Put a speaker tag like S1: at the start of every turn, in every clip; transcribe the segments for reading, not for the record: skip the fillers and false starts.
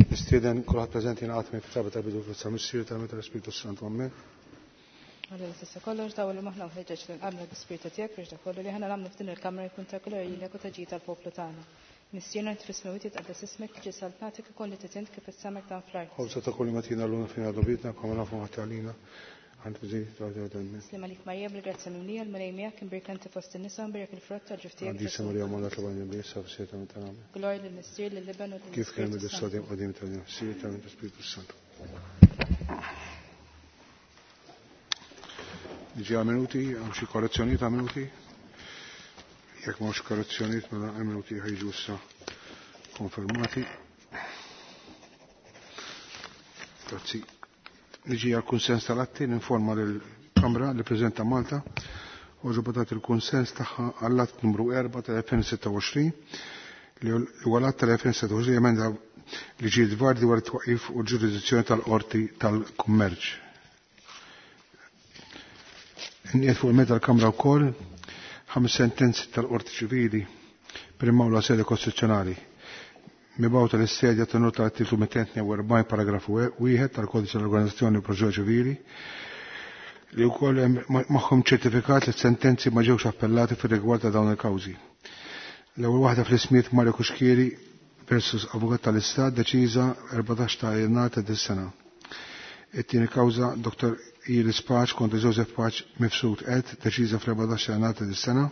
S1: Nistieden kulħadd preżenti jingħaqad miegħi fit-talba tal-bidu fl-Isem Missier tal-Ispirtu Santu. Amen.
S2: Alla li tista' kollox dawwal moħħna u ħeġġeġ lil qalbna bl-Ispirtu tiegħek biex dak kollu li aħna nagħmlu f'din il-kamra jkun ta' glorja lilek u ta' ġid għall-poplu tagħna. Missierna int fis-smewwiet jitqaddes ismek, tiġi saltnatek ikun li trid int kif fis-sema hekk dan fl-art.
S1: Ħobża ta' kull matina llum fina dubitna kama nafu ħadd għalina. Għand bżejt ta' ta'
S2: Slim għalik Marija bil-grazzja mimlija l-Mulej miegħek imbierka inti fost in-nisa u mbierek il-frott tal-ġuf tiegħek
S1: Għandi
S2: Ġesù.
S1: Marija Malla tal-Bajna Bisa f'sieta minn tal-Amen.
S2: Glorja lill-Missier, lill-Iben u
S1: Kif kien
S2: lill-Ispirtu
S1: mill-Sadim
S2: Santu.
S1: qadim tal-Nafsi tal-Spiritu Santu. Diġi għal minuti, għam xi korrezzjonijiet għal minuti? Jekk m'hawnx korrezzjonijiet mela għal minuti ħajġu issa konfermati. Grazzi. Niġi għal kunsens tal-atti, ninforma lill-Kamra li Preżenta Malta u ġobotat il-kunsens tagħha għall-att numru 4 tal-2026 li huwa l-att tal-2026 emenda li ġiet dwar dwar it-twaqif u l-ġurisdizzjoni tal-Qorti tal-Kummerċ. Nqiegħed fuq il-mezz tal-Kamra wkoll ħames sentenzi tal-Qorti Ċivili primawla sede kostituzzjonali. Mibgħuta l-istedja tenuta l-artiklu 242 paragrafu 1 tal-Kodiċi tal-Organizzazzjoni u Proċedura Ċivili li wkoll hemm magħhom ċertifikat li sentenzi ma ġewx appellati fir-rigward ta' dawn il-kawżi. L-ewwel waħda fl-ismijiet Mario Cuschieri versus Avukat tal-Istat deċiża 14 ta' Jannar ta' dis-sena. It-tieni kawża Dr. Iris Pace kontra Joseph Pace Mifsud et deċiża fl-14 ta' Jannar ta' dis-sena.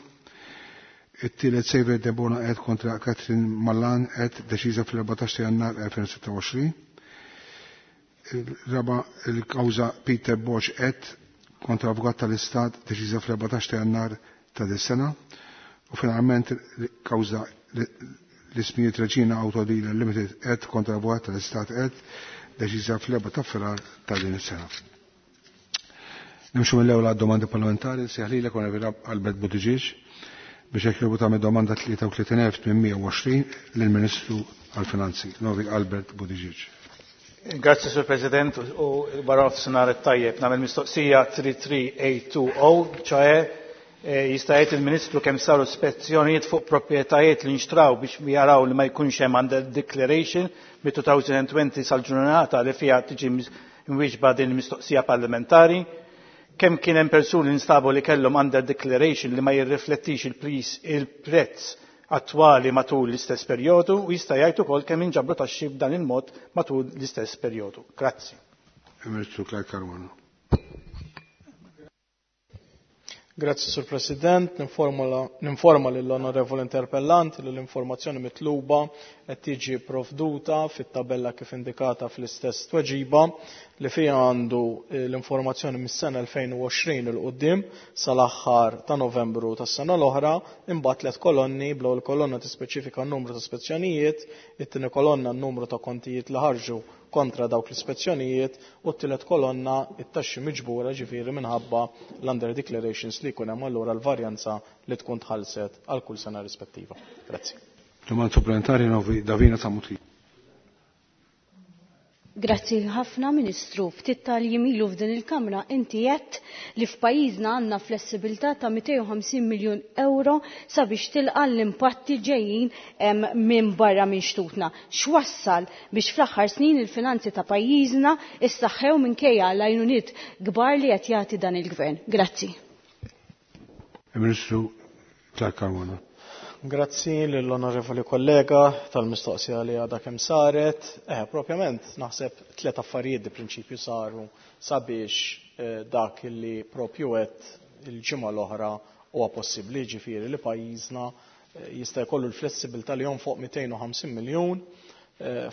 S1: It-tielet Xavier Debona et kontra Catherine Mallan et deċiża fl-14 ta' Jannar 2026. Il-raba il-kawża Peter Bosch et kontra Avukat tal-Istat deċiża fl-14 ta' Jannar ta' dis-sena. U finalment il-kawża l-ismijiet Regina Auto Dealer Limited et kontra Avukat tal-Istat et deċiża fl-4 ta' Frar ta' din is-sena. Nimxu mill-ewwel għad-domandi parlamentari, seħlilek Onorevoli Albert Buttigieg biex jekk jogħġbu tagħmel domanda 33,820 lill-Ministru għall-Finanzi, Novi Albert Buttigieg.
S3: Grazzi, Sur President, u wara nofsinhar it-tajjeb. Nagħmel mistoqsija 33820, ċae jista' jgħid il-Ministru kemm saru spezzjonijiet fuq proprjetajiet li nxtraw biex jaraw li ma jkunx hemm under declaration mit-2020 sal-ġurnata li fiha tiġi mwieġba din il-mistoqsija parlamentari. Kemm kien hemm persuni li nstabu li kellhom under declaration li ma jirriflettix il-prezz attwali matul l-istess perjodu u jista' jgħid ukoll kemm inġabru taxxi b'dan il-mod matul l-istess perjodu. Grazzi.
S1: Ministru Clyde Caruana.
S4: Grazzi, Sur President. Ninforma lill-Onorevoli Interpellant li l-informazzjoni mitluba qed tiġi provduta fit-tabella kif indikata fl-istess tweġiba li fiha għandu l-informazzjoni mis-sena 2020 il quddiem sal-aħħar ta' Novembru tas-sena l-oħra, imbagħad tliet kolonni, bl-ewwel kolonna tispeċifika n-numru ta' spezzjonijiet, it-tieni kolonna n-numru ta' kontijiet li ħarġu kontra dawk l-ispezzjonijiet u t-tielet kolonna it-taxxi miġbura ġifieri minħabba l-under declarations li jkun hemm allura l-varjanza li tkun tħallset għal kull sena rispettiva. Grazzi.
S1: Domanda supplementari Novi Davina Samuti.
S5: Grazzi ħafna, Ministru. Ftit tal-jimilu f'din il-Kamra inti għedt li f'pajjiżna għandna flessibilità ta' 250 miljun euro sabiex tilqa' l-impatti ġejjin minn barra minn xtutna. X'wassal biex fl-aħħar snin il-finanzi ta' pajjiżna issaħħew minkejja l-għajnuniet kbar li qed jagħti dan il-Gvern? Grazzi.
S1: Ministru Clyde Caruana.
S4: Grazzi lill-onorevoli kollega tal-mistoqsija li għadha kemm saret. Propjament naħseb tliet affarijiet di prinċipju saru sabiex dak li propju għedt il-ġimgħa l-oħra huwa possibbli, ġifieri li pajjiżna jista' jkollu l-flessibilità li jonfoq 250 miljun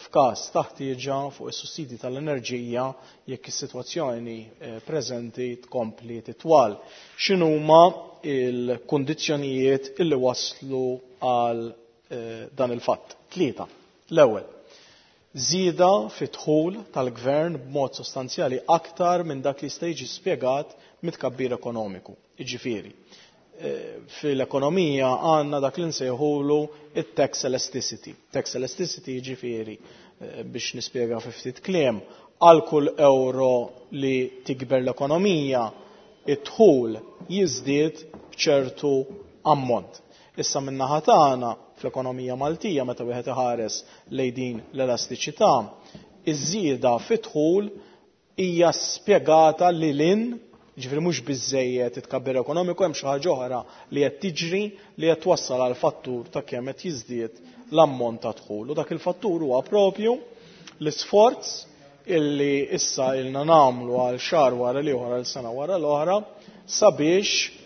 S4: f'każ ta' ħtieġa fuq is-sussidji tal-enerġija jekk is-sitwazzjoni preżenti tkompli titwal. X'inhuma il-kundizzjonijiet illi waslu għal dan il-fatt? Tlieta. L-ewwel, żieda fit-dħul tal-gvern b'mod sostanzjali aktar minn dak li jista' jiġi spjegat mit-tkabbir ekonomiku. Jiġifieri, fil-ekonomija għandna dak li nsejħulu it-tax elasticity. Tax elasticity jiġifieri, biex nispjega fi ftit kliem, għal kull euro li tikber l-ekonomija, id-dħul jiżdied b'ċertu ammont. Issa min-naħa tagħna fl-ekonomija Maltija meta wieħed iħares lejn din l-elastiċità, iż-żieda fid-dħul hija spjegata lil hinn, jiġifieri mhux biżżejjed it-tkabbir ekonomiku, hemm xi ħaġa oħra li qed tiġri li qed twassal għal fattur ta' kemm qed jiżdied l-ammont ta' dħul. U dak il-fattur huwa propju l-isforz illi issa ilna nagħmlu għal xahar wara l-ieħor, għal sena wara l-oħra, sabiex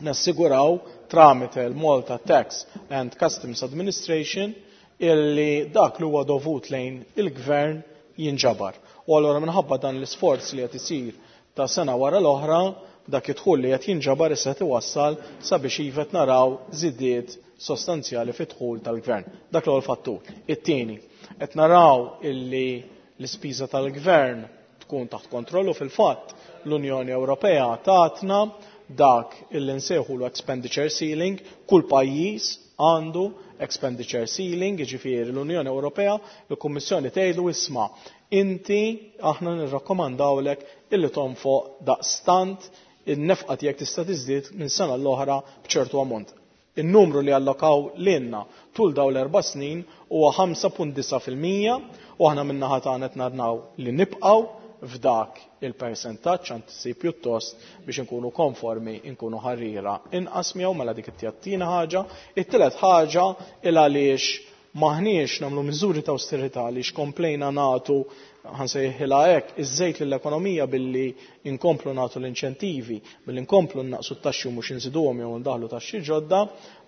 S4: nassiguraw tramite l-Malta Tax and Customs Administration illi dak li huwa dovut lejn il-gvern jinġabar. U allura minħabba dan l-isforz li qed isir ta' sena wara l-oħra, dak id-dħul li qed jinġabar issa qed iwassal sabiex iva qed naraw żidiet sostanzjali fid-dħul tal-gvern. Dak l-ewwel fattur. It-tieni, qed naraw illi l-ispiża tal-gvern tkun taħt kontroll u fil-fatt l-Unjoni Ewropea tatna dak illi nsejħulu expenditure ceiling, kull pajjiż għandu expenditure ceiling, jiġifieri l-Unjoni Ewropea, il-Kummissjoni tgħidlu isma' inti aħna nirrakkomandawlek illi tonfoq daqstant in-nefqa tiegħek tista' tiżdied minn sena l-oħra b'ċertu ammont. In-numru li allokaw lilna tul dawn l-4 snin huwa 5.9% u aħna min-naħa tagħna qed naraw li nibqgħu f'dak il-persentaġġ, anzi pjuttost biex inkunu konformi nkunu ħarriera inqas miegħu, mela dik it-tieni ħaġa. It-tielet ħaġa il għaliex maħniex nagħmlu miżuri ta' austerità għaliex komplejna nagħtu, ħansejħilha hekk, iż-żejt lill-ekonomija billi inkomplu nagħtu l-inċentivi, billi nkomplu naqsu t-taxxi u mhux inżiduhom jew ndaħlu taxxi ġodda,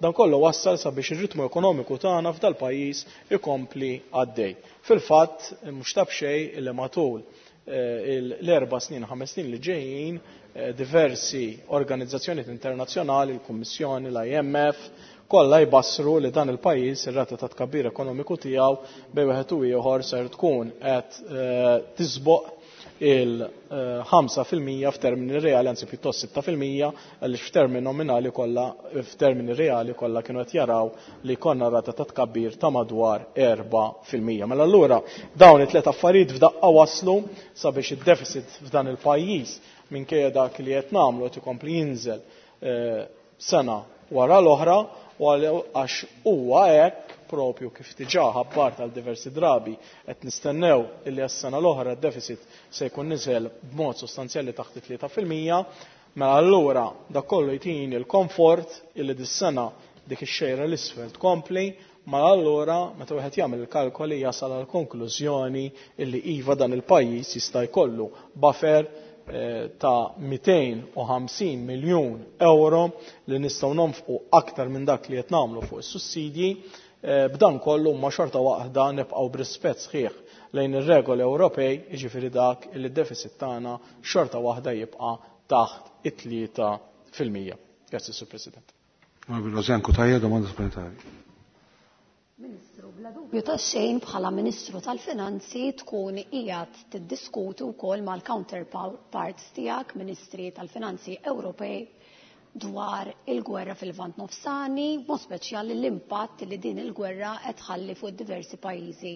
S4: dan kollu wassal sabiex ir-ritmu ekonomiku tagħna f'dal-pajjiż ikompli għaddej. Fil-fatt, mhux ta' b'xejn illi matul l-4 snin, 5 snin li ġejjin, diversi organizzazzjonijiet internazzjonali, il-Kummissjoni, l-IMF, kollha jbassru li dan il-pajjiż ir-rata ta' tkabbir ekonomiku tiegħu bejn wieħed u ieħor ser tkun qed tisboq il-ħamsa fil-mija f'termini reali, anzi pjuttost sitta fil-mija, għaliex f'termini nominali kollha, f'termini reali kollha kienu qed jaraw li konna rata ta' tkabbir ta' madwar 4%. Mela allura dawn it-tliet affarijiet f'daqqa waslu sabiex id-deficit f'dan il-pajjiż minkejja dak li qed nagħmlu qed ikompli jinżel sena wara l-oħra, u għax huwa hekk propju kif diġà ħabbart għal diversi drabi qed nistennew illi għas-sena l-oħra d-deficit se jkun niżel b'mod sostanzjali taħt it-tlieta fil-mija, mela allura dak kollu jtini l-komfort illi dis-sena dik ix-xejra l-isfel tkompli, mela allura meta wieħed jagħmel il-kalkoli jasal għal konklużjoni illi iva dan il-pajjiż jista' jkollu buffer ta' 250 miljun euro li nistgħu nonfqu aktar minn dak li qed nagħmlu fuq is-sussidji. B'dan kollu ma xorta waħda nibqgħu b'rispett sħiħ lejn ir-regoli Ewropej, jiġifieri dak li d-deficit tagħna xorta waħda jibqa' taħt it-tlieta fil-mija. Grazzi, Sur President.
S1: Onorevole Rosianne Cutajar, domanda supplementari.
S6: Ministru, bla dubju ta' xejn bħala Ministru tal-Finanzi tkun qiegħed tiddiskuti wkoll mal-counterparts tiegħek, Ministri tal-Finanzi Ewropej, dwar il-gwerra fil-Lvant Nofsani, mod speċjali l-impatt li din il-gwerra qed tħalli fuq diversi pajjiżi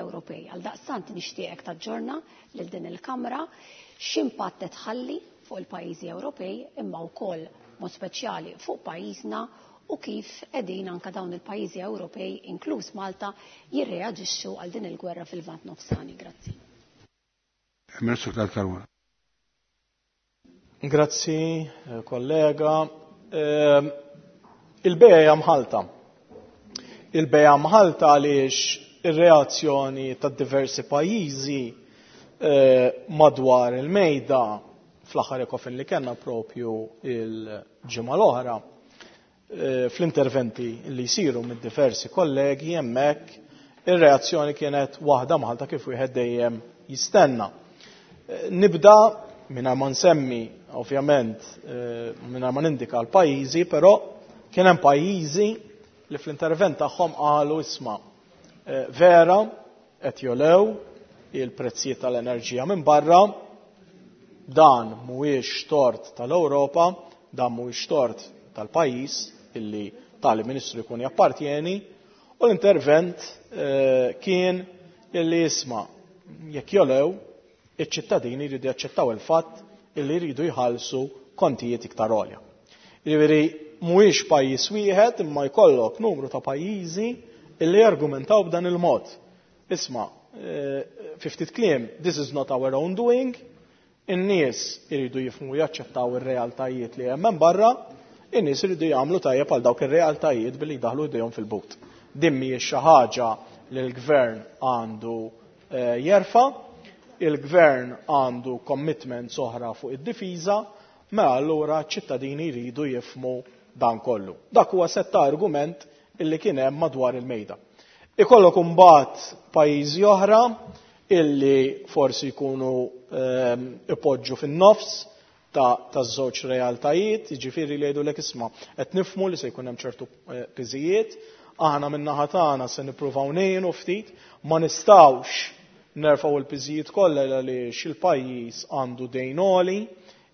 S6: Ewropej. Għal daqstant nixtieqek taġġorna lil din il-Kamra x'impatt qed tħalli fuq il-pajjiżi Ewropej imma wkoll mod speċjali fuq pajjiżna u kif qegħdin anke dawn il-pajjiżi Ewropej, inkluż Malta, jirreaġixxu għal din il-gwerra fil-Lvant Nofsani. Grazzi.
S1: Ministru Clyde Caruana.
S4: Grazzi, kollega. Il-bejja hija mħalta. Il-bejja mħalta għaliex ir-reazzjoni ta' diversi pajjiżi madwar il-mejda fl-aħħar ECOFIN li kellna propju il-ġimgħa l-oħra, fl-interventi li jsiru mid diversi kollegi hemmhekk ir-reazzjoni kienet waħda mħalta kif wieħed dejjem jistenna. Nibda mingħajr ma nsemmi ovvjament mingħajr ma nindika l-pajjiżi, però kien hemm pajjiżi li fl-intervent tagħhom qalu isma' vera qed jolew il-prezzijiet tal-enerġija minn barra, dan mhuwiex tort tal-Ewropa, dan mhuwiex tort tal-pajjiż illi tali ministru jkun jappartjeni, u l-intervent kien illi isma' jekk jolew iċ-ċittadini jridu jaċċettaw il-fatt illi jridu jħallsu kontijiet iktar għolja. Jiġifieri mhuwiex pajjiż wieħed imma jkollok numru ta' pajjiżi illi jargumentaw b'dan il-mod. Isma', fi ftit kliem, this is not our own doing, in-nies iridu jifhmu jaċċettaw ir-realtajiet li hemm barra, in-nies iridu jagħmlu tajjeb għal dawk ir-realtajiet billi jdaħlu idejhom fil-but. Din mhijiex xi ħaġa li l-gvern għandu jerfa', il-gvern għandu commitments oħra fuq id-difiża, mela allura ċ-ċittadini jridu jifhmu dan kollu. Dak huwa sett ta' argument illi kien hemm madwar il-mejda. Ikollok imbagħad pajjiżi oħra illi forsi jkunu ipoġġu fin-nofs ta' żewġ realtajiet, jiġifieri li jgħidulek isma' qed nifhmu li se jkun hemm ċertu piżijiet, aħna min-naħa tagħna se nippruvaw ngħinu ftit, ma nistgħux nerfgħu l-piżijiet kollha għaliex il-pajjiż għandu dejn għoli,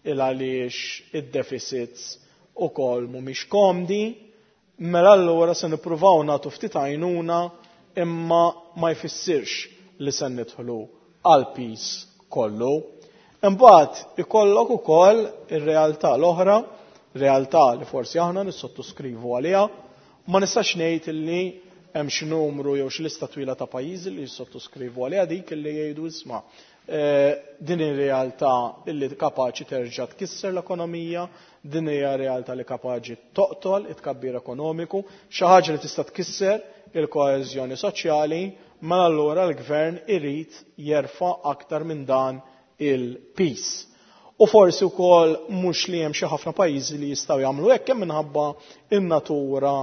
S4: il għaliex id-deficits ukoll mhumiex komdi, mela allura se nippruvaw nagħtu ftit għajnuna imma ma jfissirx li se nidħlu għal piż kollu. Imbagħad ikollok ukoll ir-realtà l-oħra, realtà li forsi aħna nissottoskrivu għaliha, ma nistax ngħid illi hemm xi numru jew xi lista twila ta' pajjiżi li jissottoskrivu għaliha dik illi jgħidu isma' din ir-realtà illi kapaċi terġa' tkisser l-ekonomija, din hija realtà li kapaċi toqtol it-tkabbir ekonomiku, xi ħaġa li tista' tkisser il-koeżjoni soċjali, mela allura l-gvern irid jerfa' aktar minn dan il-piż. U forsi wkoll mhux li hemm xi ħafna pajjiżi li jistgħu jagħmlu hekk kemm minħabba in-natura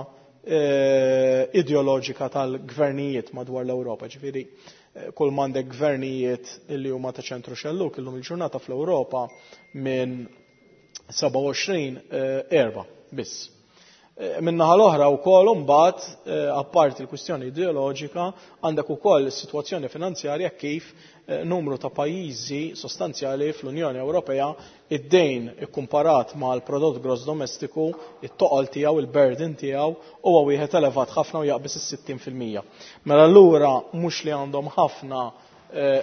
S4: ideoloġika tal-gvernijiet madwar l-Ewropa. Ġifieri kull m'għandek gvernijiet li huma ta' ċentru xellug illum il-ġurnata fl-Ewropa minn 27 erba' biss. Min-naħa l-oħra wkoll imbagħad apparti l-kwistjoni ideoloġika għandek ukoll is-sitwazzjoni finanzjarja kif numru ta' pajjiżi sostanzjali fl-Unjoni Ewropea id-dejn ikkumparat mal-prodott gross domestiku, it-toqol tiegħu, il-burden tiegħu huwa wieħed elevat ħafna u jaqbeż is-60%. Mela allura mhux li għandhom ħafna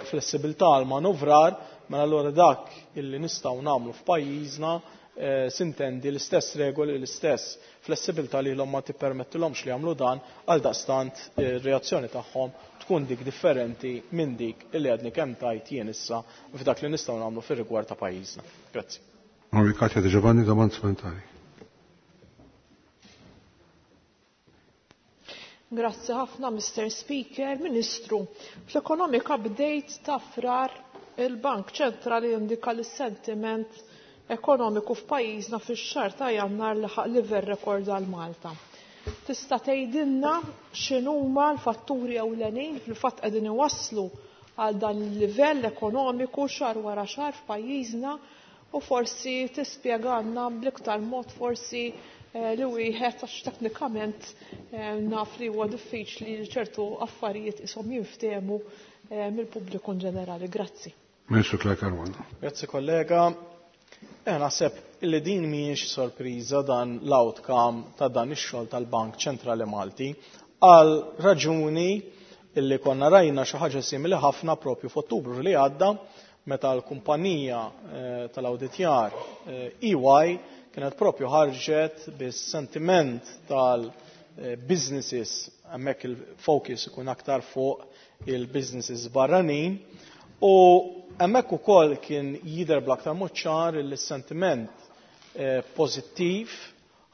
S4: flessibilità għal manuvrar, mela allura dak illi nistgħu nagħmlu f'pajjiżna sintendi l-istess regoli, l-istess flessibilità li l-hom ma tippermettilhomx li jagħmlu dan, għal daqstant ir-reazzjoni tagħhom tkun dik differenti minn dik illi għadni kemm tajt jien issa f'dak li nistgħu nagħmlu fir-rigward ta' pajjiżna. Grazzi.
S1: Onorevoli Katja De Giovanni, domanda supplementari.
S7: Grazzi ħafna, Mr. Speaker. Ministru, fl-Economic Update ta' Frar il-Bank Ċentrali indika li sentiment ekonomiku f'pajjiżna fix-xahar ta' Jannar laħaq livell rekord għal Malta. Tista' tgħidilna x'inhuma l-fatturi ewlenin fil-fatt qegħdin iwasslu għal dan il-livell ekonomiku xahar wara xahar f'pajjiżna u forsi tispjegalna bl-iktar mod forsi li wieħed għax teknikament naf li huwa diffiċli li ċertu affarijiet ishom jinftehmu mill-pubbliku in ġenerali. Grazzi.
S1: Ministru Clyde Caruana.
S4: Grazzi kollega. Naħseb illi din mhijiex sorpriża dan l-outcome ta' dan ix-xogħol tal-Bank Ċentrali Malti għal raġuni illi konna rajna xi ħaġa simili ħafna propju f'Ottubru li għadda meta l-kumpanija tal-awditjar EY kienet propju ħarġet bis-sentiment tal-businesses, hemmhekk il-focus ikun aktar fuq il-businesses barranin, u hemmhekk ukoll kien jidher bl-aktar mod ċar li s-sentiment pożittiv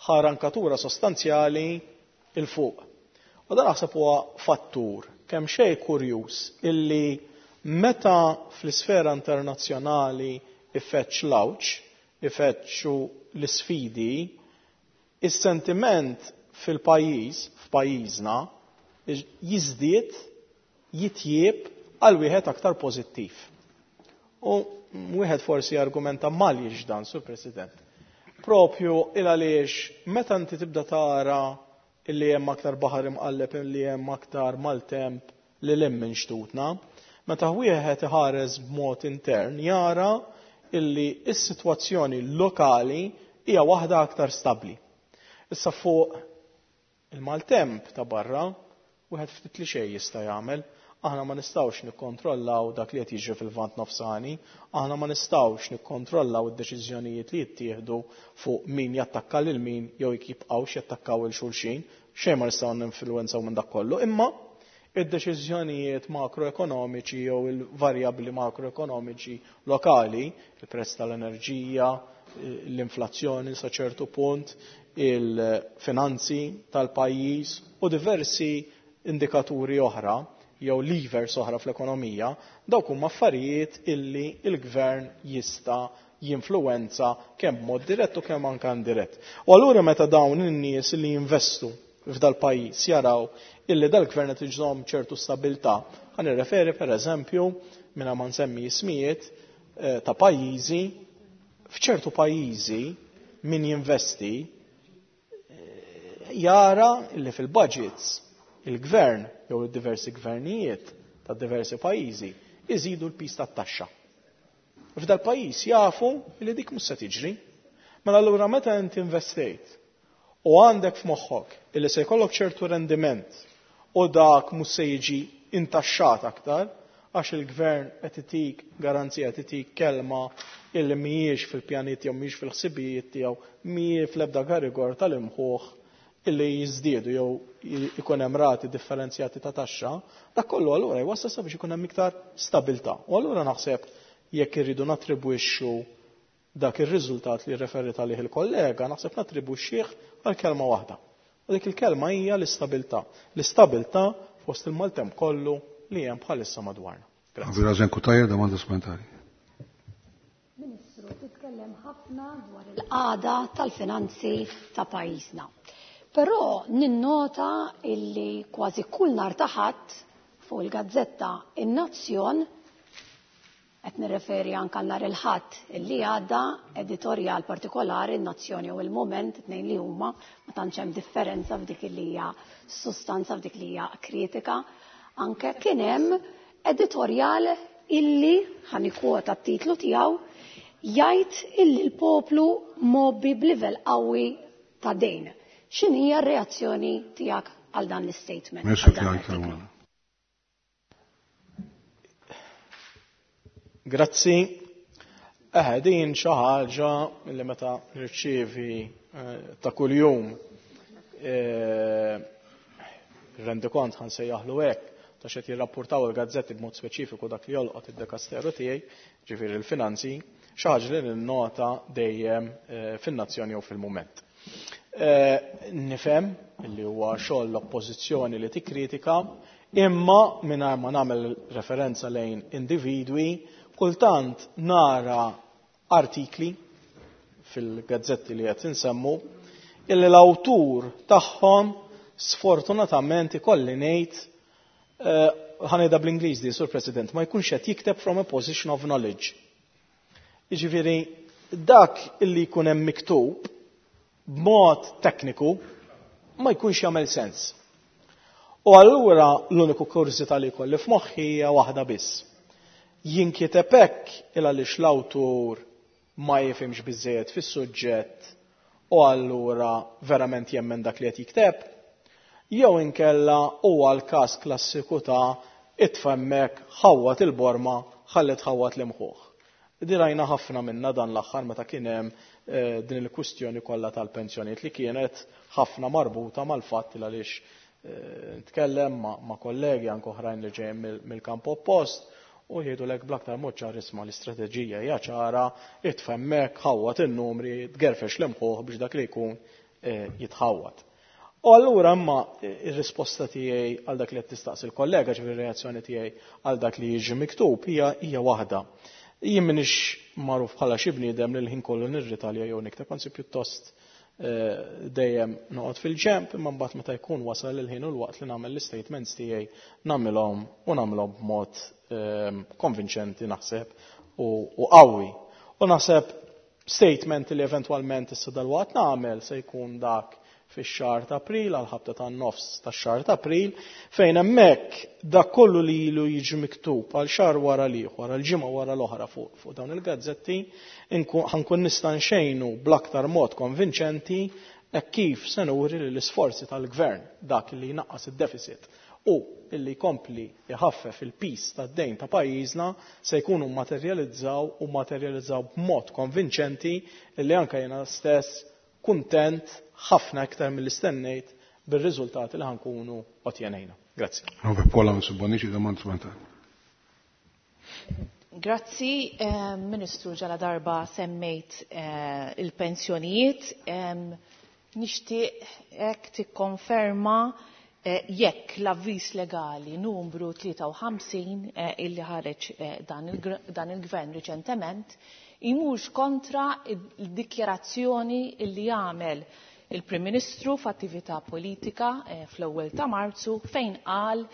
S4: ħa rankatura sostanzjali 'il fuq. U dan naħseb huwa fattur kemm xejn kurjuż illi meta fl-isfera internazzjonali ifeċċ l-għawġ, ifeċċu l-isfidi, is-sentiment fil-pajjiż, f'pajjiżna, jiżdied, jitjieb għal wieħed aktar pożittiv. U wieħed forsi argumenta mal dan, Sur President. Propju il għaliex meta inti tibda tara illi hemm aktar baħar imqalleb, illi hemm aktar maltemp li hemm minn xtutna, meta wieħed iħares b'mod intern jara illi s-sitwazzjoni lokali hija waħda aktar stabbli. Issa fuq il-maltemp ta' barra, wieħed ftit li xejn jista' jagħmel. Aħna ma nistgħux nikkontrollaw dak li qed jiġri fil-Lvant Nofsani, aħna ma nistgħux nikkontrollaw id-deċiżjonijiet li jittieħdu fuq min jattakka lil min jew jekk jibqgħux jattakkaw il xulxin, xejn ma nistgħu ninfluwenzaw minn dak kollu, imma id-deċiżjonijiet makroekonomiċi jew il-varjabbli makroekonomiċi lokali, il-prezz tal-enerġija, l-inflazzjoni sa ċertu punt, il-finanzi tal-pajjiż u diversi indikaturi oħra jew levers oħra fl-ekonomija, dawk huma affarijiet illi il-gvern jista' jinfluwenza kemm b'mod dirett u kemm anke indirett. U allura meta dawn in-nies li jinvestu f'dal pajjiż jaraw illi dal-gvern qed iżomm ċertu stabilità, ħa nirreferi pereżempju mingħajr ma nsemmi ismijiet ta' pajjiżi, f'ċertu pajjiżi min jinvesti jara illi fil-budgets il-gvern jew diversi gvernijiet ta' diversi pajjiżi iżidu l-piż tat-taxxa. F'dal pajjiż jafu li dik mhux se tiġri. Mela allura meta inti investejt u għandek f'moħħok illi se jkollok ċertu rendiment u dak mhux se jiġi intaxxat aktar għax il-gvern qed itik garanzija, qed itik kelma illi mhijiex fil-pjanijiet jew mhijiex fil-ħsibijiet tiegħu, mhijiex fl-ebda garigor tal-imħuħ illi jiżdiedu jew ikun hemm rati differenzjati ta' taxxa, dak kollu allura jwassal sabiex ikun hemm iktar stabilità. U allura naħseb jekk irridu nattribwixxu dak ir-riżultat li referit għalih il-kollega, naħseb nattribwixxih għal kelma waħda. U dik il-kelma hija l-istabilità. L-istabilità fost il-maltemp kollu li hemm bħalissa madwarna.
S1: Grazie. Raġen Cutajar, domanda supplementari.
S6: Ministru, titkellem ħafna dwar il-qagħda tal-finanzi ta' pajjiżna. Però ninnota illi kważi kull nhar ta' Ħadd fuq il-gazzetta In-Nazzjon, qed nirreferi anke nhar il-Ħadd illi għadda, editorjal partikolari In-Nazzjoni u Il-Mument, tnejn li huma ma tantx hemm differenza f'dik li hija sustanza, f'dik li hija kritika, anke kien hemm editorjal illi, ħa nikkwota t-titlu tiegħu, jgħid illi l-poplu mgħobbi b'livell qawwi ta' dejn. X'inhi r-reazzjoni tiegħek għal dan l-statement?
S1: Ministru Caruana.
S4: Grazzi. Din xi ħaġa li meta nirċievi ta' kuljum rendikont ħa nsejjaħlu hekk ta' xed jirrapportaw il-gazzetti b'mod speċifiku dak li jolqot id-dekasteru tiegħi, ġifieri l-finanzi, xi ħaġa li ninnota dejjem fin-Nazzjoni jew fil-Mument. Nifhem li huwa xogħol l-oppożizzjoni li tikkritika, imma mingħajr ma nagħmel referenza lejn individwi, kultant nara artikli fil-gazzetti li qed insemmu illi l-awtur tagħhom sfortunatament ikolli ngħid, ħa ngħidha bl-Ingliż di, Sur President, ma jkunx qed jikteb from a position of knowledge. Jiġifieri dak illi jkun hemm miktub b'mod tekniku ma jkunx jagħmel sens. U allura l-uniku kurżità li jkolli f'moħħi hija waħda biss. Jinkiteb hekk il għaliex l-awtur ma jifhimx biżejjed fis-suġġett u allura verament jemmen dak li qed jikteb, jew inkella huwa l-każ klassiku ta' itfemmek ħawwat il-borma ħalli tħawwat l-imħuħ. Dirajna ħafna minna dan l-aħħar meta kien hemm din il-kwistjoni kollha tal-pensjonijiet li kienet ħafna marbuta mal-fatt li għaliex nitkellem ma' kollegi anke oħrajn li ġejjin mill-kamp oppost u jgħidu lek bl-aktar mod ċar isma' l-istrateġija hija ċara, itfemmek, ħawwat in-numri, tgerfex l-imħuħ biex dak li jkun jitħawwat. U allura imma ir-risposta tiegħi għal dak li qed tistaqsi l-kollega, ġifieri r-reazzjoni tiegħi għal dak li jiġi miktub hija waħda. Jien m'iniex magħruf bħala xi bniedem li l-ħin kollu nirritalja jew nikteb, anzi pjuttost dejjem noqgħod fil-ġemp, imma mbagħad meta jkun wasal il-ħin u l-waqt li nagħmel l-istatements tiegħi nagħmilhom u nagħmilhom b'mod konvinċenti naħseb u qawwi. U naħseb statement li eventwalment issa dalwaqt nagħmel se jkun dak fix-xahar ta' April għal ħabta tan-nofs tax-xahar ta' April, fejn hemmhekk dak kollu li ilu jiġi miktub għal xahar wara l-ieħor, għal ġimgħa wara l-oħra fuq dawn il-gazzetti, ħankun nista' nxejnu bl-aktar mod konvinċenti hekk kif se nuri li l-isforzi tal-gvern dak li jnaqqas id-deficit u illi jkompli jħaffef il-piż tad-dejn ta' pajjiżna se jkunu materjalizzaw u materjalizzaw b'mod konvinċenti illi anke jiena stess kuntent ħafna iktar milli stennejt bir-riżultati li ħa nkunu ottjenejna. Grazzi.
S1: Paula Bonnici, domanda supplementari.
S8: Grazzi, Ministru, ġala darba semmejt il-pensjonijiet. Nixtieq hekk tikkonferma jekk l-avviż legali numru 53 illi ħareġ dan il-gvern riċentement imurx kontra il-dikjarazzjoni illi għamel il-Prim Ministru f'attività politika fl-ewwel ta' Marzu, fejn qal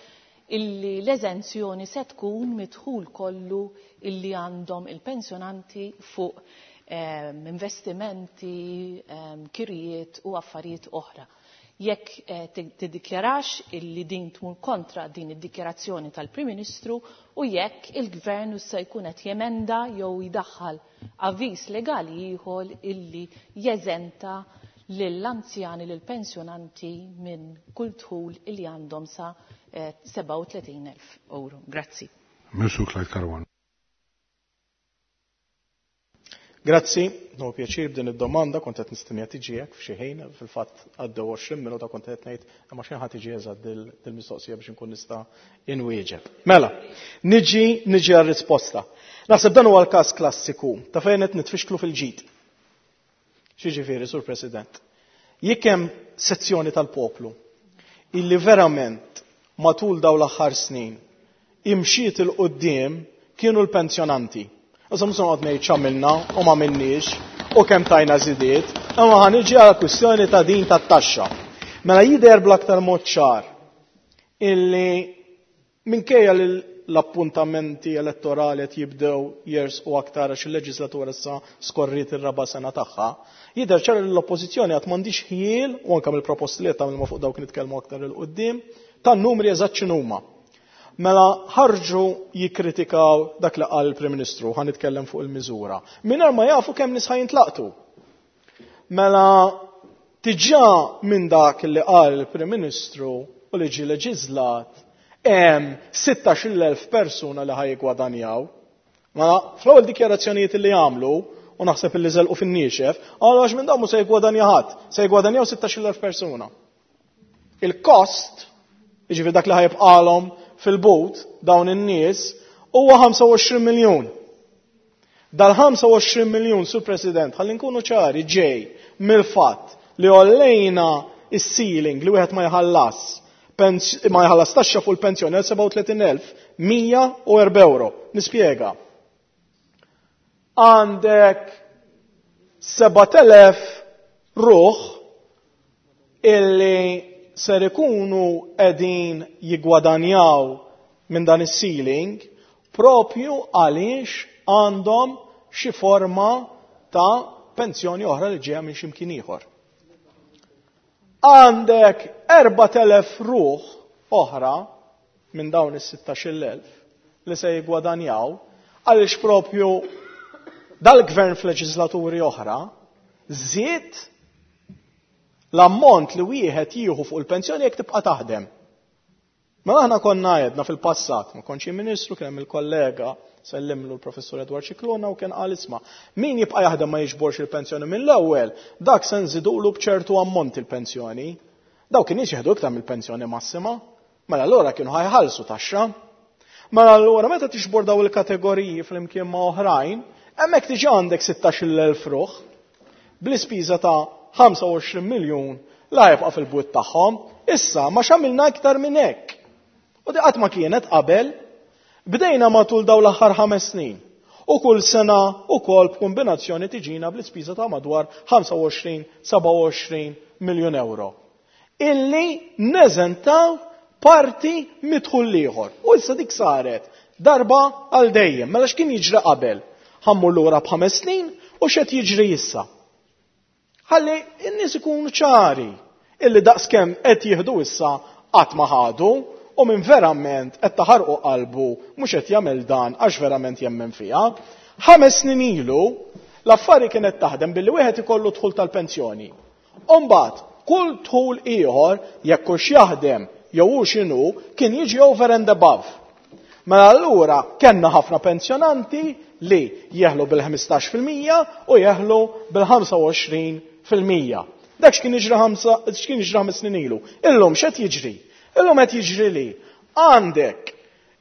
S8: illi l-eżenzjoni se tkun mid-dħul kollu illi għandhom il-pensjonanti fuq investimenti, kirjiet u affarijiet oħra. Jekk tiddikjarax illi din tmur kontra din id-dikjarazzjoni tal-Prim Ministru u jekk il-Gvern se jkun qed jemenda jew jdaħħal avviż legali ieħor illi jeżenta lill-anzjani, lill-pensjonanti minn kull dħul illi għandhom sa 37,000 euro. Grazzi.
S1: Ministru Clyde Caruana.
S4: Grazzi, no pjaċir b'din id-domanda, kont qed nistennija tiġi hekk f'xi ħin, fil-fatt għaddew 20 minuta kont qed ngħid imma xejn ħadd tiġi eżatt dil-mistoqsija biex inkun nista' inwieġeb. Mela, niġi għar-risposta. Naħseb dan huwa l-każ klassiku ta' fejn qed nitfixklu fil-ġid. X'jiġifieri, Sur President? Jekk hemm sezzjoni tal-poplu illi verament matul dawn l-aħħar snin imxiet il-qudiem kienu l-pensjonanti. Issa mhux noqgħod ngħid x'għamilna u ma minniex u kemm tajna żidiet, imma ħa niġi għal kwistjoni ta' din tat-taxxa. Mela jidher bl-aktar mod ċar illi minkejja li l-appuntamenti elettorali qed jibdew jersqu aktar għax il-leġislatura issa skorriet ir-raba' sena tagħha, jidher ċar li l-oppożizzjoni qatt m'għandix ħjiel, u anke mill-proposti li qed tagħmel fuq dawk nitkellmu aktar il quddiem, tan-numri eżatt x'inhuma. Mela ħarġu jikkritikaw dak li qal il-Prim Ministru, ħa nitkellem fuq il-miżura, mingħajr ma jafu kemm nies ħa jintlaqtu. Mela diġà minn dak li qal il-Prim Ministru u li ġie leġislat hemm 16,000 persuna li ħaj jiggwadanjaw. Mela fl-ewwel dikjarazzjonijiet li għamlu, u naħseb li żelqu fin-niexef, qalu għax minn dawn mhux se jiggwadanja ħadd, se jiggwadanjaw 16,000 persuna. Il-kost, jiġifieri dak li ħajbqalhom fil-but dawn in-nies, huwa 25 miljun. Dal-25 miljun, Sur President, ħalli nkunu ċari, ġej mill-fatt li għollejna is-ceiling li wieħed ma jħallas ma jħallas taxxa fuq il-pensjoni għal 37,104 euro. Nispjega. Għandek 7,000 ruħ illi ser ikunu qegħdin jiggwadanjaw minn dan is-ceiling propju għaliex għandhom xi forma ta' pensjoni oħra li ġejja minn xi mkien ieħor. Għandek 4,000 ruħ oħra minn dawn is-16,000 li se jiggwadanjaw għaliex propju dal-gvern f'leġislaturi oħra żied l-ammont li wieħed jieħu fuq il-pensjoni jekk tibqa' taħdem. Mela aħna konna għedna fil-passat, ma kontx ministru, kien hemm il-kollega sellimlu l-professur Edward Scicluna u kien qal isma' min jibqa' jaħdem ma jiġborx il-pensjoni mill-ewwel, dak se nżidulu b'ċertu ammont il-pensjoni. Dawk kien jieħdu iktar mill-pensjoni massima, mela allura kienu ħajħallsu taxxa. Mela allura meta tixbor daw il-kategoriji flimkien ma' oħrajn, hemmhekk diġà għandek 16,000 ruħ bl-ispiża ta' 25 miljun la jibqa' fil-bwiet tagħhom. Issa ma x'għamilna iktar minn hekk. U di qatt ma kienet qabel, bdejna matul dawn l-aħħar 5 snin. U kull sena ukoll b'kombinazzjoni tiġina bl-ispiża ta' madwar 25-27 miljun euro. Illi neżentaw parti midħul ieħor. U issa dik saret darba għal dejjem. Mela x'kien jiġri qabel? Ħammur lura b'ħames snin u x'qed jiġri issa? Ħalli n-nies ikunu ċari illi daqskemm qed jieħdu issa qatt ma ħadu u minn verament qed taħarqu qalbu mhux qed jagħmel dan għax verament jemmen fiha. 5 snin ilu l-affari kienet taħdem billi wieħed ikollu dħul tal-pensjoni. U mbagħad kull dħul ieħor jekk hux jaħdem jew hu x'inhu kien jiġi over and above. Mela allura kellna ħafna pensjonanti li jeħlu bil-15% u jeħlu bil-25%. Dak x'kien jiġri 5 snin ilu. Illum x'qed jiġri? Illum qed jiġri li għandek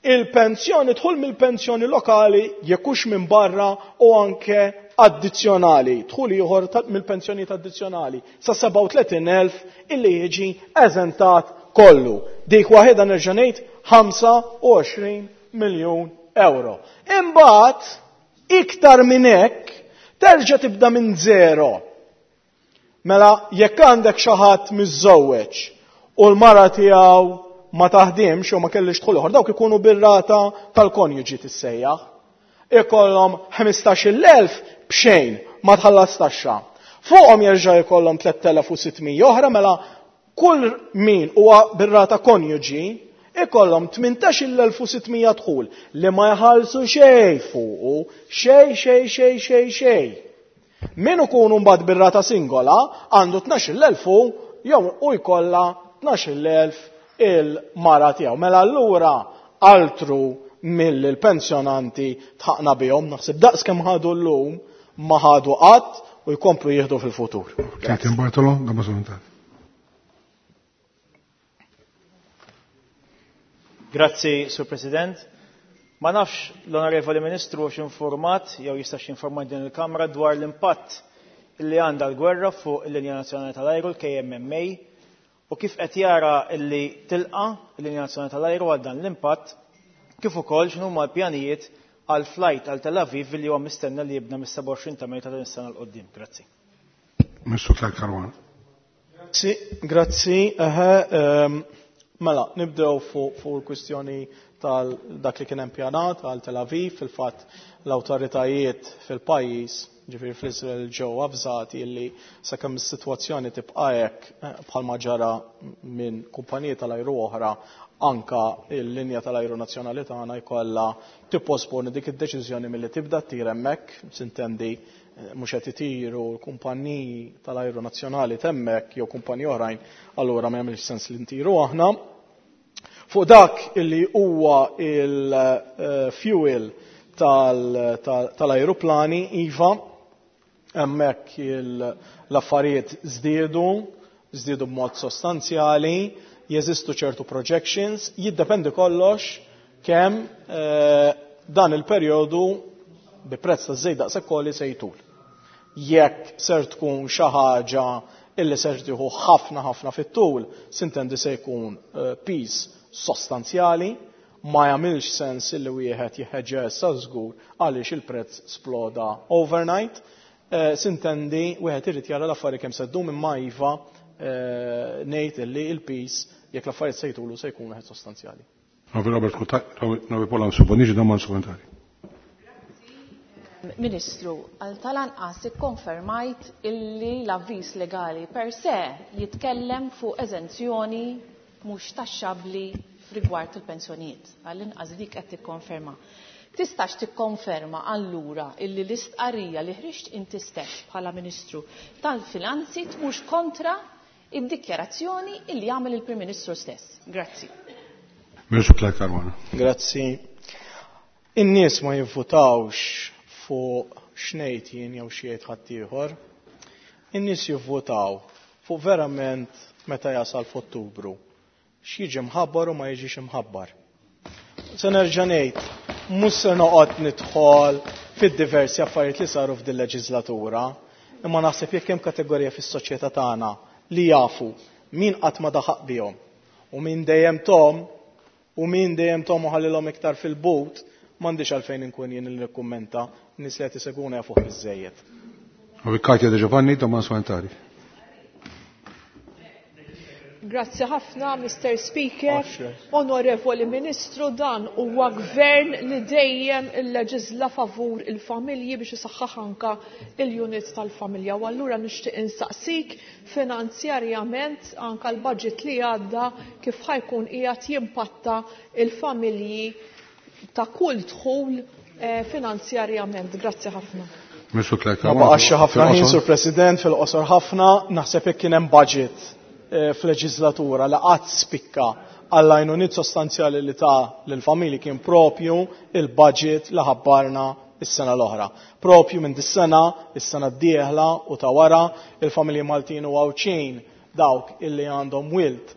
S4: il-pensjoni, dħul mill-pensjoni lokali jekk hux minn barra u anke addizzjonali, dħul ieħor mill-pensjonijiet addizzjonali sa 37,000 illi jiġi eżentat kollu. Dik waħedha nerġa' ngħid 25 miljun euro. Imbagħad iktar minn hekk terġa' tibda minn zero. Mela jekk għandek xi ħadd miżżewweġ u l-mara tiegħu ma taħdimx u ma kellix dħul ieħor, dawk ikunu bir-rata tal-konjuġi tissejjaħ. Ikollhom 15,000 b'xejn ma tħallas taxxa. Fuqhom jerġa' jkollhom 3,600 oħra, mela kull min huwa bir-rata konjuġi ikollhom 18,600 dħul li ma jħallsu xejn fuqu, xejn, xejn, xejn, xejn, xejn. Min ikunu mbagħad bir-rata singola għandu 12,000 hu jew u jkollha 12,000 il-mara tiegħu. Mela allura altru mill-pensjonanti tħaqna bihom, naħseb daqs kemm ħadu llum ma ħadu qatt u jkomplu jieħdu fil-futur.
S1: Clayton Bartolo, Gamma Solentari.
S3: Grazzi, Sur President. Ma nafx l-Onorevoli Ministru hux informat jew jistax jinforma din il-Kamra dwar l-impatt li għandha l-gwerra fuq il-Linja Nazzjonali tal-Ajru, l-KMMA, u kif qed jara li tilqa l-Linja Nazzjonali tal-Ajru għal dan l-impatt, kif ukoll x'inhuma l-pjanijiet għal flight għal Tel Aviv li huwa mistenna li jibda mis-27 ta' Mejju ta' din is-sena 'l quddiem. Grazzi.
S1: Ministru Clyde Caruana.
S4: Grazzi, grazzi. Eħe, mela, nibdew fuq il-kwistjoni tal dak li kien hemm pjanat għal Tel Aviv. Fil-fatt l-awtoritajiet fil-pajjiż, ġifieri fl-Iżrael, ġew avżati li sakemm is-sitwazzjoni tibqa' hekk bħalma ġara minn kumpaniji tal-ajru oħra, anka l-linja tal-ajru nazzjonali tagħna jkollha tipposponi dik id-deċiżjoni milli tibda ttir hemmhekk, sintendi mhux qed itiru l-kumpaniji tal-ajru nazzjonali t'hemmhekk jew kumpaniji oħrajn, allura ma jagħmilx sens li ntiru aħna. Fuq dak illi huwa il-fuel tal-ajruplani, iva, hemmhekk l-affarijiet żdiedu b'mod sostanzjali, jeżistu ċertu projections, jiddependi kollox kemm dan il-perjodu bi prezz ta' żejt daqshekk għoli se jtul. Jekk ser tkun xi ħaġa illi ser tieħu ħafna ħafna fit-tul, sintendi se jkun piż sostanzjali, ma jagħmilx sens illi wieħed jeħeġġa issa żgur għaliex il-prezz sploda overnight. Sintendi wieħed irid jara l-affarijiet kemm se ddum, imma iva ngħid illi il-piż jekk l-affarijiet se jtulu se jkun wieħed sostanzjali.
S1: Robert Robi Pola Suboniġi, domanda supplementari.
S8: Ministru, għal tal-anqas ikkonfermajt illi l-avviż legali per se jitkellem fuq eżenzjoni mhux taxxabbli rigward il-pensjonijiet. Għall-inqas dik qed tikkonferma. Tistax tikkonferma allura illi l-istqarrija li ħriġt inti stess bħala Ministru tal-Finanzi tmux kontra id-dikjarazzjoni illi jagħmel il-Prim Ministru stess. Grazzi.
S1: Ministru Clyde Caruana.
S4: Grazzi. In-nies ma jivvutawx fuq x'ngħid jien jew xi jgħid ħaddieħor. In-nies jivvutaw fuq verament meta jasal f'Ottubru. X'jiġi mħabbar u ma jiġix imħabbar. Se nerġa' ngħid, mhux se noqgħod nidħol fid-diversi affarijiet li saru f'din leġislatura, imma naħseb jekk hemm kategorija fis-soċjetà tagħna li jafu min qatt ma daħaq bihom u min dejjem tom u min dejjem tom u ħallilhom iktar fil-but, m'għandix għalfejn inkun jien li nikkummenta, nies li qed isegwuna jafuh biżżejjed.
S1: Katja De Giovanni, domanda supplementari.
S7: Grazzi ħafna, Mr. Speaker. Onorevoli Ministru, dan huwa gvern li dejjem illeġisla favur il-familji biex isaħħaħ anka il-unit tal-familja. U allura nixtieq insaqsik finanzjarjament anka l-budget li għadda kif ħajkun qiegħed jimpatta il-familji ta' kull dħul finanzjarjament. Grazzi ħafna.
S1: Ministru Clyde
S4: Ma
S1: Caruana.
S4: baqax ħafna ħin, Sur President, fil-qosor ħafna, naħseb jekk kien hemm budget. f'leġislatura li qatt spikka għall-għajnuniet sostanzjali li ta lill-familji kien propju il-budget li ħabbarna is-sena l-oħra. Propju minn dis-sena, is-sena d-dieħla u ta' wara, il-familji Maltin u Għawdxin dawk illi għandhom wild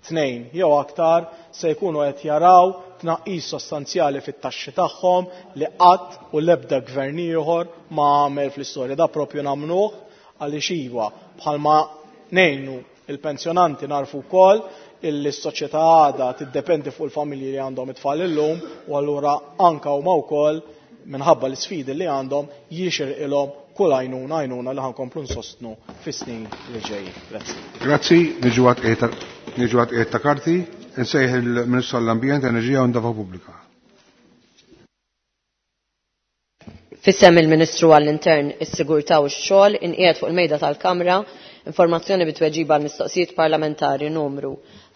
S4: tnejn jew aktar se jkunu qed jaraw tnaqqis sostanzjali fit-taxxi tagħhom li qatt u l-ebda gvern ieħor ma għamel fl-istorja. Da propju nagħmluh għaliex iva bħalma ngħinu il-pensjonanti narfu wkoll illi s-soċjetà għada tiddependi fuq il-familji li għandhom it-tfal illum u allura anka huma wkoll minħabba l-isfidi li għandhom jixirqilhom kull għajnuna għajnuna li ħankomplu nsostnu fis-snin li ġejjin. Grazzi.
S1: Grazzi, niġu għat ta' karti, nsejħ il-Ministru għall-Ambjent, Enerġija u Ndafa Pubblika.
S9: Fissem il-Ministru għall-Intern, is-Sigurtà u x-Xogħol inqiegħed fuq il-mejda tal-Kamra informazzjoni bit-tweġiba għal mistoqsijiet parlamentari numru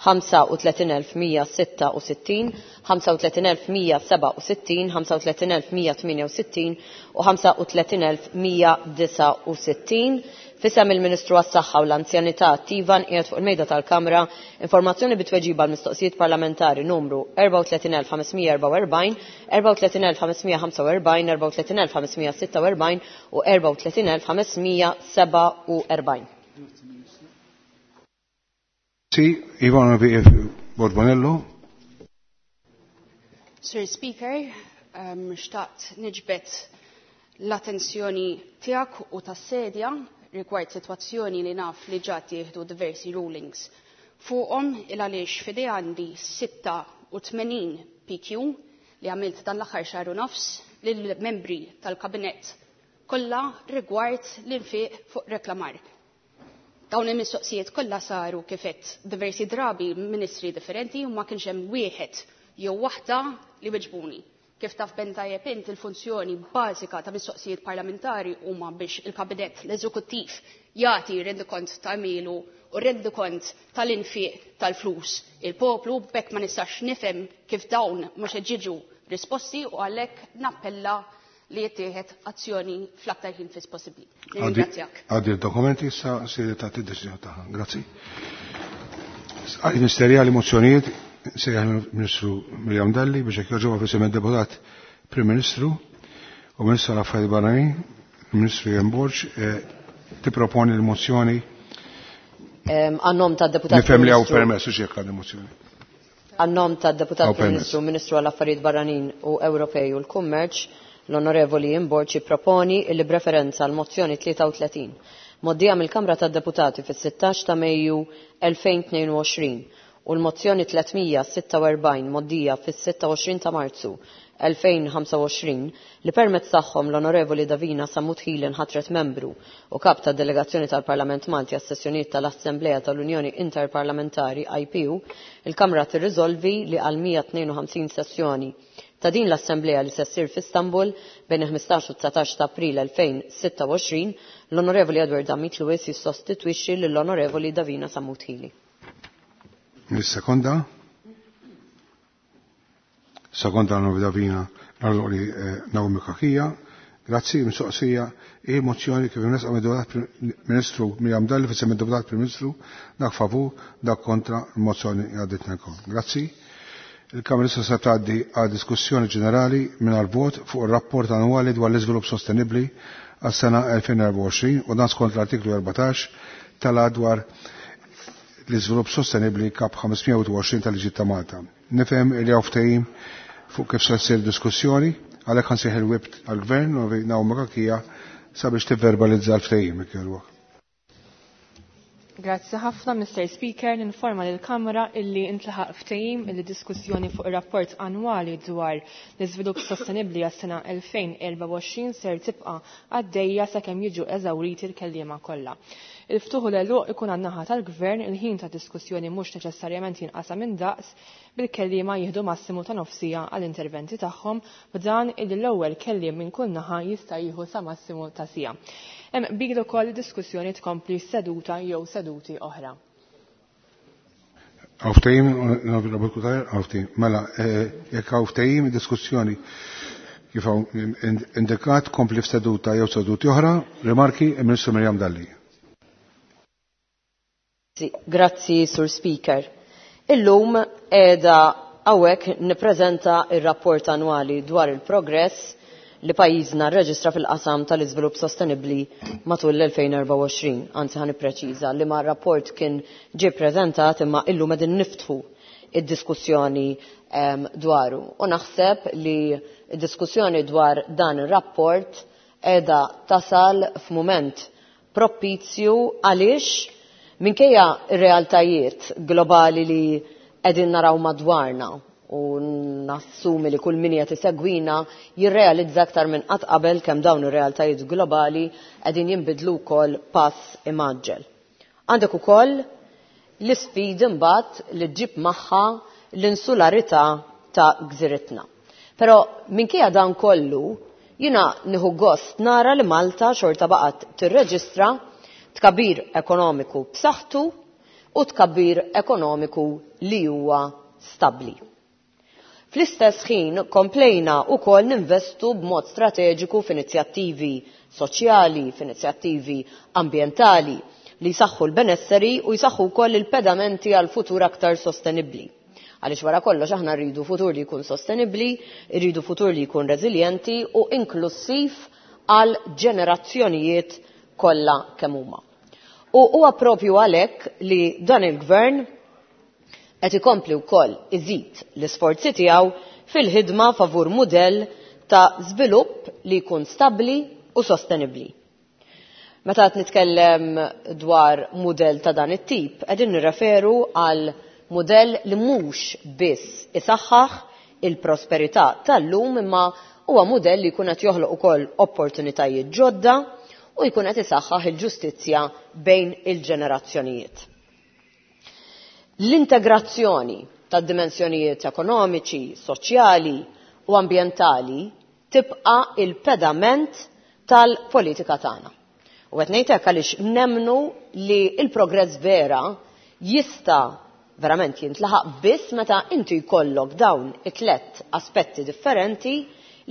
S9: 35166, 35167, 35168 u 35169. Fisem il-Ministru għas-Saħħa u l-Anzjanità Attiva nqiegħed fuq il-mejda tal-Kamra informazzjoni bit-tweġiba għal mistoqsijiet parlamentari numru 34544, 34545, 34546 u 34547.
S1: Sì, Ivana V.F. Borbonello.
S10: Sir Speaker, xtaqt niġbet l-attenzjoni tiegħek u tas-sedja rigward sitwazzjoni li naf li ġa tieħdu diversi rulings. Fuqhom il għaliex f'idej għandi 86 PQ li għamilt dan l-aħħar xahar u nofs lill-membri tal-kabinett kollha rigward l-infiq fuq reklamar. Dawn il-mistoqsijiet kollha saru kifet diversi drabi ministri differenti u ma kienx hemm wieħed jew waħda li weġbuni. Kif taf ben tajjeb int il-funzjoni bażika ta' mistoqsijiet parlamentari huma biex il-kabinett l-eżekuttiv jagħti rendikont ta' milu u rendikont tal-infiq tal-flus. Il-poplu b'hekk ma nistax nifhem kif dawn mhux qed jiġu risposti u għalhekk nappella li jittieħed azzjoni fl-aktar ħin fis possibbli. Ringrazzjak.
S1: Għaddi il-dokumenti issa siri ta' deċiżjoni tagħha. Grazzi. Ministerjali mozzjonijiet sejjaħ il-Ministru Mirjam Dalli biex jekk joġobha f'isem deputat Prim Ministru u Ministru tal-Affarijiet Barranin, il-Ministru Ian Borg, tipproponi l-mozzjoni.
S9: Għan-nom tad-deputat
S1: Nifhem li hawn permess u x'jekk għandi mozzjoni.
S9: Għan-nom tad-deputat Prim Ministru, Ministru għall-Affarijiet Barranin u Ewropej u l-Kummerċ, l-Onorevoli Ian Borg jipproponi li b'referenza għal mozzjoni 33 moddija mill-Kamra tad-Deputati fis-16 ta' Mejju 2022 u l-mozzjoni 346 moddija fis-26 ta' Marzu 2025 li permezz tagħhom l-Onorevoli Davina Sammut Hili nħatret membru u kap tad delegazzjoni tal-Parlament Malti għas-sessjonijiet tal-Assemblea tal-Unjoni Interparlamentari IPU, il-Kamra tirriżolvi li għal 152 sessjoni ta' din l-Assemblea li se ssir f'Istanbul bejn il-15 u 19 ta' April 2026, l-Onorevoli Edward Zammit Lewis jissostitwixxi lill-Onorevoli Davina Sammut Hili.
S1: Sekonda. Sekonda l Davina l-Onorevoli Naomi Cachia. Grazzi, mistoqsija e mozzjoni kif imresqa mid-Deputat Ministru Mirjam Dalli f'isem id-Deputat Prim Ministru, dak favur, dak kontra, il-mozzjoni għaddiet wkoll. Grazzi. Il-Kamra issa se tgħaddi għal diskussjoni ġenerali mingħajr vot fuq ir-rapport annwali dwar l-iżvilupp sostenibbli għas-sena 2024 u dan skont l-artiklu 14 tal dwar l-iżvilupp sostenibbli kap 520 tal-Liġi ta' Malta. Nifhem li hawn ftehim fuq kif se ssir diskussjoni, għalhekk ħansejħ il-whip għall-Gvern u Naomi Cachia sabiex tivverbalizza l-ftehim jekk jogħġbok.
S2: Grazzi ħafna, Mr. Speaker, ninforma lill-Kamra illi intlaħaq ftehim illi diskussjoni fuq ir-rapport annwali dwar l-iżvilupp sostenibbli għas-sena 2024 ser tibqa' għaddejja sakemm jiġu eżawriti l-kelliema kollha. Il-ftuħ u l-għeluq ikun għan-naħa tal-Gvern, il-ħin ta' diskussjoni mhux neċessarjament jinqasam indaqs, bil-kelliema jieħdu massimu ta' nofsija għall-interventi tagħhom, b'dan illi l-ewwel kelliem minn kull naħa jista' jieħu sa massimu ta' siegħa. Hemm qbil ukoll diskussjoni tkompli seduta jew seduti oħra.
S1: Hawn ftehim, Onorevoli Cutajar, hawn ftehim. Mela, jekk hawn ftehim, diskussjoni kif hawn indikat kompli f'seduta jew seduti oħra, rimarki il-Ministru Mirjam Dalli.
S9: Grazzi, Sur Speaker. Illum qiegħda hawnhekk nippreżenta r-rapport annwali dwar il-progress li pajjiżna rreġistra fil-qasam tal-iżvilupp sostenibbli matul l-2024. Anzi ħa nippreċiża li ma rapport kien ġie ppreżentat imma illum qegħdin niftħu id-diskussjoni dwaru. U naħseb li d-diskussjoni dwar dan ir-rapport qiegħda tasal f'mument propizju għaliex minkejja r-realtajiet globali li qegħdin naraw madwarna u nassumi li kull min qed isegwina jirrealizza aktar minn qatt qabel kemm dawn ir-realtajiet globali qegħdin jinbidlu wkoll pass imgħaġġel. Għandek ukoll l-isfidi mbagħad li ġġib magħha l-insularità ta' gżiritna. Però minkejja dan kollu, jiena nieħu gost nara li Malta xorta baqgħet tirreġistra tkabbir ekonomiku b'saħħtu u tkabbir ekonomiku li huwa stabbli. Fl-istess ħin komplejna wkoll ninvestu b'mod strateġiku f'inizjattivi soċjali, f'inizjattivi ambjentali li jsaħħu l-benesseri u jsaħħu wkoll il-pedamenti għal futur aktar sostenibbli. Għaliex wara kollox aħna rridu futur li jkun sostenibbli, rridu futur li jkun reżiljenti u inklussiv għal ġenerazzjonijiet kollha kemm huma. U huwa propju għalhekk li dan il-gvern qed ikompli wkoll iżid l-isforzi tiegħu fil-ħidma favur mudell ta' żvilupp li jkun stabbli u sostenibbli. Meta qed nitkellem dwar mudell ta' dan it-tip, qegħdin nirreferu għal mudell li mhux biss isaħħaħ il-prosperità tal-lum imma huwa mudell li jkun qed joħloq ukoll opportunitajiet ġodda u jkun qed isaħħaħ il-ġustizzja bejn il-ġenerazzjonijiet. L-integrazzjoni tad-dimensjonijiet ekonomiċi, soċjali u ambjentali tibqa' il-pedament tal-politika tagħna. U qed ngħid hekk għaliex nemmnu li l-progress vera jista' verament jintlaħaq biss meta inti jkollok dawn it-tlet aspetti differenti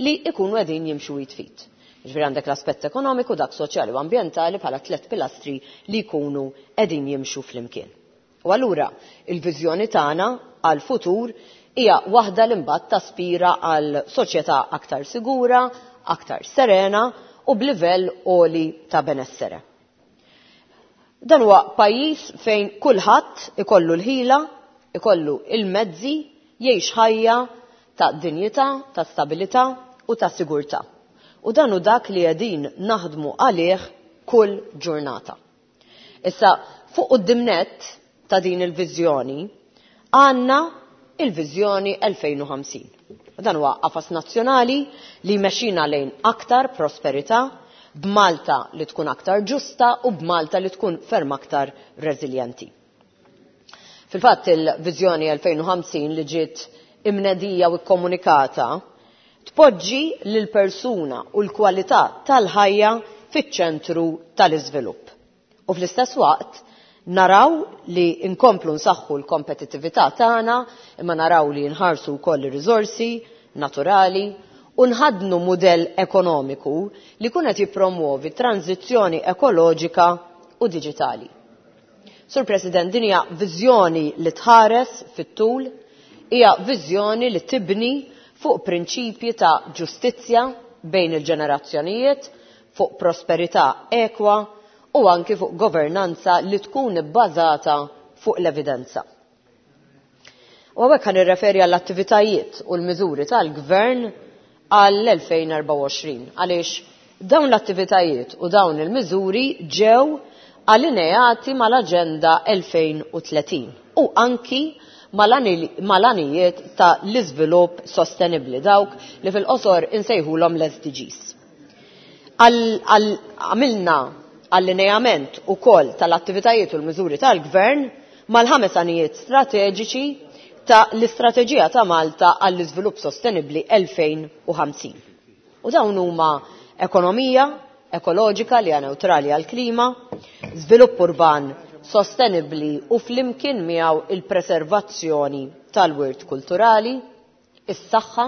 S9: li ikunu qegħdin jimxu jitfit. Ġifieri għandek l-aspett ekonomiku, dak soċjali u ambjentali bħala tlet pilastri li jkunu qegħdin jimxu flimkien. U allura il-viżjoni tagħna għal futur hija waħda li mbagħad taspira għal soċjetà aktar sigura, aktar serena u b'livell għoli ta' benessere. Dan huwa pajjiż fejn kulħadd ikollu l-ħila, ikollu il-mezzi, jgħix ħajja ta' dinjità, ta' stabilità u ta' sigurtà. U dan hu dak li qegħdin naħdmu għalih kull ġurnata. Issa, fuq quddiem nett ta' din il-viżjoni għandna il-viżjoni 2050. U dan huwa qafas nazzjonali li jmexxina lejn aktar prosperità, b'Malta li tkun aktar ġusta u b'Malta li tkun ferm aktar reżiljenti. Fil-fatt il-viżjoni 2050 li ġiet imnedija u kkomunikata tpoġġi lil persuna u l-kwalità tal-ħajja fiċ-ċentru tal-iżvilupp. U fl-istess waqt naraw li nkomplu nsaħħu l-kompetittività tagħna, imma naraw li nħarsu wkoll ir-riżorsi naturali u nħaddnu mudell ekonomiku li jkun qed jippromwovi tranżizzjoni ekoloġika u diġitali. Sur President, din hija viżjoni li tħares fit-tul, hija viżjoni li tibni fuq prinċipji ta' ġustizzja bejn il-ġenerazzjonijiet, fuq prosperità ekwa u anki fuq governanza li tkun ibbażata fuq l-evidenza. U hawnhekk ħa nirreferi għall-attivitajiet u l-miżuri tal-Gvern għall-2024 għaliex dawn l-attivitajiet u dawn il-miżuri ġew allineati mal-Aġenda 2030 u anki mal-għanijiet ta' l-iżvilupp sostenibbli, dawk li fil-qosor insejħulhom l-SDGs. Għamilna allineament ukoll tal-attivitajiet u l-miżuri tal-Gvern mal-ħames għanijiet strateġiċi ta' l-Istrateġija ta' Malta għall-Iżvilupp Sostenibbli 2050. U dawn huma ekonomija ekoloġika li hija newtrali għall-klima, żvilupp urban sostenibbli u flimkien miegħu il-preservazzjoni tal-wirt kulturali, is-saħħa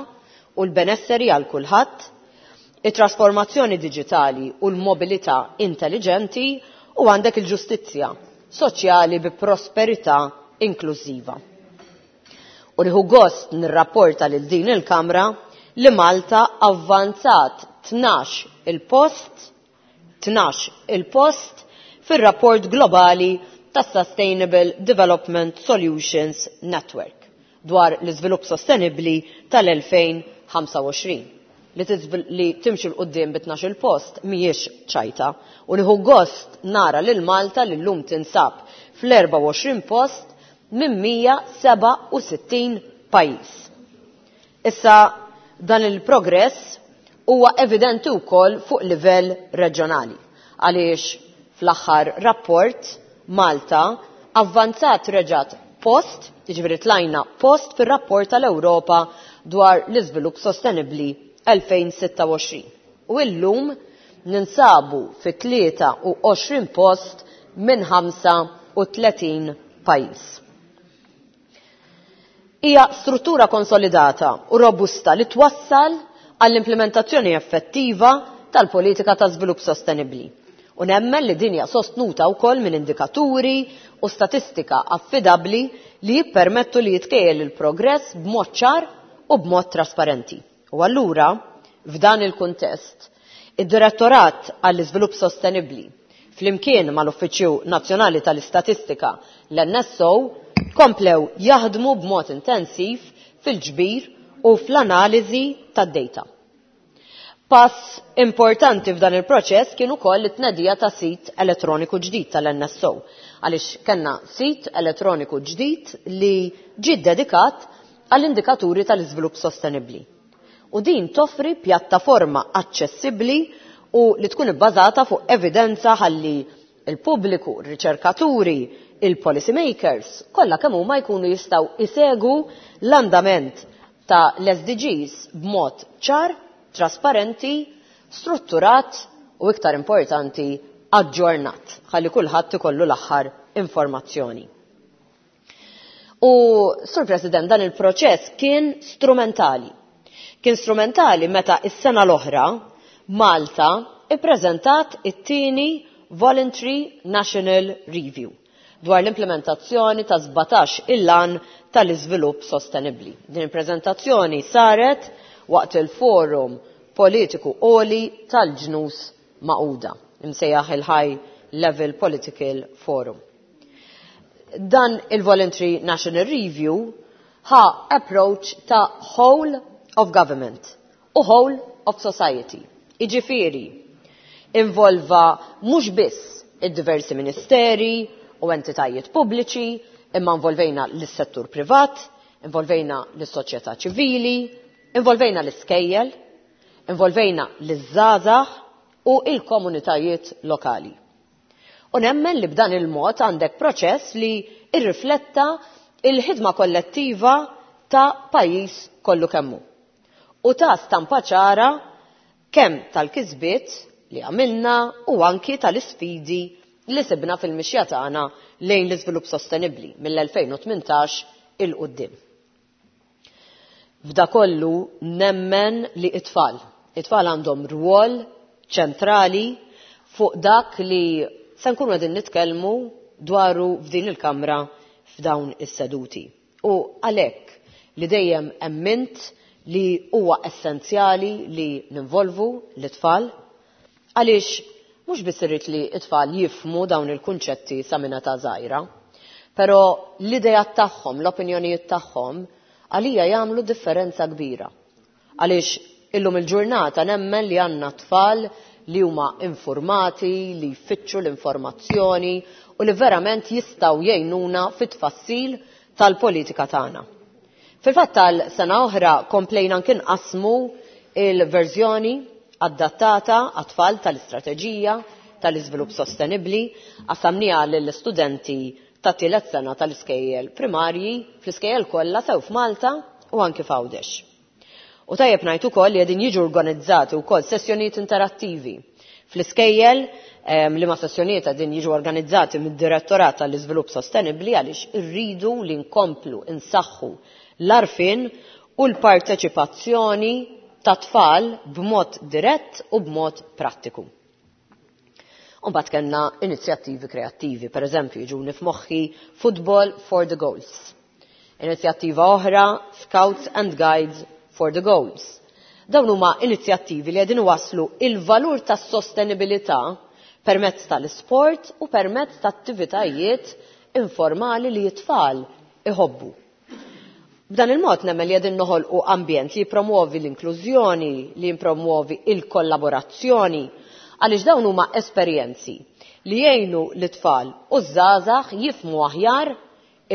S9: u l-benesseri għal kulħadd, it-trasformazzjoni diġitali u l-mobilità intelliġenti u għandek il-ġustizzja soċjali bi prosperità inklużiva. U nieħu gost nirrapporta lil din il-Kamra li Malta avvanzat 12 il-post 12 il-post fir-rapport globali tas-Sustainable Development Solutions Network dwar l-iżvilupp sostenibbli tal-2025. Li timxi 'l quddiem bi 12-il post mhijiex ċajta u nieħu gost nara lil Malta li llum tinsab fl-24 post minn 167 pajjiż. Issa dan il-progress huwa evidenti wkoll fuq livell reġjonali għaliex fl-aħħar rapport Malta avvanzat reġgħet post, jiġifieri tlajna post fir-rapport tal-Ewropa dwar l-iżvilupp sostenibbli 2026. U illum ninsabu fi 23 post minn 35 pajjiż. Hija struttura konsolidata u robusta li twassal għall-implementazzjoni effettiva tal-politika ta' żvilupp sostenibbli. U nemmen li din hija sostnuta wkoll minn indikaturi u statistika affidabbli li jippermettu li jitkejjel il-progress b'mod ċar u b'mod trasparenti. U allura, f'dan il-kuntest, id-Direttorat għall-Iżvilupp Sostenibbli flimkien mal-Uffiċċju Nazzjonali tal-Istatistika l-NSO komplew jaħdmu b'mod intensiv fil-ġbir u fl-analiżi tad-data. Pass importanti f'dan il-proċess kien ukoll it-tnedija ta' sit elettroniku ġdid tal-NSO, għaliex kellna sit elettroniku ġdid li ġie ddedikat għall-indikaturi tal-iżvilupp sostenibbli. U din toffri pjattaforma aċċessibbli u li tkun ibbażata fuq evidenza ħalli il-pubbliku, ir-riċerkaturi, il-policy makers, kollha kemm huma jkunu jistgħu isegu l-andament ta' l-SDGs b'mod ċar, trasparenti, strutturat u iktar importanti aġġornat, ħalli kulħadd ikollu l-aħħar informazzjoni. U, Sur President, dan il-proċess kien strumentali. Kien strumentali meta is-sena l-oħra Malta ippreżentat it-tieni Voluntary National Review dwar l-implementazzjoni ta' 17 il-lan tal-iżvilupp sostenibbli. Din il-preżentazzjoni saret waqt il-Forum Politiku Għoli tal-Ġnus Magħquda, imsejjaħ il-High Level Political Forum. Dan il-Voluntary National Review ħa approach ta' whole of government u whole of society. Jiġifieri, involva mhux biss id-diversi ministeri u entitajiet pubbliċi, imma involvejna lis-settur privat, involvejna lis-soċjetà ċivili, involvejna l-iskejjel, involvejna liż-żgħażagħ u il-komunitajiet lokali. U nemmen li b'dan il-mod għandek proċess li irrifletta il-ħidma kollettiva ta' pajjiż kollu kemm hu. U ta' stampa ċara kemm tal-kisbiet li għamilna u anki tal-isfidi li sibna fil-mixja tagħna lejn l-iżvilupp sostenibbli mill-2018 il quddiem. F'da kollu nemmen li it-tfal. It-tfal għandhom rwol ċentrali fuq dak li se nkunu qegħdin nitkellmu dwaru f'din il-kamra f'dawn is-seduti. U għalhekk li dejjem emmint li huwa essenzjali li ninvolvu l-tfal għaliex mhux biss irrid li t-tfal jifhmu dawn il-kunċetti sa minn età żgħira, però l-ideat tagħhom, l-opinjonijiet tagħhom għalija jagħmlu differenza kbira. Għaliex illum il-ġurnata nemmen li għandna tfal li huma informati, li jfittxu l-informazzjoni u li verament jistgħu jgħinuna fit-tfassil tal-politika tagħna. Fil-fatt tal-sena oħra komplejna anki nqassmu il-verżjoni adattata għat-tfal tal-istrateġija tal-iżvilupp sostenibbli, qassamniha lill-istudenti ta' tielet sena tal-iskejjel primarji fl-iskejjel kollha sew f'Malta u anki f'Għawdex. U tajjeb ngħid ukoll li qegħdin jiġu organizzati wkoll sessjonijiet interattivi fl-iskejjel, li ma sessjonijiet qegħdin jiġu organizzati mid-Direttorat tal-Iżvilupp Sostenibbli għaliex irridu li nkomplu nsaħħu l-għarfien u l-parteċipazzjoni ta' tfal b'mod dirett u b'mod prattiku. U mbagħad kellna inizjattivi kreattivi, per eżempju, jiġuni f'moħħi Football for the Goals. Inizjattiva oħra, Scouts and Guides for the Goals. Dawn huma inizjattivi li qegħdin iwasslu il-valur tas-sostenibilità permezz tal-isport u permezz ta' attivitajiet informali li t-tfal iħobbu. B'dan il-mod nemmen li qegħdin noħolqu ambjent li jippromuovi l-inklużjoni, li jippromuovi il-kollaborazzjoni, għaliex dawn huma esperjenzi li jgħinu lit-tfal u ż-żgħażagħ jifhmu aħjar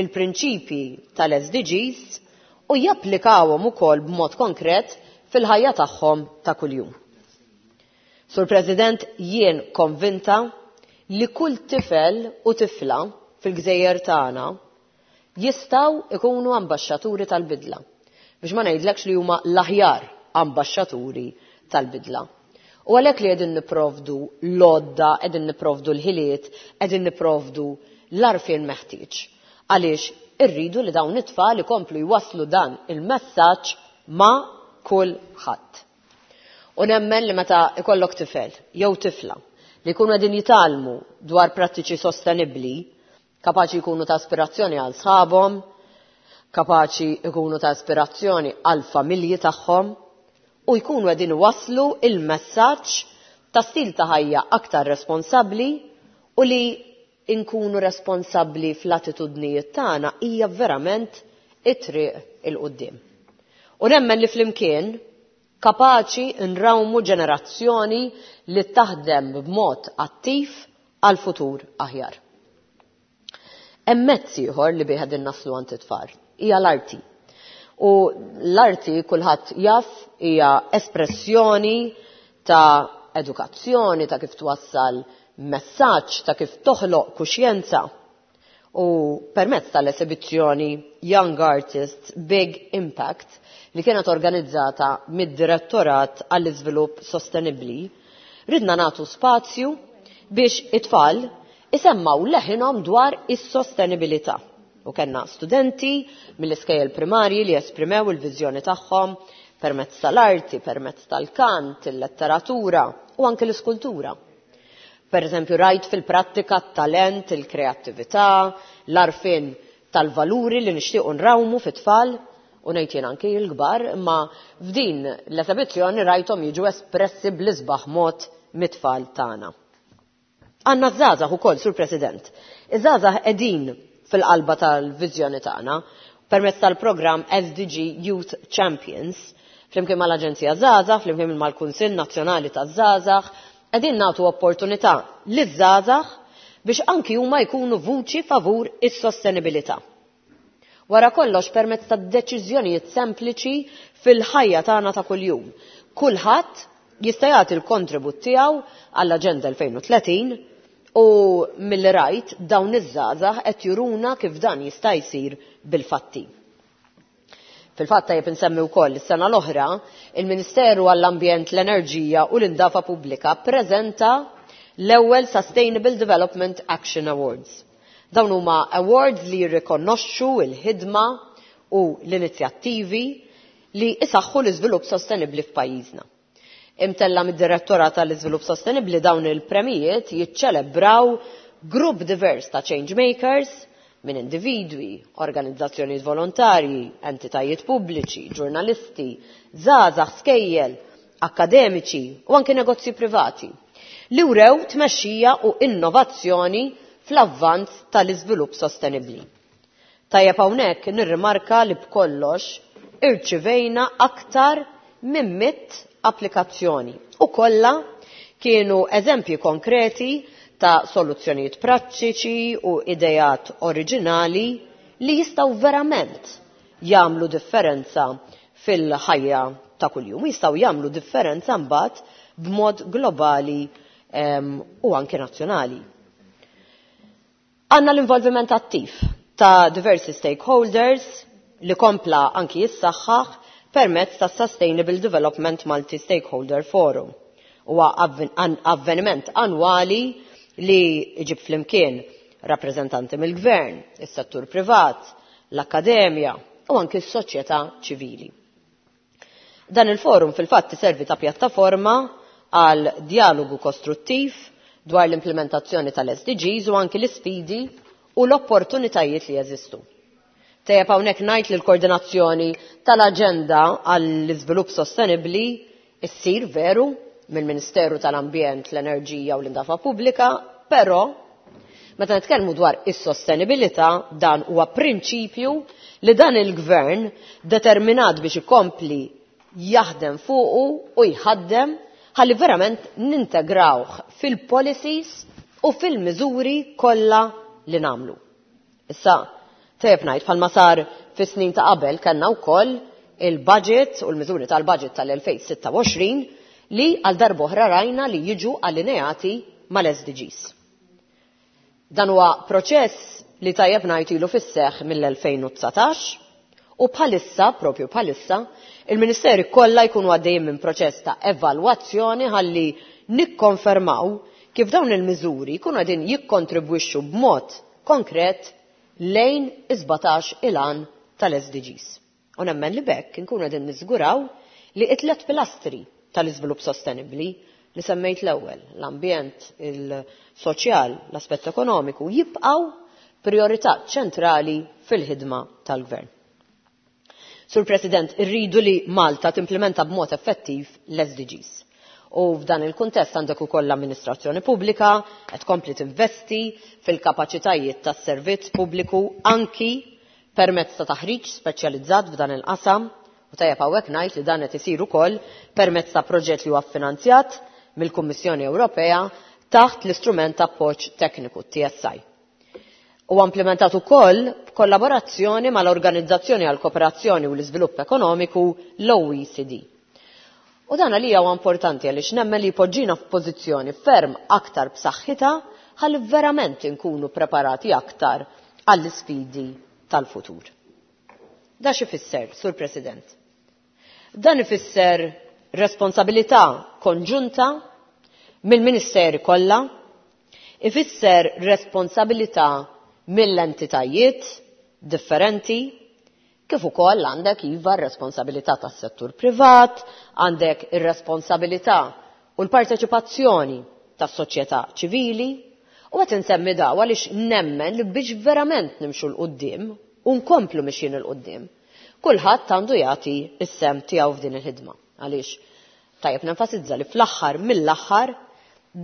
S9: il-prinċipji tal-SDGs u japplikawhom ukoll b'mod konkret fil-ħajja tagħhom ta' kuljum. Sur President, jien konvinta li kull tifel u tifla fil-gżejjer tagħna jistgħu ikunu ambaxxaturi tal-bidla. Biex ma ngħidlekx li huma l-aħjar ambaxxaturi tal-bidla. U għalhekk li qegħdin nipprovdu l-għodda, qegħdin nipprovdu l-ħiliet, qegħdin nipprovdu l-għarfien meħtieġ. Għaliex irridu li dawn it-tfal ikomplu jwasslu dan il-messaġġ ma' kulħadd. U nemmen li meta ikollok tifel jew tifla li jkunu qegħdin jitgħallmu dwar prattiċi sostenibbli, kapaċi jkunu ta' aspirazzjoni għal sħabhom, kapaċi jkunu ta' aspirazzjoni għal familji tagħhom u jkunu qegħdin iwasslu il-messaġġ ta' stil ta' ħajja aktar responsabbli u li nkunu responsabbli fl-attitudnijiet tagħna hija verament it-triq 'il quddiem. U nemmen li flimkien kapaċi nrawmu ġenerazzjoni li taħdem b'mod attiv għal futur aħjar. Hemm mezz ieħor li bih qegħdin naslu għand it-tfal, hija l-arti. U l-arti kulħadd jaf hija espressjoni ta' edukazzjoni, ta' kif twassal messaġġ, ta' kif toħloq kuxjenza. U permezz tal-esibizzjoni Young Artists Big Impact li kienet organizzata mid-Direttorat għall-Iżvilupp Sostenibbli, ridna nagħtu spazju biex it-tfal isemmgħu leħinhom dwar is-sostenibilità. U kellna studenti mill-iskejjel primarji li esprimew il-viżjoni tagħhom permezz tal-arti, permezz tal-kant, il-letteratura u anke l-iskultura. Per eżempju, rajt fil-prattika t-talent, il-kreattività, l-għarfien tal-valuri li nixtiequ nrawmu fit-tfal u ngħid jien anki l-kbar, imma f'din l-esebizzjoni rajthom jiġu espressi bl-isbaħ mod mit-tfal tagħna. Għandna ż-żgħażagħ ukoll, Sur President. Iż-żgħażagħ qegħdin fil-qalba tal-viżjoni tagħna permezz tal-programm SDG Youth Champions, flimkien mal-Aġenzija Żgħażagħ, flimkien mal-Kunsill Nazzjonali taż-Żgħażagħ, qegħdin nagħtu opportunità liż-żgħażagħ biex anki huma jkunu vuċi favur is-sostenibilità. Wara kollox permezz ta' deċiżjonijiet sempliċi fil-ħajja tagħna ta' kuljum. Kulħadd jista' jagħti l-kontribut tiegħu għall-Aġenda 2030 u milli rajt dawn iż-żgħażagħ qed juruna kif dan jista' jsir bil-fatti. Fil-fatt tajjeb insemmi wkoll is-sena l-oħra, il-Ministeru għall-Ambjent, l-Enerġija u l-Indafa Pubblika ppreżenta l-ewwel Sustainable Development Action Awards. Dawn huma awards li jirrikonoxxu l-ħidma u l-inizjattivi li isaħħu l-iżvilupp sostenibbli f'pajjiżna. Imtella mid-Direttorat tal-Iżvilupp Sostenibbli dawn il-premijiet jiċċelebraw grupp divers ta' change makers minn individwi, organizzazzjonijiet volontarji, entitajiet pubbliċi, ġurnalisti, żgħażagħ, skejjel, akkademiċi u anke negozji privati li wrew tmexxija u innovazzjoni fl-avvanz tal-iżvilupp sostenibbli. Tajjeb hawnhekk nirrimarka li b'kollox irċivejna aktar minn 100 applikazzjoni u kollha kienu eżempji konkreti ta' soluzzjonijiet prattiċi u idejat oriġinali li jistgħu verament jagħmlu differenza fil-ħajja ta' kuljum, jistgħu jagħmlu differenza mbagħad b'mod globali u anke nazzjonali. Għandna l-involviment attiv ta' diversi stakeholders li kompla anki jissaħħaħ permezz ta' Sustainable Development Multi-Stakeholder Forum. Huwa avveniment annwali li jġib flimkien rappreżentanti mill-gvern, is-settur privat, l-akkademja u anki s-soċjetà ċivili. Dan il-forum fil-fatt iservi ta' pjattaforma għal dialogu kostruttiv dwar l-implementazzjoni tal-SDGs u anki l-isfidi u l-opportunitajiet li jeżistu. Tejjeb hawnhekk ngħid li l-koordinazzjoni tal-aġenda għall-iżvilupp sostenibbli issir veru mill-Ministeru tal-Ambjent, l-Enerġija u l-Indafa Pubblika, però meta nitkellmu dwar is-sostenibilità dan huwa prinċipju li dan il-gvern determinat biex ikompli jaħdem fuqu u jħaddem ħalli verament nintegrawh fil-policies u fil-miżuri kollha li nagħmlu. Issa, tajjeb ngħid bħalma sar fis-snin ta' qabel kellna wkoll il-budget u l-miżuri tal-budget tal-2026 li għal darb'oħra rajna li jiġu allineati mal-SDGs. Dan huwa proċess li tajjeb ngħid ilu fis-seħħ mill-2019 u bħalissa, propju bħalissa, il-Ministeri kollha jkunu għaddejjin minn proċess ta' evalwazzjoni ħalli nikkonfermaw kif dawn il-miżuri jkunu qegħdin jikkontribwixxu b'mod konkret lejn is-17 il-għan tal-SDGs. U nemmen li b'hekk inkunu qegħdin niżguraw li t-tliet pilastri tal-iżvilupp sostenibbli li semmejt l-ewwel, l-ambjent, il-soċjal, l-aspett ekonomiku, jibqgħu priorità ċentrali fil-ħidma tal-Gvern. Sur President, irridu li Malta timplementa b'mod effettiv l-SDGs. U f'dan il-kuntest għandek ukoll l-amministrazzjoni pubblika qed tkompli tinvesti fil-kapaċitajiet tas-servizz pubbliku anki permezz ta' taħriġ speċjalizzat f'dan il-qasam u tajjeb hawnhekk ngħid li dan qed isir ukoll permezz ta' proġett li huwa ffinanzjat mill-Kummissjoni Ewropea taħt l-istrument ta' appoġġ tekniku TSI. Huwa implementat ukoll b'kollaborazzjoni mal-Organizzazzjoni għall-Kooperazzjoni u l-Iżvilupp Ekonomiku l-OECD. U dan għalija huwa importanti għaliex nemmen li jpoġġina f'pożizzjoni ferm aktar b'saħħitha ħalli verament inkunu preparati aktar għall-isfidi tal-futur. Da x'ifisser, Sur President? Dan ifisser responsabilità konġunta mill-ministeri kollha, ifisser responsabilità mill-entitajiet differenti, kif ukoll għandek iva r-responsabilità tas-settur privat, għandek ir-responsabilità u l-parteċipazzjoni tas-soċjetà ċivili, u qed insemmi daw għaliex nemmen li biex verament nimxu 'l quddiem u nkomplu mixjin 'il quddiem, kulħadd għandu jagħti s-sehem tiegħu f'din il-ħidma. Għaliex tajjeb nenfasizza li fl-aħħar mill-aħħar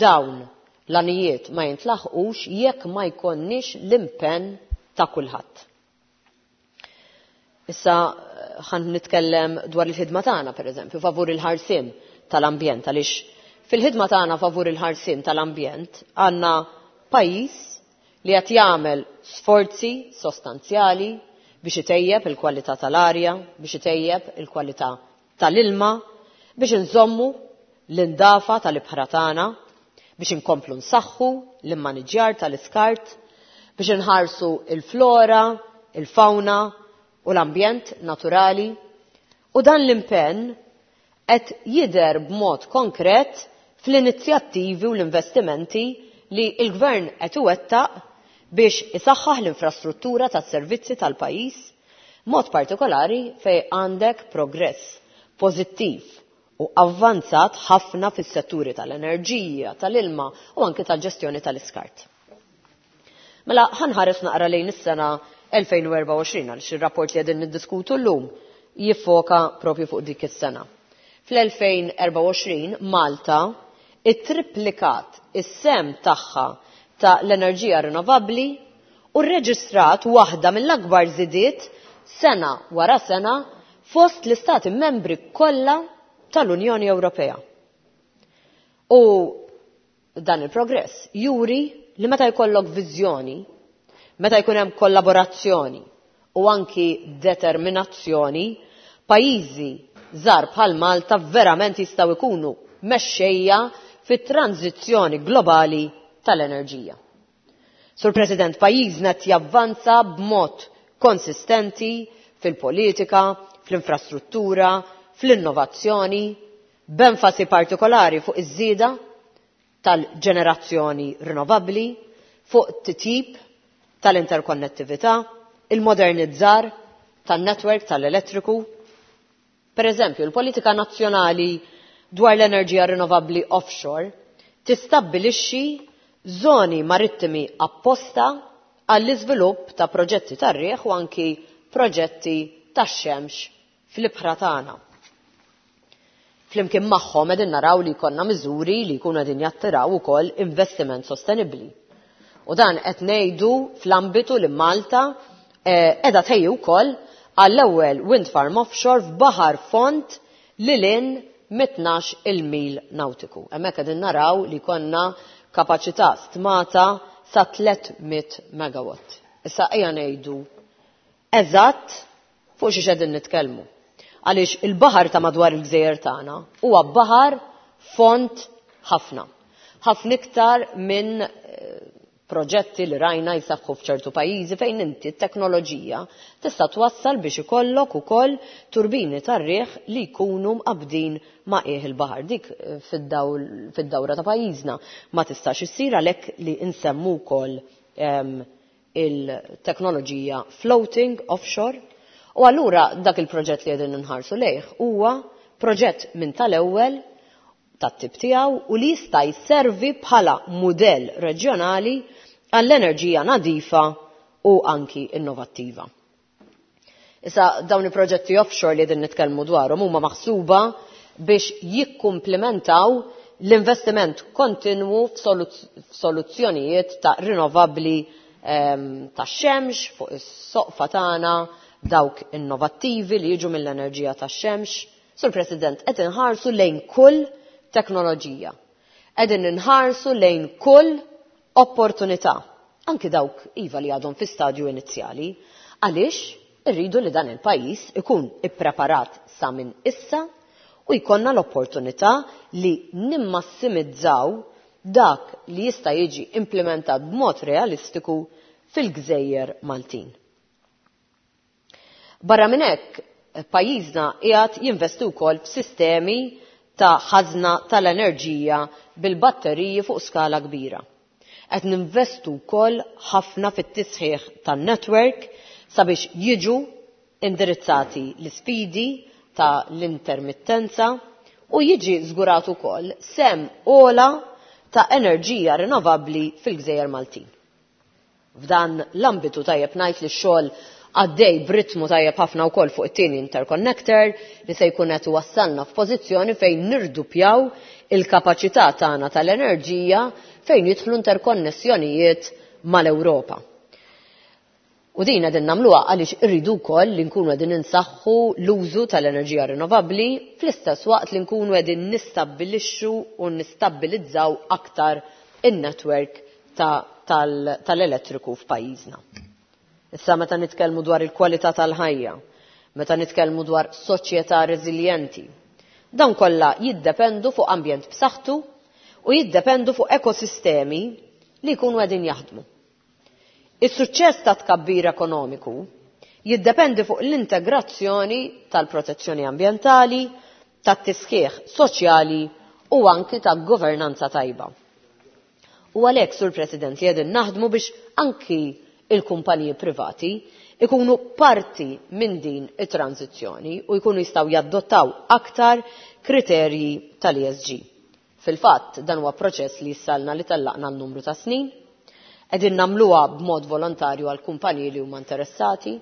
S9: dawn l-għanijiet ma jintlaħqux jekk ma jkollniex l-impenn ta' kulħadd. Issa ħan nitkellem dwar il-ħidma tagħna pereżempju favur il-ħarsien tal-ambjent għaliex fil-ħidma tagħna favur il-ħarsien tal-ambjent għandna pajjiż li qed jagħmel sforzi sostanzjali biex itejjeb il-kwalità tal-arja, biex itejjeb il-kwalità tal-ilma, biex inżommu l-indafa tal-ibħra tagħna, biex inkomplu nsaħħu l-immaniġjar tal-iskart, biex inħarsu il-flora, il-fauna u l-ambjent naturali. U dan l-impenn qed jidher b'mod konkret fl-inizjattivi u l-investimenti li l-Gvern qed iwettaq biex isaħħaħ l-infrastruttura tas-servizzi tal-pajjiż, mod partikolari fejn għandek progress pożittiv u avvanzat ħafna fis-setturi tal-enerġija, tal-ilma u anki tal-ġestjoni tal-iskart. Mela ħa nħares naqra lejn is-sena 2024 għaliex ir-rapport li qegħdin niddiskutu llum jiffoka propju fuq dik is-sena. Fl-2024 Malta ittriplikat is-sehem tagħha ta' l-enerġija rinnovabbli u rreġistrat waħda mill-akbar żidiet sena wara sena fost l-istati membri kollha tal-Unjoni Ewropea. U dan il-progress juri li meta jkollok viżjoni, meta jkun hemm kollaborazzjoni u anki determinazzjoni, pajjiżi żgħar bħal Malta verament jistgħu jkunu mexxejja fit-tranżizzjoni globali tal-enerġija. Sur President, pajjiżna qed javvanza b'mod konsistenti fil-politika, fl-infrastruttura, fl-innovazzjoni, b'enfasi partikolari fuq iż-żieda tal-ġenerazzjoni rinnovabbli, fuq titjib tal-interkonnettività, il-modernizzar tan-netwerk tal-elettriku. Per eżempju, il-politika nazzjonali dwar l-enerġija rinnovabbli offshore tistabbilixxi żoni marittimi apposta għall-iżvilupp ta' proġetti tar-riħ u anki proġetti tax-xemx fl-ibħra tagħna. Flimkien magħhom qegħdin naraw li jkollna miżuri li jkunu qegħdin jattiraw ukoll investiment sostenibbli. U dan qed ngħidu fl-ambitu li Malta qiegħda tħejji wkoll għall-ewwel wind farm offshore f'baħar fond lil hinn mit-tnax il-mil nautiku. Hemmhekk qegħdin naraw li jkollna kapaċità stmata sa 300 megawatt. Issa ejja ngħidu eżatt fuq xiex qegħdin nitkellmu. Għaliex il-baħar ta' madwar il-gżejjer tagħna huwa baħar fond ħafna. Ħafna iktar minn proġetti li rajna jsaħħu f'ċertu pajjiżi fejn inti t-teknoloġija tista' twassal biex ikollok ukoll turbini tar-riħ li jkunu mqabbdin ma' qiegħ il-baħar. Dik fid-dawra ta' pajjiżna ma tistax issir, għalhekk li nsemmu wkoll il-teknoloġija floating offshore. U allura dak il-proġett li qegħdin nħarsu lejh huwa proġett minn tal-ewwel tat-tip tiegħu u li jista' jservi bħala mudell reġjonali għall-enerġija nadifa u anki innovattiva. Issa dawn il-proġetti offshore li qegħdin nitkellmu dwarhom huma maħsuba biex jikkumplementaw l-investiment kontinwu f'soluzzjonijiet ta' rinnovabbli tax-xemx fuq is-soqfa tagħna, dawk innovattivi li jiġu mill-enerġija tax-xemx. Sur President, qed inħarsu lejn kull teknoloġija. Qegħdin inħarsu lejn kull opportunità, anki dawk iva li għadhom fi stadju inizjali, għaliex irridu li dan il-pajjiż ikun ippreparat sa minn issa u jkollna l-opportunità li nimmassimizzaw dak li jista' jiġi implementat b'mod realistiku fil-gżejjer Maltin. Barra minn hekk, pajjiżna qiegħed jinvesti wkoll f'sistemi ta' ħażna tal-enerġija bil-batteriji fuq skala kbira. Qed ninvestu wkoll ħafna fit-tisħiħ tan-network sabiex jiġu indirizzati l-isfidi ta' l-intermittenza u jiġi żgurat ukoll sem ogħla ta' enerġija rinnovabbli fil-Gżejjer Maltin. F'dan l-ambitu tajjeb ngħid li x-xogħol għaddej b'ritmu tajjeb ħafna wkoll fuq it-tieni interconnector li se jkun qed iwassalna f'pożizzjoni fejn nirdupjaw il-kapaċità tagħna tal-enerġija fejn jidħlu interkonnessjonijiet mal-Ewropa. U din qegħdin nagħmluha għaliex irridu wkoll li nkunu qegħdin insaħħu l-użu tal-enerġija rinnovabbli fl-istess waqt li nkunu qegħdin nistabbilixxu u nistabbilizzaw aktar in-network tal-elettriku f'pajjiżna. Issa meta nitkellmu dwar il-kwalità tal-ħajja, meta nitkellmu dwar soċjetà reżiljenti, dawn kollha jiddependu fuq ambjent b'saħħtu u jiddependu fuq ekosistemi li jkunu qegħdin jaħdmu. Is-suċċess ta' tkabbir ekonomiku jiddependi fuq l-integrazzjoni tal-protezzjoni ambjentali, tat-tisħiħ soċjali u anki ta' governanza tajba. U għalhekk, Sur President, li qegħdin naħdmu biex anki il-kumpaniji privati ikunu parti minn din it-tranzizzjoni u jkunu jistgħu jaddottaw aktar kriterji tal-ESG. Fil-fatt, dan huwa proċess li jissalna li tellaqna n-numru ta' snin, qegħdin nagħmluha b'mod volontarju għal kumpaniji li huma interessati,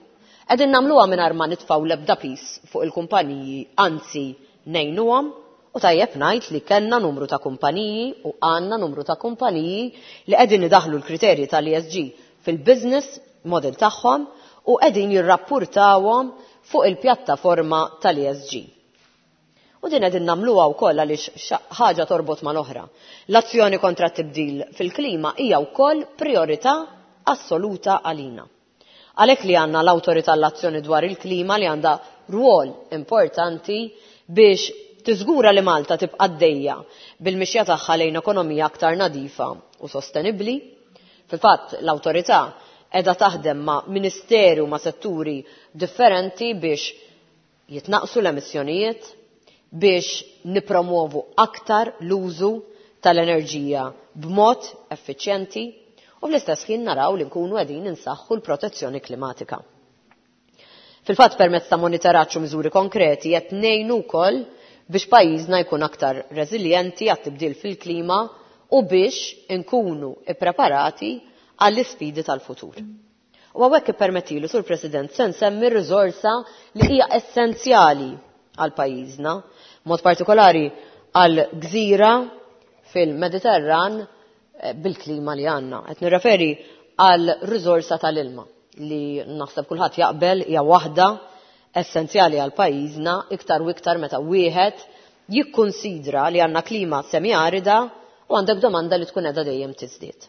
S9: qegħdin nagħmluha mingħajr ma nitfgħu l-ebda pis fuq il-kumpaniji, anzi ngħinuhom, u tajjeb ngħid li kellna numru ta' kumpaniji u għandna numru ta' kumpaniji li qegħdin idaħlu l-kriterji tal-ESG fil-business model tagħhom u qegħdin jirrappurtawhom fuq il-pjattaforma tal-ESG. U din qegħdin nagħmluha wkoll għaliex ħaġa torbot mal-oħra. L-azzjoni kontra t-tibdil fil-klima hija wkoll priorità assoluta għalina. Għalhekk li għandna l-Awtorità l-Azzjoni dwar il-Klima li għandha rwol importanti biex tiżgura li Malta tibqa' għaddejja bil-mixja tagħha lejn ekonomija aktar nadifa u sostenibbli. Fil-fatt, l-awtorità qiegħda taħdem ma' ministeri u ma' setturi differenti biex jitnaqsu l-emissjonijiet, biex nipromuovu aktar l-użu tal-enerġija b'mod effiċjenti u fl-istess ħin naraw li nkunu qegħdin insaħħu l-protezzjoni klimatika. Fil-fatt, permezz ta' monitoraġġ u miżuri konkreti qed ngħinu wkoll biex pajjiżna jkun aktar reżiljenti għat-tibdil fil-klima u biex inkunu ippreparati għall-isfidi tal-futur. U hawnhekk ippermettili, Sur President, se nsemmi riżorsa li hija essenzjali għal pajjiżna, mod partikolari għal gżira fil-Mediterran bil-klima li għandna. Qed nirreferi għal riżorsa tal-ilma li naħseb kulħadd jaqbel hija waħda essenzjali għal pajjiżna iktar u iktar meta wieħed jikkunsidra li għandna klima semi-arida u għandek domanda li tkun qiegħda dejjem tiżdied.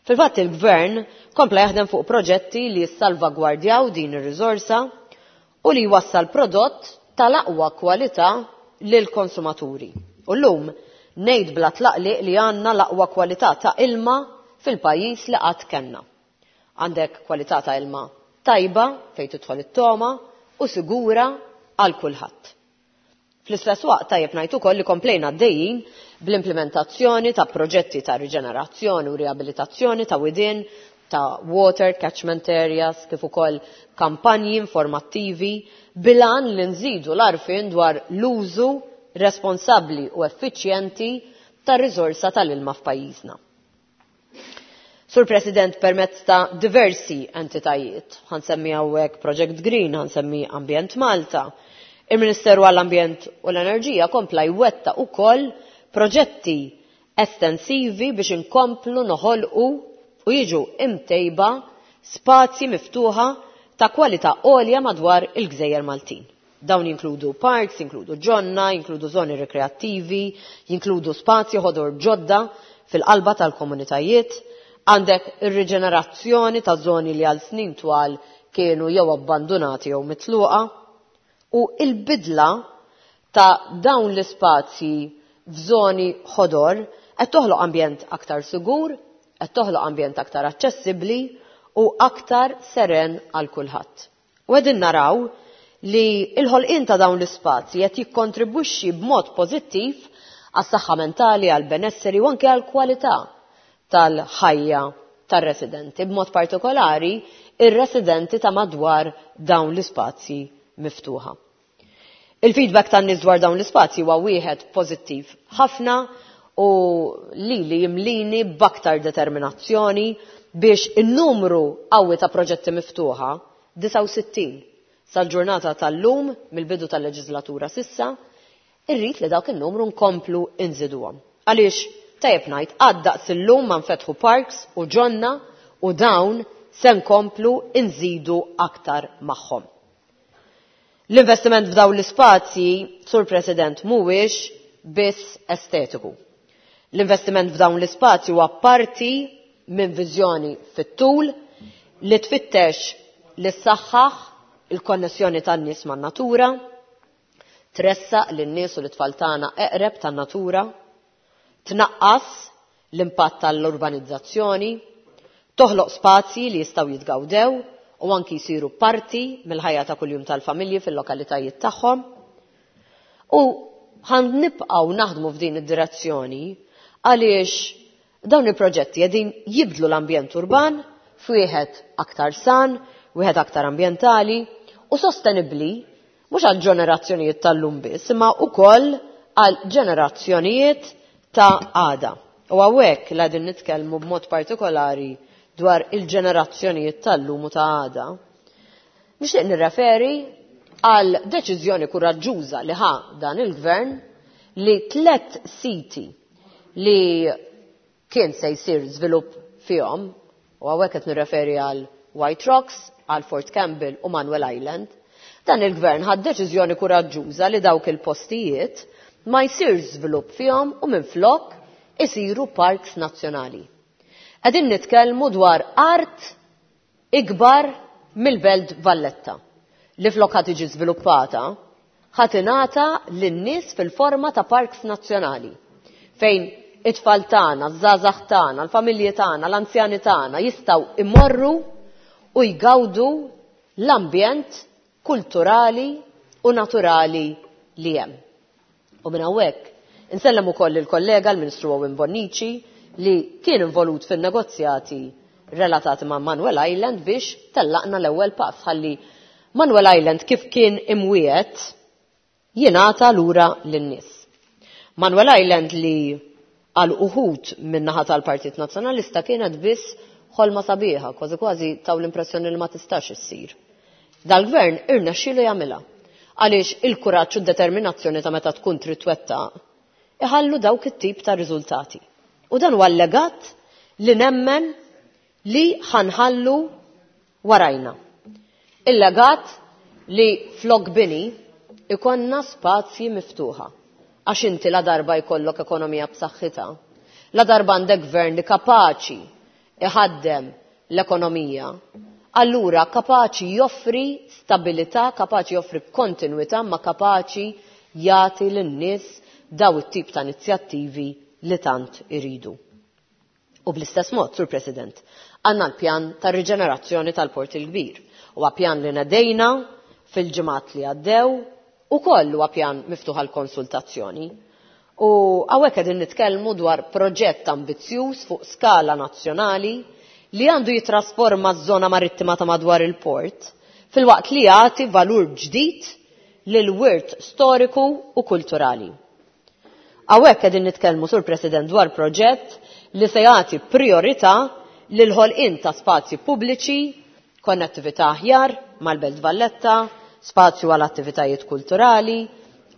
S9: Fil-fatt il-Gvern kompla jaħdem fuq proġetti li jissalvagwardjaw din ir-riżorsa u li jwassal prodott tal-aqwa kwalità lill-konsumaturi. U llum ngħid bla tlaqliq li għandna l-aqwa kwalità ta' ilma fil-pajjiż li qatt kellna. Għandek kwalità ta' ilma tajba fejn tidħol it-togħma u sigura għal kulħadd. Fl-istess waqt tajjeb ngħid ukoll li komplejna għaddejjin bl-implementazzjoni ta' proġetti ta' riġenerazzjoni u riabilitazzjoni ta' widien, ta' water catchment areas, kif ukoll kampanji informattivi bil-għan li nżidu l-għarfien dwar l-użu responsabbli u effiċjenti tar-riżorsa tal-ilma f'pajjiżna. Sur President, permezz ta' diversi entitajiet, ħansemmi hawnhekk Project Green, ħansemmi Ambjent Malta, il-Ministeru għall-Ambjent u l-Enerġija kompla jwettaq ukoll proġetti estensivi biex inkomplu noħolqu u jiġu imtejba spazji miftuħa ta' kwalità għolja madwar il-Gżejjer Maltin. Dawn jinkludu parks, jinkludu ġonna, jinkludu zoni rekreattivi, jinkludu spazji ħodor ġodda fil-qalba tal-komunitajiet, għandek ir-riġenerazzjoni ta' zoni li għal snin twal kienu jew abbandunati jew mitluqa, u il-bidla ta' dawn l-ispazji f'żoni ħodor qed toħloq ambjent aktar sigur, qed toħloq ambjent aktar aċċessibbli u aktar seren għal kulħadd. U qegħdin naraw li l-ħolqien ta' dawn l-ispazji qed jikkontribwixxi b'mod pożittiv għas-saħħa mentali, għall-benesseri u anke għall-kwalità tal-ħajja tar-residenti, b'mod partikolari ir-residenti ta' madwar dawn l-ispazji miftuħa. Il-feedback tan-nies dwar dawn l-ispazji huwa wieħed pożittiv ħafna u lili jimlini b'aktar determinazzjoni biex in-numru qawwi ta' proġetti miftuħa, 69 sal-ġurnata tal-lum mill-bidu tal-leġislatura sissa, irrid li dawk in-numru nkomplu nżiduhom. Għaliex tajjeb ngħid għad daqs illum ma nfetħu parks u ġonna u dawn se nkomplu nżidu aktar magħhom. L-investiment f'dawn l-ispazji, Sur President, mhuwiex biss estetiku. L-investiment f'dawn l-ispazji huwa parti minn viżjoni fit-tul li tfittex li ssaħħaħ il-konnessjoni tan-nies man-natura, tressaq lin-nies u l-itfal tagħna eqreb tan-natura, tnaqqas l-impatt tal-urbanizzazzjoni, toħloq spazji li jistgħu jitgawdew u anki jsiru parti mill-ħajja ta' kuljum tal-familji fil-lokalitajiet tagħhom. U ħan nibqgħu naħdmu f'din id-direzzjoni għaliex dawn il-proġetti qegħdin jibdlu l-ambjent urban f'wieħed aktar san, wieħed aktar ambjentali u sostenibbli mhux għal ġenerazzjonijiet tal-lum biss, imma wkoll għal ġenerazzjonijiet ta' għada. U hawnhekk li qegħdin nitkellmu b'mod partikolari dwar il-ġenerazzjonijiet tal-lum u ta' għada. Nixtieq nirreferi għal deċiżjoni kuraġġuża li ħa dan il-gvern li 3 siti li kien se jsir żvilupp fihom, u hawnhekk qed nirreferi għal White Rocks, għal Fort Campbell u Manuel Island, dan il-gvern ħa deċiżjoni kuraġġuża li dawk il-postijiet ma jsirx żvilupp fihom u minflok isiru parks nazzjonali. Qegħdin nitkellmu dwar art ikbar mill-Belt Valletta li flok ħa tiġi żviluppata ħa tingħata lin-nies fil-forma ta' parks nazzjonali fejn it-tfal tagħna, ż-żgħażagħ tagħna, l-familji tagħna, l-anzjani tagħna jistgħu imorru u jgawdu l-ambjent kulturali u naturali li hemm. U minn hawnhekk insellem ukoll il-kollega l-Ministru Owen Bonnici li kien involut fin-negozjati relatati ma' Manuel Island biex tellaqna l-ewwel pass ħalli Manuel Island kif kien imwiet jingħata lura lin-nies. Manuel Island li Għal uħud min-naħa tal-Partit Nazzjonalista kienet biss ħolma sabiħa, kważi kważi taw l-impressjoni li ma tistax issir. Dal-gvern irnexxielu jagħmilha. Għaliex il-kuraġġ u d-determinazzjoni ta' meta tkun trid twettaq iħallu dawk it-tip ta' riżultati. U dan huwa l-legat li nemmen li ħanħallu warajna. Il-legat li flok bini ikonna spazji miftuħa. Għax inti la darba jkollok ekonomija b'saħħitha, la darba għandek gvern li kapaċi iħaddem l-ekonomija, allura kapaċi joffri stabilità, kapaċi joffri kontinwità, ma kapaċi jagħti lin-nies daw it-tip ta' inizjattivi li tant iridu. U bl-istess mod, Sur President, għandna l-pjan ta' riġenerazzjoni tal-Port il-Kbir. Huwa pjan li nedejna fil-ġimgħat li għaddew u koll huwa pjan miftuħ għal konsultazzjoni. U hawnhekk qegħdin nitkellmu dwar proġett ambizzjuż fuq skala nazzjonali li għandu jitrasforma ż-żona marittima ta' madwar il-port filwaqt li jagħti valur ġdid lil wirt storiku u kulturali. Hawnhekk qegħdin nitkellmu, Sur President, dwar proġett li se jagħti priorità lil ħolqien ta' spazji pubbliċi, konnettività aħjar mal-Belt Valletta, spazju għal attivitajiet kulturali,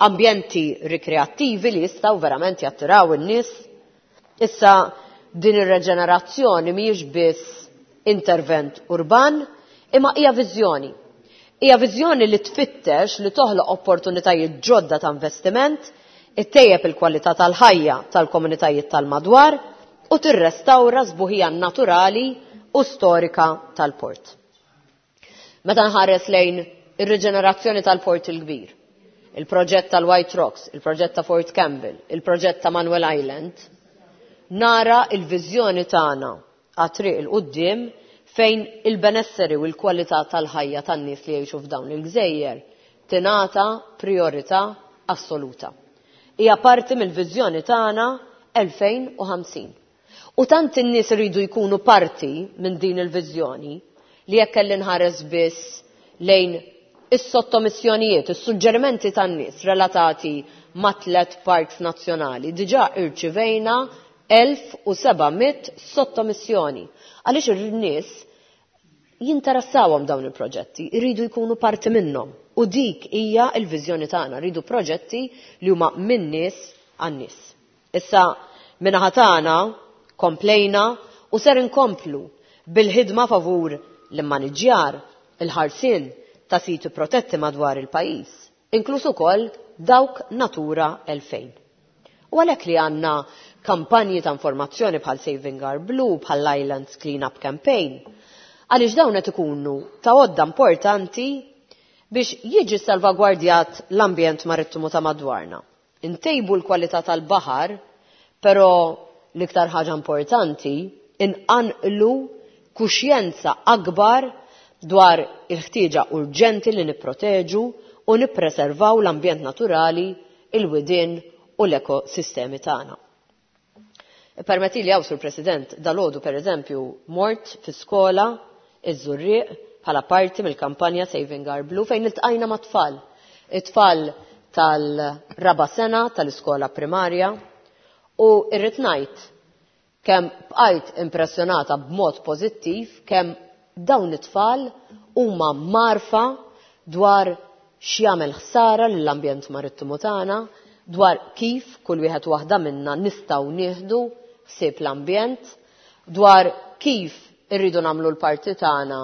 S9: ambjenti rikreattivi li jistgħu verament jattiraw in-nies. Issa din ir-reġenerazzjoni mhijiex biss intervent urban, imma hija viżjoni. Hija viżjoni li tfittex li toħloq opportunitajiet ġodda ta' investiment, ittejjeb il-kwalità tal-ħajja tal-komunitajiet tal-madwar u tirrestawra sbuħija naturali u storika tal-port. Meta nħares lejn ir-riġenerazzjoni tal-Port il-Kbir, il-proġett tal-White Rocks, il-proġett ta' Fort Campbell, il-proġett ta' Manuel Island, nara il-viżjoni tagħna għat-triq il-quddiem fejn il-benesseri u l-kwalità tal-ħajja tan-nies li jgħixu f'dawn il-gżejjer tingħata priorità assoluta. Hija parti mill-viżjoni tagħna 2050. U tant in-nies iridu jkunu parti minn din il-viżjoni li jekk kelli nħares biss lejn is-sottomissjonijiet, is-suġġerimenti tan-nies relatati ma' tliet parks nazzjonali, diġà irċivejna 1700 sottomissjoni. Għaliex in-nies jinteressawhom dawn il-proġetti, iridu jkunu parti minnhom. U dik hija l-viżjoni tagħna, rridu proġetti li huma min-nies għan-nies. Issa min-naħa tagħna komplejna u ser inkomplu bil-ħidma favur l-immaniġġjar, il-ħarsien ta' siti protetti madwar il-pajjiż, inkluż ukoll dawk Natura 2000. U għalhekk li għandna kampanji ta' informazzjoni bħal Saving Our Blue, bħal Islands Clean Up Campaign, għaliex dawn qed ikunu ta' għodda importanti biex jiġi salvagwardjat l-ambjent marittimu ta' madwarna. Intejbu l-kwalità tal-baħar, però l-iktar ħaġa importanti, inqanqlu kuxjenza akbar dwar il-ħtieġa urġenti li nipproteġu u nippreservaw l-ambjent naturali, il-widien u l-ekosistemi tagħna. Permetti li Sur President, dalgħodu per eżempju mort fi skola iż-Żurrieq bħala parti mill-kampanja Saving Our Blue fejn iltqajna ma' tfal. It-tfal tal-raba sena tal-iskola primarja u irrid ngħid kemm bqajt impressjonata b'mod pożittiv kemm dawn it-tfal huma marfa dwar x'jagħmel ħsara lill-ambjent marittimu tagħna, dwar kif kull wieħed waħda minna nistgħu nieħdu ħsieb l-ambjent, dwar kif irridu nagħmlu l-parti tagħna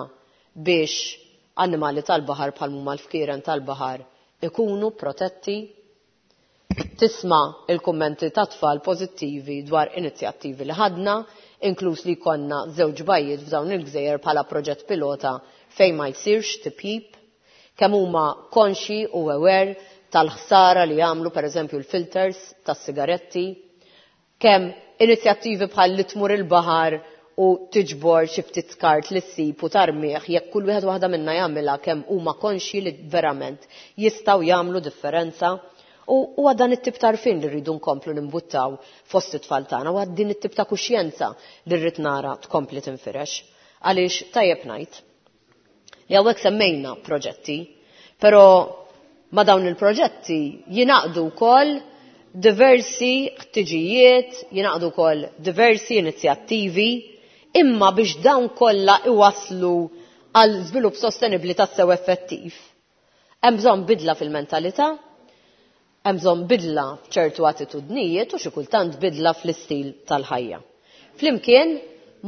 S9: biex annimali tal-baħar bħal huma l-fkieren tal-baħar ikunu protetti. Tisma' il-kummenti ta' tfal pożittivi dwar inizjattivi li ħadna, inkluż li jkollna żewġ bajjiet f'dawn il-gżejjer bħala proġett pilota fejn ma jsirx tipjip, kemm huma konxi u aware tal-ħsara li jagħmlu pereżempju l-filters tas-sigaretti, kemm inizjattivi bħal li tmur il-baħar u tiġbor xi ftit skart li ssib u tarmih, jekk kull wieħed waħda minna jagħmilha kemm huma konxi li verament jistgħu jagħmlu differenza. U huwa dan it-tip ta' għarfien li rridu nkomplu nimbuttaw fost it-tfal tagħna, u din it-tip ta' kuxjenza li rrid nara tkompli tinfirex. Għaliex tajjeb ngħid li hawnhekk semmejna proġetti, però ma' dawn il-proġetti jingħaqdu wkoll diversi ħtiġijiet, jingħaqdu wkoll diversi inizjattivi, imma biex dawn kollha iwasslu għal żvilupp sostenibbli tassew effettiv. Hemm bżonn bidla fil-mentalità, hemm bżonn bidla f'ċertu attitudnijiet u xi kultant bidla fl-istil tal-ħajja. Flimkien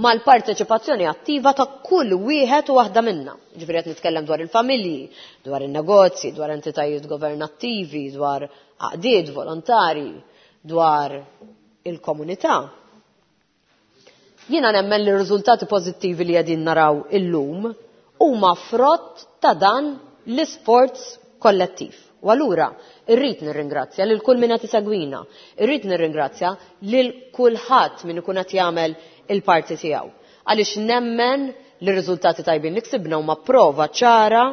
S9: mal-parteċipazzjoni attiva ta' kull wieħed u waħda minna. Ġifieri qed nitkellem dwar il-familji, dwar in-negozji, dwar entitajiet governattivi, dwar għaqdiet volontari, dwar il-komunità. Jiena nemmen li r-riżultati pożittivi li qegħdin naraw illum huma frott ta' dan l-isforz kollettiv. U allura irrid nirringrazzja lil kull min qed isegwina, irrid nirringrazzja lil kulħadd min ikun qed jagħmel il-parti tiegħu. Għaliex nemmen li r-riżultati tajbin li ksibna huma prova ċara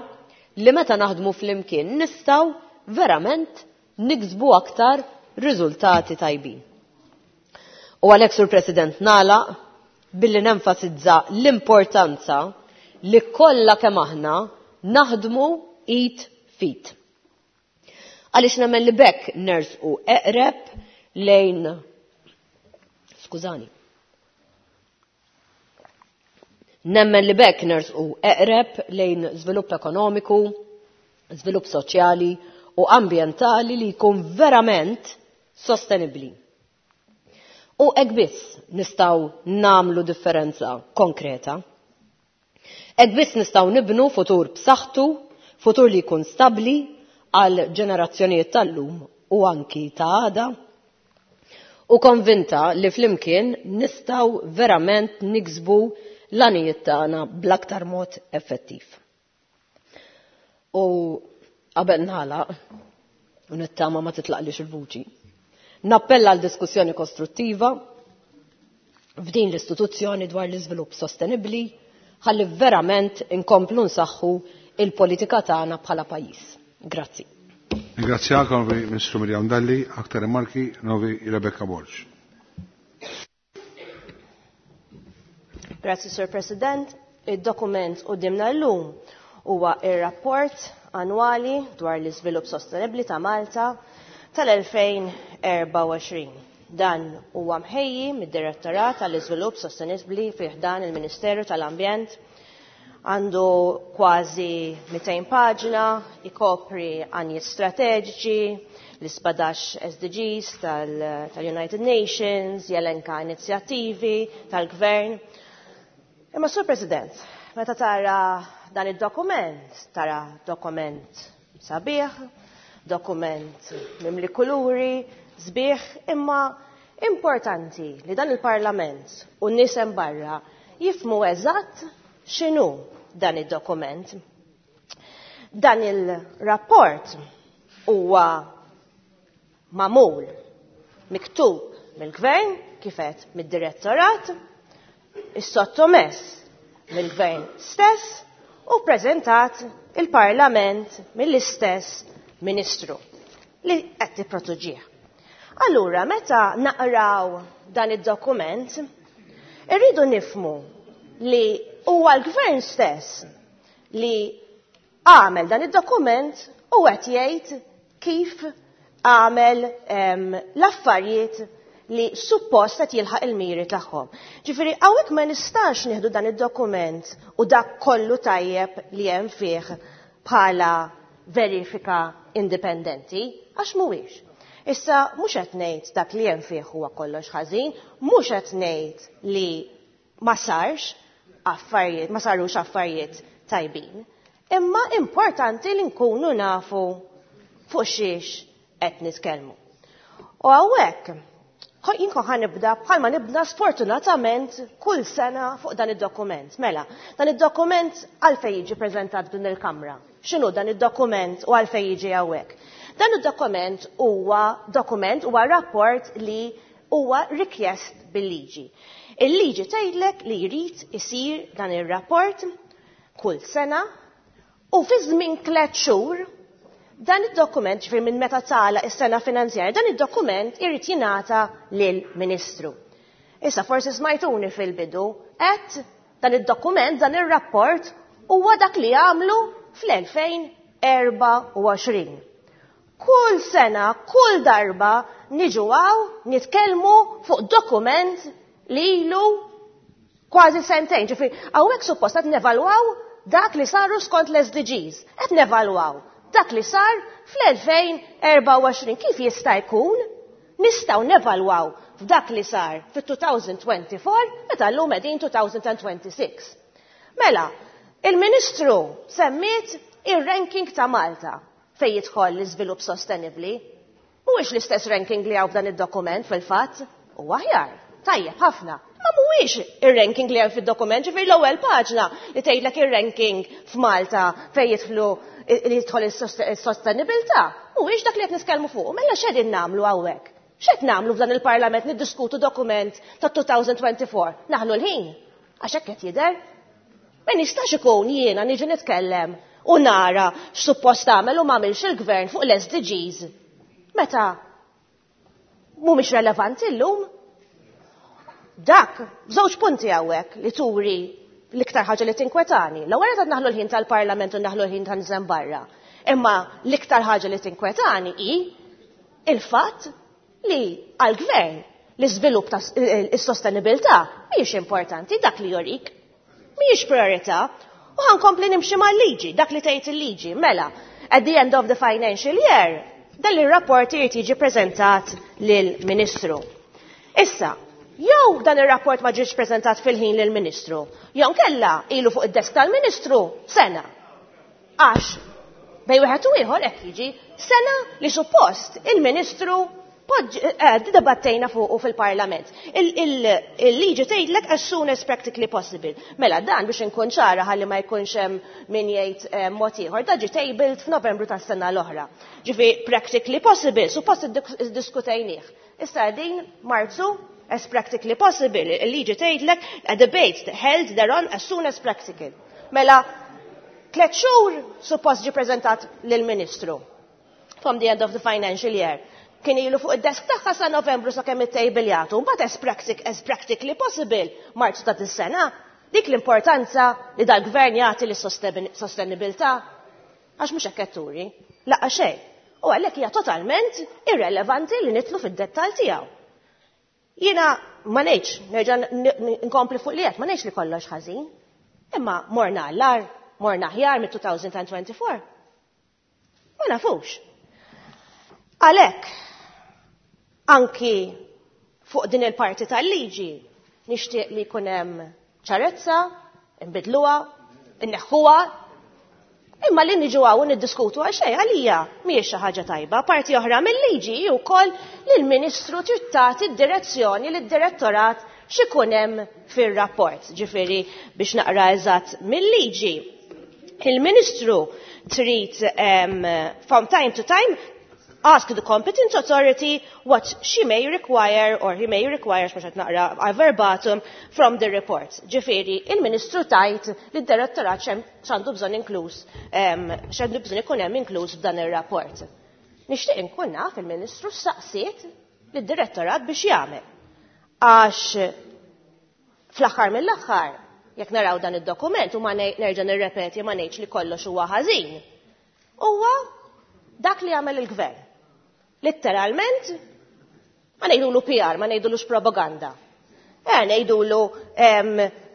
S9: li meta naħdmu flimkien nistgħu verament niksbu aktar riżultati tajbin. U għalhekk, Sur President, nagħlaq billi nenfasizza l-importanza li kollha kemm aħna naħdmu id f'id. Għaliex nemmen li b'hekk nersqu eqreb lejn skużani. Nemmen li b'hekk nersqu eqreb lejn żvilupp ekonomiku, żvilupp soċjali u ambjentali li jkun verament sostenibbli. U hekk biss nistgħu nagħmlu differenza konkreta. Hekk biss nistgħu nibnu futur b'saħħtu, futur li jkun stabbli għal ġenerazzjonijiet tal-lum u anki ta' għada. U konvinta li flimkien nistgħu verament niksbu l-għanijiet tagħna bl-aktar mod effettiv. U qabel nagħlaq, u nittama ma titlaqlix il-vuċi, nappella għal diskussjoni kostruttiva f'din l-istituzzjoni dwar l-iżvilupp sostenibbli ħalli verament inkomplu nsaħħu il-politika tagħna bħala pajjiż. Grazzi.
S1: Ringrazzjak, Onorevoli Ministru Miriam Dalli, aktar rimarki, Onorevoli Rebecca Borg.
S11: Grazzi, Sir President. Id-dokument qudiemna llum huwa ir-rapport annwali dwar l-iżvilupp sostenibbli ta' Malta tal-2024. Dan huwa mħejji mid-Direttorat tal-Iżvilupp Sostenibbli fi ħdan il-Ministeru tal-Ambjent. Għandu kważi 200 paġna, ikopri għanijiet strateġiċi, l-17 SDGs tal-United Nations, jelenka inizjattivi tal-Gvern. Imma Sur President, meta tara dan id-dokument, tara dokument sabiħ, dokument mimli kuluri, sbieħ, imma importanti li dan il-Parlament u n-nies hemm barra jifhmu eżatt x'inhu dan id-dokument. Dan il-rapport huwa magħmul, miktub mill-Gvern, kif għedt mid-Direttorat, is-sottomess mill-Gvern stess u preżentat il-Parlament mill-istess Ministru li qed tipprotuġih. Allura, meta naqraw dan id-dokument, irridu nifmu li huwa l-Gvern stess li għamel dan id-dokument u qed jgħid kif għamel l-affarijiet li suppost qed jilħaq il-miri tagħhom. Ġifieri hawnhekk ma nistax nieħdu dan id-dokument u dak kollu tajjeb li hemm fih bħala verifika indipendenti, għax mhuwiex. Issa mhux qed ngħid dak li hemm fih huwa kollox ħażin, mhux qed ngħid li ma sarx affarijiet, ma sarux affarijiet tajbin. Imma importanti li nkunu nafu fuq xiex qed nitkellmu. U hawnhekk jien kont ħa nibda bħalma nibda sfortunatament kull sena fuq dan id-dokument. Mela, dan id-dokument għalfejn jiġi preżentat din il-Kamra. X'inhu dan id-dokument u għalfejn jiġi hawnhekk? Dan id-dokument huwa dokument, huwa rapport li huwa rikjest bil-liġi. Il-liġi tgħidlek li jrid isir dan ir-rapport kull sena u fi żmien 3 xhur dan id-dokument, ġifieri minn meta tagħlaq is-sena finanzjarja, dan id-dokument irid jingħata lill-Ministru. Issa forsi smajtuni fil-bidu, qed dan id-dokument, dan ir-rapport huwa dak li għamlu fl-2024. Kull sena, kull darba niġu hawn nitkellmu fuq dokument li ilu kważi sentejn. Ġifieri hawnhekk suppost qed nevalwaw dak li saru skont l-SDGs. Qed nevalwaw dak li sar fl-2024. Kif jista' jkun nistgħu nevalwaw f'dak li sar fit-2024 meta llum qegħdin 2026? Mela, il-Ministru semmiet ir-ranking ta' Malta fejn jidħol l-iżvilupp sostenibbli. Mhuwiex l-istess ranking li hawn f'dan id-dokument fil-fatt, huwa aħjar, tajjeb ħafna. Ma mhuwiex ir-ranking li hemm fid-dokument, ġifieri l-ewwel paġna li tgħidlek ir-ranking f'Malta fejn jidħlu li jidħol is-sostenibilità, mhuwiex dak li qed nitkellmu fuq. Mela x'qegħdin nagħmlu hawnhekk? X'qed nagħmlu f'dan il-Parlament niddiskutu dokument ta' 2024? Naħlu l-ħin? Għax hekk qed jidher. Ma nistax ikun jiena niġi nitkellem u nara x'suppost tagħmel u m'għamilx il-gvern fuq l-SDGs. Meta mhumiex relevanti llum. Dak, żewġ punti hawnhekk li turi l-iktar ħaġa li tinkwetani. L-ewwel qed naħlu l-ħin tal-Parlament u naħlu l-ħin ta' niżen barra. Imma l-iktar ħaġa li tinkwetani hi il-fatt li għall-gvern l-iżvilupp ta' is-sostenibilità mhijiex importanti dak li jorik. Mhijiex priorità. U ħa nkompli nimxi mal-liġi, dak li tgħid il-liġi. Mela, at the end of the financial year, dan ir-rapport irid jiġi preżentat lill-Ministru. Issa, jew dan ir-rapport ma ġiex preżentat fil-ħin lill-Ministru, jew kella ilu fuq id-desk tal-Ministru sena. Għax bejn wieħed u ieħor hekk jiġi sena li suppost il-Ministru dibattejna fuqu fil-Parlament. Il-liġi tgħidlek as soon as practically possible. Mela dan biex inkun ċara ħalli ma jkunx hemm min jgħid mod ieħor, da ġie tabled f'Novembru tas-sena l-oħra. Ġifi practically possible, suppost iddiskutejnieh. Issa din Marzu as practically possible, il-liġi tgħidlek a debate held thereon as soon as practical. Mela 3 xhur suppost ġie preżentat lill-Ministru from the end of the financial year. Kien ilu fuq id-desk tagħha sa Novembru sakemm it-table jagħtu, mbagħad as practically possible Marzu ta' dis-sena. Dik l-importanza li dal-gvern jagħti lis-sostenibilità għax mhux hekk qed turi, laqgħa xejn. U għalhekk hija totalment irrelevanti li nitlu fid-dettall tiegħu. Jiena ma ngħidx, nerġa' nkompli fuq li qed, ma ngħidx li kollox ħażin. Imma morna għall-agħar, morna aħjar mit-2024. Ma nafux. Għalhekk, anki fuq din il-parti tal-liġi, nixtieq li jkun hemm ċarezza, nbidluha, inneħħuha, imma li niġu hawn niddiskutu għal xejn għalija mhijiex xi ħaġa tajba. Parti oħra mill-liġi hi wkoll li l-Ministru trid tagħti d-direzzjoni lid-direttorat x'ikun hemm fir-rapport. Ġifieri biex naqra eżatt mill-liġi, il-Ministru trid from time to time ask the competent authority what she may require or he may require, x'mhux qed naqra verbatim from the report. Ġifieri, il-Ministru tajt li d-direttorat x'għandu bżonn inkluż, x'għandu bżonn ikun hemm inkluż f'dan ir-rapport. Nixtieq inkun naf il-Ministru saqsiet lid-direttorat biex jagħmel. Għax fl-aħħar mill-aħħar, jekk naraw dan id-dokument u ma nerġa' nirrepeti ma ngħidx li kollox huwa ħażin, huwa dak li għamel il-gvern. Litteralment, ma ngħidulu PR, ma ngħidulux propaganda. Ngħidulu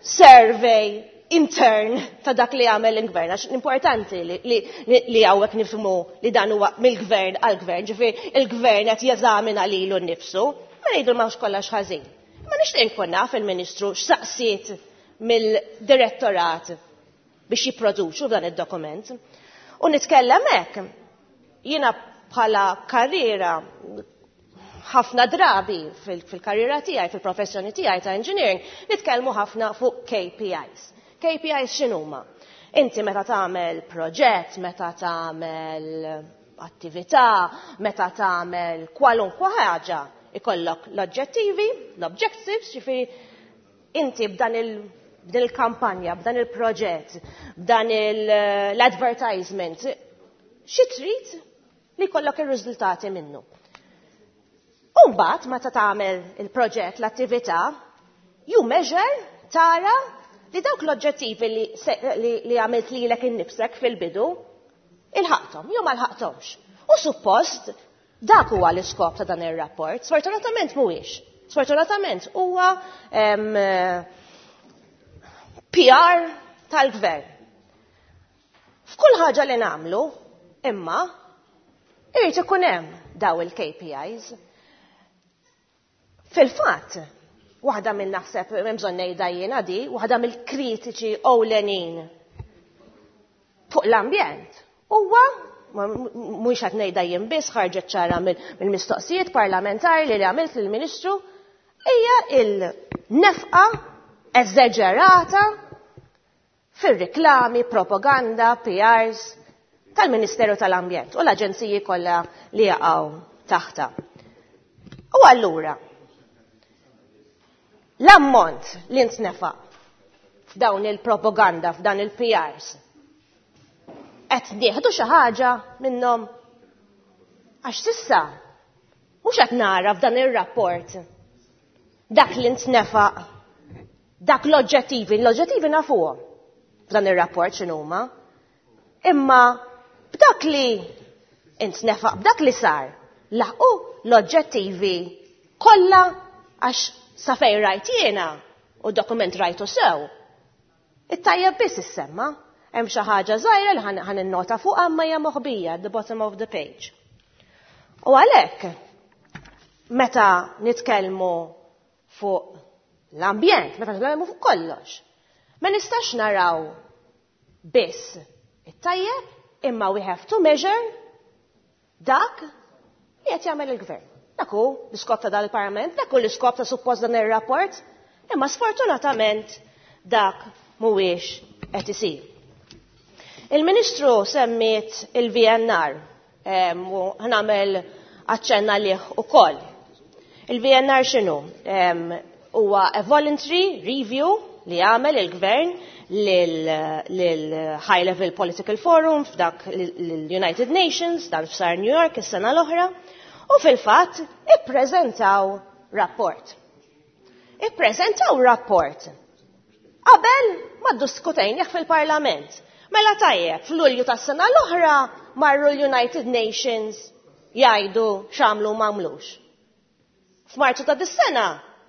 S11: survey intern ta' dak li għamel il-gvern. Għax importanti li hawnhekk nifhmu li dan huwa mill-gvern għall-gvern, ġifieri il-gvern qed jeżamina lilu nnifsu, ma ngħidu m'hawnx kollox ħażin. Ma nixtieq inkun naf il-Ministru x'saqsiet mill-direttorat biex jipproduċu dan id-dokument. U nitkellem hekk, jiena bħala karriera ħafna drabi fil-karriera tiegħi, fil-professjoni tiegħi ta' engineering, nitkellmu ħafna fuq KPIs. KPIs x'inhuma? Inti meta tagħmel proġett, meta tagħmel attività, meta tagħmel kwalunkwe ħaġa, ikollok l-oġġettivi, l-objectives, ġifieri inti b'dan b'din il-kampanja, b'dan il-proġett, b'dan l-advertisement, xi trid li jkollok ir-riżultati minnu. U mbagħad meta tagħmel il-proġett, l-attività, you measure, tara li dawk l-oġġettivi li għamilt lilek innifsek fil-bidu, ilħaqthom, jew ma lħaqthomx. U suppost Dak huwa l-iskop ta' dan ir-rapport. Sfortunatament mhuwiex. Sfortunatament huwa PR tal-gvern. F'kull ħaġa li nagħmlu, imma irid ikun hemm daw il-KPIs. Fil-fatt, waħda minn naħseb hemm bżonn ngħidha jiena di, waħda mill-kritiċi ewlenin fuq l-ambjent huwa mhux qed ngħidha jien biss, ħarġet ċara mill-mistoqsijiet parlamentari li għamilt lill-Ministru, hija il-nefqa eżaġerata fir-riklami, propaganda, PRs tal-Ministeru tal-Ambjent u l-aġenziji kollha li jaqgħu taħta. U allura, l-ammont li ntnefa f'dawn il-propaganda, f'dan il-PRs, qed nieħdu xi ħaġa minnhom? Għax s'issa mhux qed nara f'dan ir-rapport dak li ntnefaq, dak l-oġġettivi, l-oġġettivi nafuhom f'dan ir-rapport x'inhuma, imma b'dak li intnefaq, b'dak li sar, laħqu l-oġġettivi kollha? Għax sa fejn rajt jiena u dokument rajtu sew, it-tajjeb biss issemma. Hemm xi ħaġa żgħira li ħa ninnota fuq imma hija moħbija at the bottom of the page. U għalhekk meta nitkellmu fuq l-ambjent, meta nitkellmu fuq kollox, ma nistax naraw biss it-tajjeb, imma we have to measure dak li qed jagħmel il-gvern. Dak hu l-iskop ta' dal-Parlament, dak hu l-iskop ta' suppost dan ir-rapport, imma sfortunatament dak mhuwiex qed isir. Il-Ministru semmiet il-VNR u ħa nagħmel aċċenna lih ukoll. Il-VNR x'inhu? Huwa a voluntary review li għamel il-gvern lil High Level Political Forum f'dak l-United Nations, dan f'sar New York is-sena l-oħra, u fil-fatt ippreżentaw rapport. Ippreżentaw rapport qabel ma ddiskutejnieh fil-Parlament. Mela tajjeb, f'Lulju tas-sena l-oħra marru l-United Nations jgħidu x'għamlu ma għamlux. F'Marzu ta' dis-sena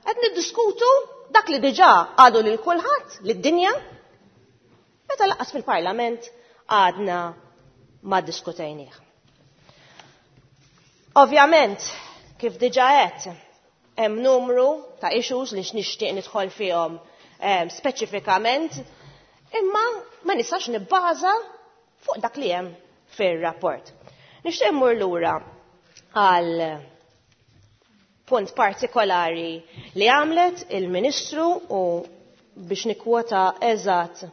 S11: qed niddiskutu dak li diġà għadu lil kulħadd, lid-dinja, meta lanqas fil-Parlament għadna ma ddiskutejnieh. Ovvjament, kif diġà qed, hemm numru ta' issues li nixtieq nidħol fihom speċifikament, imma ma nistax nibbaża fuq dak li hemm fir-rapport. Nixtieq immur lura għal punt partikolari li għamlet il-Ministru u biex nikwota eżatt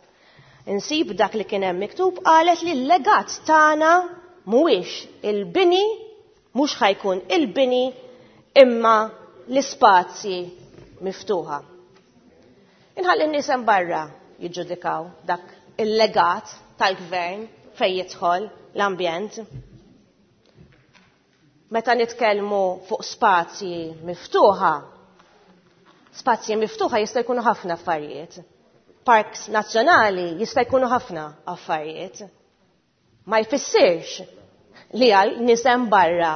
S11: insib dak li kien hemm miktub, qalet li l-legat tagħna mhuwiex il-bini, mhux ħa jkun il-bini, imma l-ispazji miftuħa. Inħalli n-nies hemm barra jiġġudikaw dak il-legat tal-gvern fejn jidħol l-ambjent. Meta nitkellmu fuq spazji miftuħa, spazji miftuħa jista' jkunu ħafna affarijiet. Parks nazzjonali jista' jkunu ħafna affarijiet. Ma jfissirx li għal nies hemm barra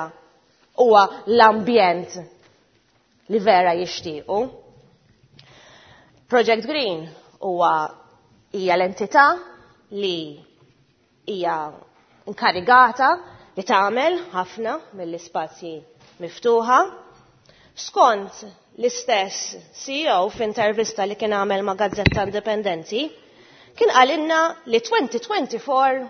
S11: huwa l-ambjent li vera jixtiequ. Project Green huwa hija l-entità li hija inkarigata li tagħmel ħafna mill-ispazji miftuħa. Skont l-istess CEO f'intervista li kien għamel ma' Gazzetta Indipendenti, kien qalilna li 2024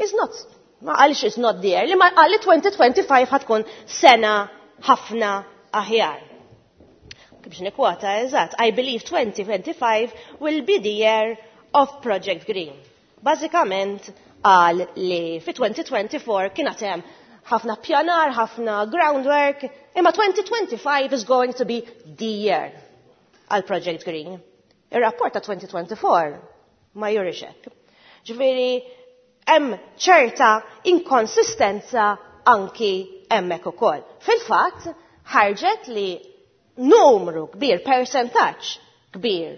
S11: is not, ma qalx is not there, li ma qal li 2025 ħa tkun sena ħafna aħjar. Biex nikwota eżatt, "I believe 2025 will be the year of Project Green." Bażikament qal li fi 2024 kien hemm ħafna pjanar, ħafna groundwork, imma 2025 is going to be the year għal Project Green. Ir-rapport ta' 2024 ma jurix hekk. Ġifieri hemm ċerta inkonsistenza anki hemmhekk ukoll. Fil-fatt ħarġet li numru kbir, percentaġġ kbir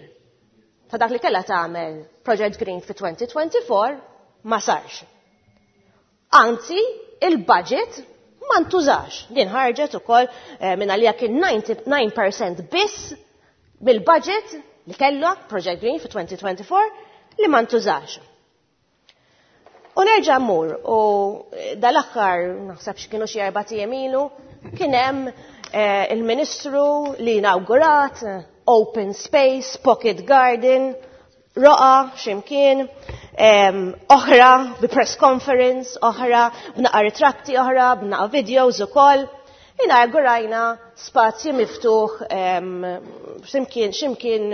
S11: ta' dak li kellha tagħmel Project Green fi 2024 ma sarx. Anzi, il-budget Ma ntużax. Din ħarġet ukoll minn għalija kien 99% biss mill-budget li kellha Project Green fi 2024 li ma ntużax. U nerġa' mmur u dal-aħħar naħseb x'kienu xi 4 ijiem ilu kien hemm il-Ministru li inawgurat open space, pocket garden, roqa x'imkien, oħra bi press conference, oħra b'naqa ritratti, oħra b'naqa videos ukoll. Inaugurajna spazju miftuħ x'imkien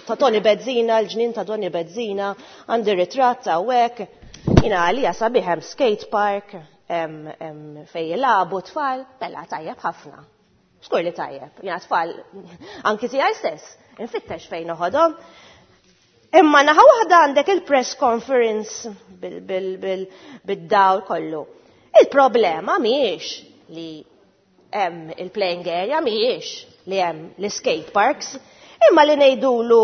S11: ta' Tony Bezzina, l-ġnien ta' Tony Bezzina, għandi ritratt hawnhekk. Jina għalija sabiħ hemm skate park, fejn jilagħbu tfal, bella tajjeb ħafna. Xkur li tajjeb, jina tfal anki tiegħi stess, infittex fejn noħodhom. Imma naħa waħda għandek il-press conference bid-dawl kollu. Il-problema mhijiex li hemm il-playing area, mhijiex li hemm l-skate parks, imma li ngħidulu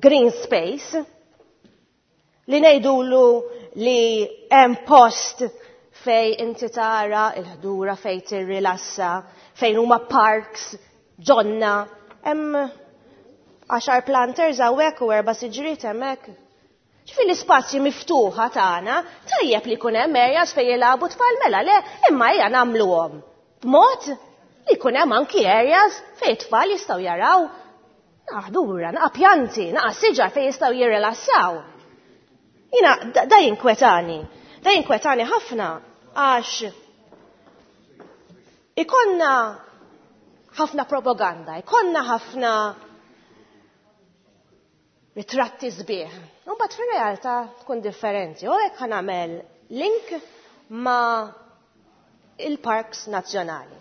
S11: green space, li ngħidulu li hemm post fej inti tara il-ħdura fej tirrilassa, fejn huma parks, ġonna, hemm 10 planters hawnhekk u 4 siġriet hemmhekk. Ġifieri l-ispazji miftuħa tagħna tajjeb li jkun hemm areas fejn jilagħbu tfal mela le, imma ejja nagħmluhom b'mod li jkun hemm anki areas fejn tfal jistgħu jaraw naħdura, naqa' pjanti, naqa' siġar fejn jistgħu jirrilassaw. Jina, da jinkwetani, da jinkwetani ħafna għax ikonna ħafna propaganda, ikonna ħafna ritratti sbieħ. Imbagħad fir-realtà tkun differenti. U hekk ħa nagħmel link ma' il-parks nazzjonali.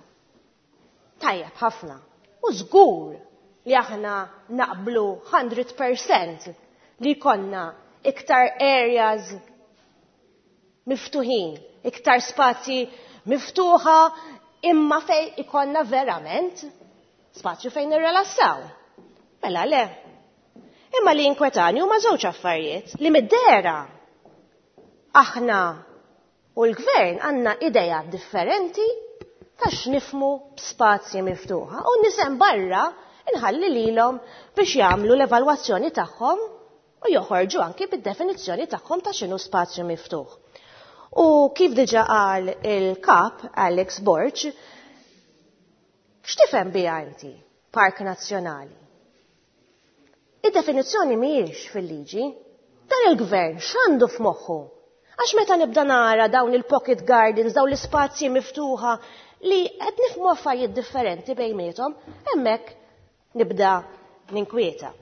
S11: Tajjeb ħafna. U żgur li aħna naqblu 100% li jkollna iktar areas miftuħin, iktar spazji miftuħa, imma fej ikollna verament spazju fejn nirrelassaw. Mela le. Imma li jinkwetani huma żewġ affarijiet li mid-dera aħna u l-gvern għandna idea differenti ta' x'nifmu b'spazji miftuħa u nisem barra inħalli lilhom biex jagħmlu l-evalwazzjoni tagħhom u joħorġu anki bid-definizzjoni tagħhom ta' x'inhu spazju miftuħ. U kif diġà qal il-kap Alex Borg, x'tifhem biha inti Park Nazzjonali? Id-definizzjoni mhijiex fil-liġi. Dan il-gvern x'għandu f'moħħu? Għax meta nibda nara dawn il-pocket gardens, dawn l-ispazji miftuħa li qed nifhmu affarijiet differenti bejniethom, hemmhekk nibda ninkwieta.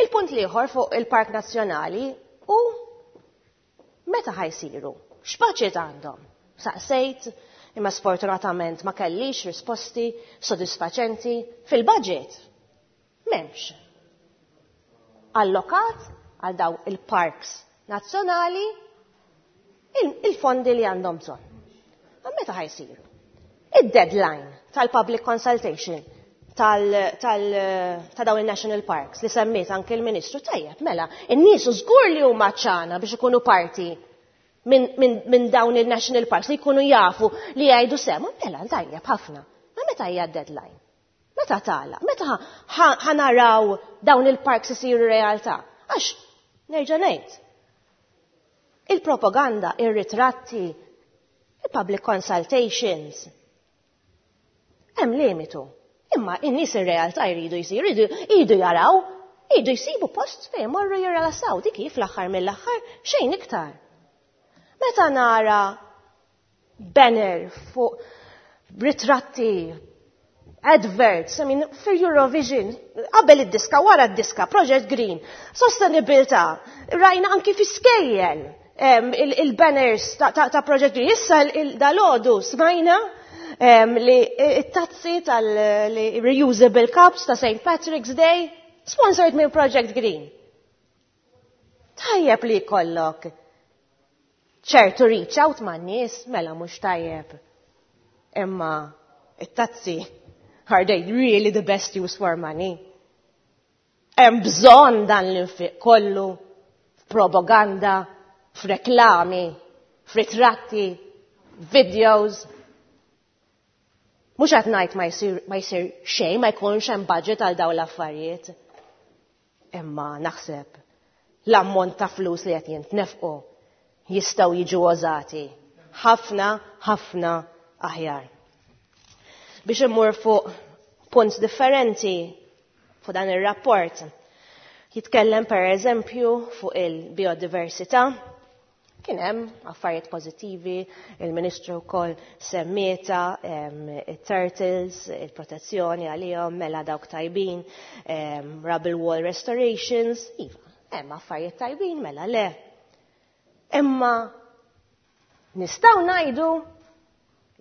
S11: Il-punt l-ieħor fuq il-Park Nazzjonali hu meta ħajsiru? X'baġit għandhom? Saqsejt, imma sfortunatament ma kellix risposti sodisfaċenti fil-budget. M'hemmx. Allokat għal daw il-parks nazzjonali il-fondi li għandhom bżonn. Ma meta ħajsiru? Id-deadline tal-public consultation ta' dawn il-national parks li semmiet anke l-Ministru tajjeb, mela, in-nies żgur li huma ċana biex ikunu parti minn dawn il-national parks li jkunu jafu li jgħidu sema, mela, tajjeb ħafna. Ma meta hija d-deadline? Meta tala? Meta ħanaraw dawn il-parks isiru realtà? Għax, nerġa' ngħid, il-propaganda, ir-ritratti, il-public consultations, hemm limitu. Imma in-nies ir-realtà jridu jsiru, jridu jaraw, jridu jsibu post fejn morru jirrelassaw, dik hi fl-aħħar mill-aħħar xejn iktar. Meta nara banner fuq ritratti, adverts, I mean, for Eurovision, qabel id-diska, wara d-diska, Project Green, sostenibilità, rajna anki fi skejjel il-banners ta' Project Green. Issa dal-għodu smajna li it-tazzi tal-reusable cups ta' St. Patrick's Day, sponsored minn Project Green. Tajjeb li jkollok ċertu reach out ma' nies, mela mhux tajjeb. Imma it-tazzi, are they really the best use for money? Hemm bżonn dan l-infiq kollu f'propaganda, f'reklami, f'ritratti. videos. Mhux qed ngħid ma jsir ma jsir xejn, ma jkunx hemm budget għal dawn l-affarijiet. Imma naħseb l-ammont ta' flus li qed jintnefqu jistgħu jiġu użati ħafna ħafna aħjar. Biex immur fuq punt differenti fuq dan ir-rapport, jitkellem per eżempju fuq il-biodiversità. Kien hemm affarijiet pożittivi, il-Ministru wkoll semmieta it-turtles, il-protezzjoni għalihom, mela dawk tajbin, rubble wall restorations, iva, hemm affarijiet tajbin, mela le. Imma nistgħu ngħidu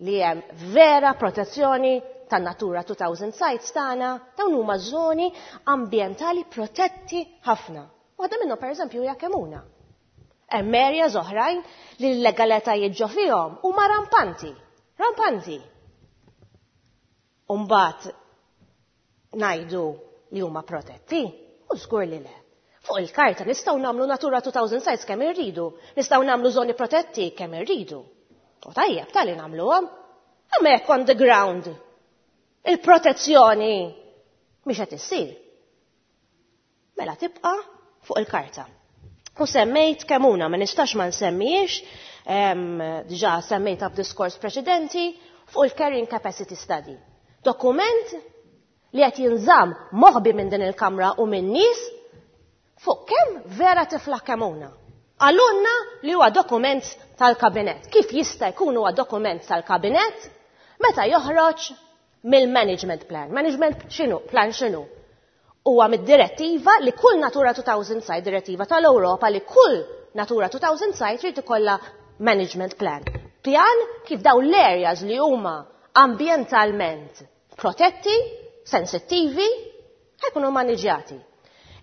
S11: li hemm vera protezzjoni tan-Natura 2000 sites tagħna, dawn huma żoni ambjentali protetti ħafna. Waħda minnhom pereżempju hija Kemuna. Hemm areas oħrajn li l-legalitajiet ġo fihom huma rampanti, rampanti. U mbagħad ngħidu li huma protetti, u żgur li le. Fuq il-karta nistgħu nagħmlu Natura 2000 sites kemm irridu, nistgħu nagħmlu żoni protetti kemm irridu. U tajjeb tali nagħmluhom. Imma jekk on the ground il-protezzjoni mhix qed issir. Mela tibqa' fuq il-karta. U semmejt Kemuna, ma nistax ma nsemmijiex, diġà semmejta f'diskors preċedenti, fuq il-Carrying Capacity Study. Dokument li qed jinżamm moħbi minn din il-Kamra u minn nies fuq kemm vera tiflaħ Kemuna. Qalulna li huwa dokument tal-kabinet. Kif jista' jkun huwa dokument tal-kabinet meta joħroġ mill-management plan? Management x'inhu? Plan x'inhu? Huwa mid-direttiva li kull Natura 2000 site, direttiva tal-Ewropa li kull Natura 2000 site trid ikollha management plan. Pjan kif daw l-areas li huma ambientalment protetti, sensittivi, ħa jkunu maniġjati.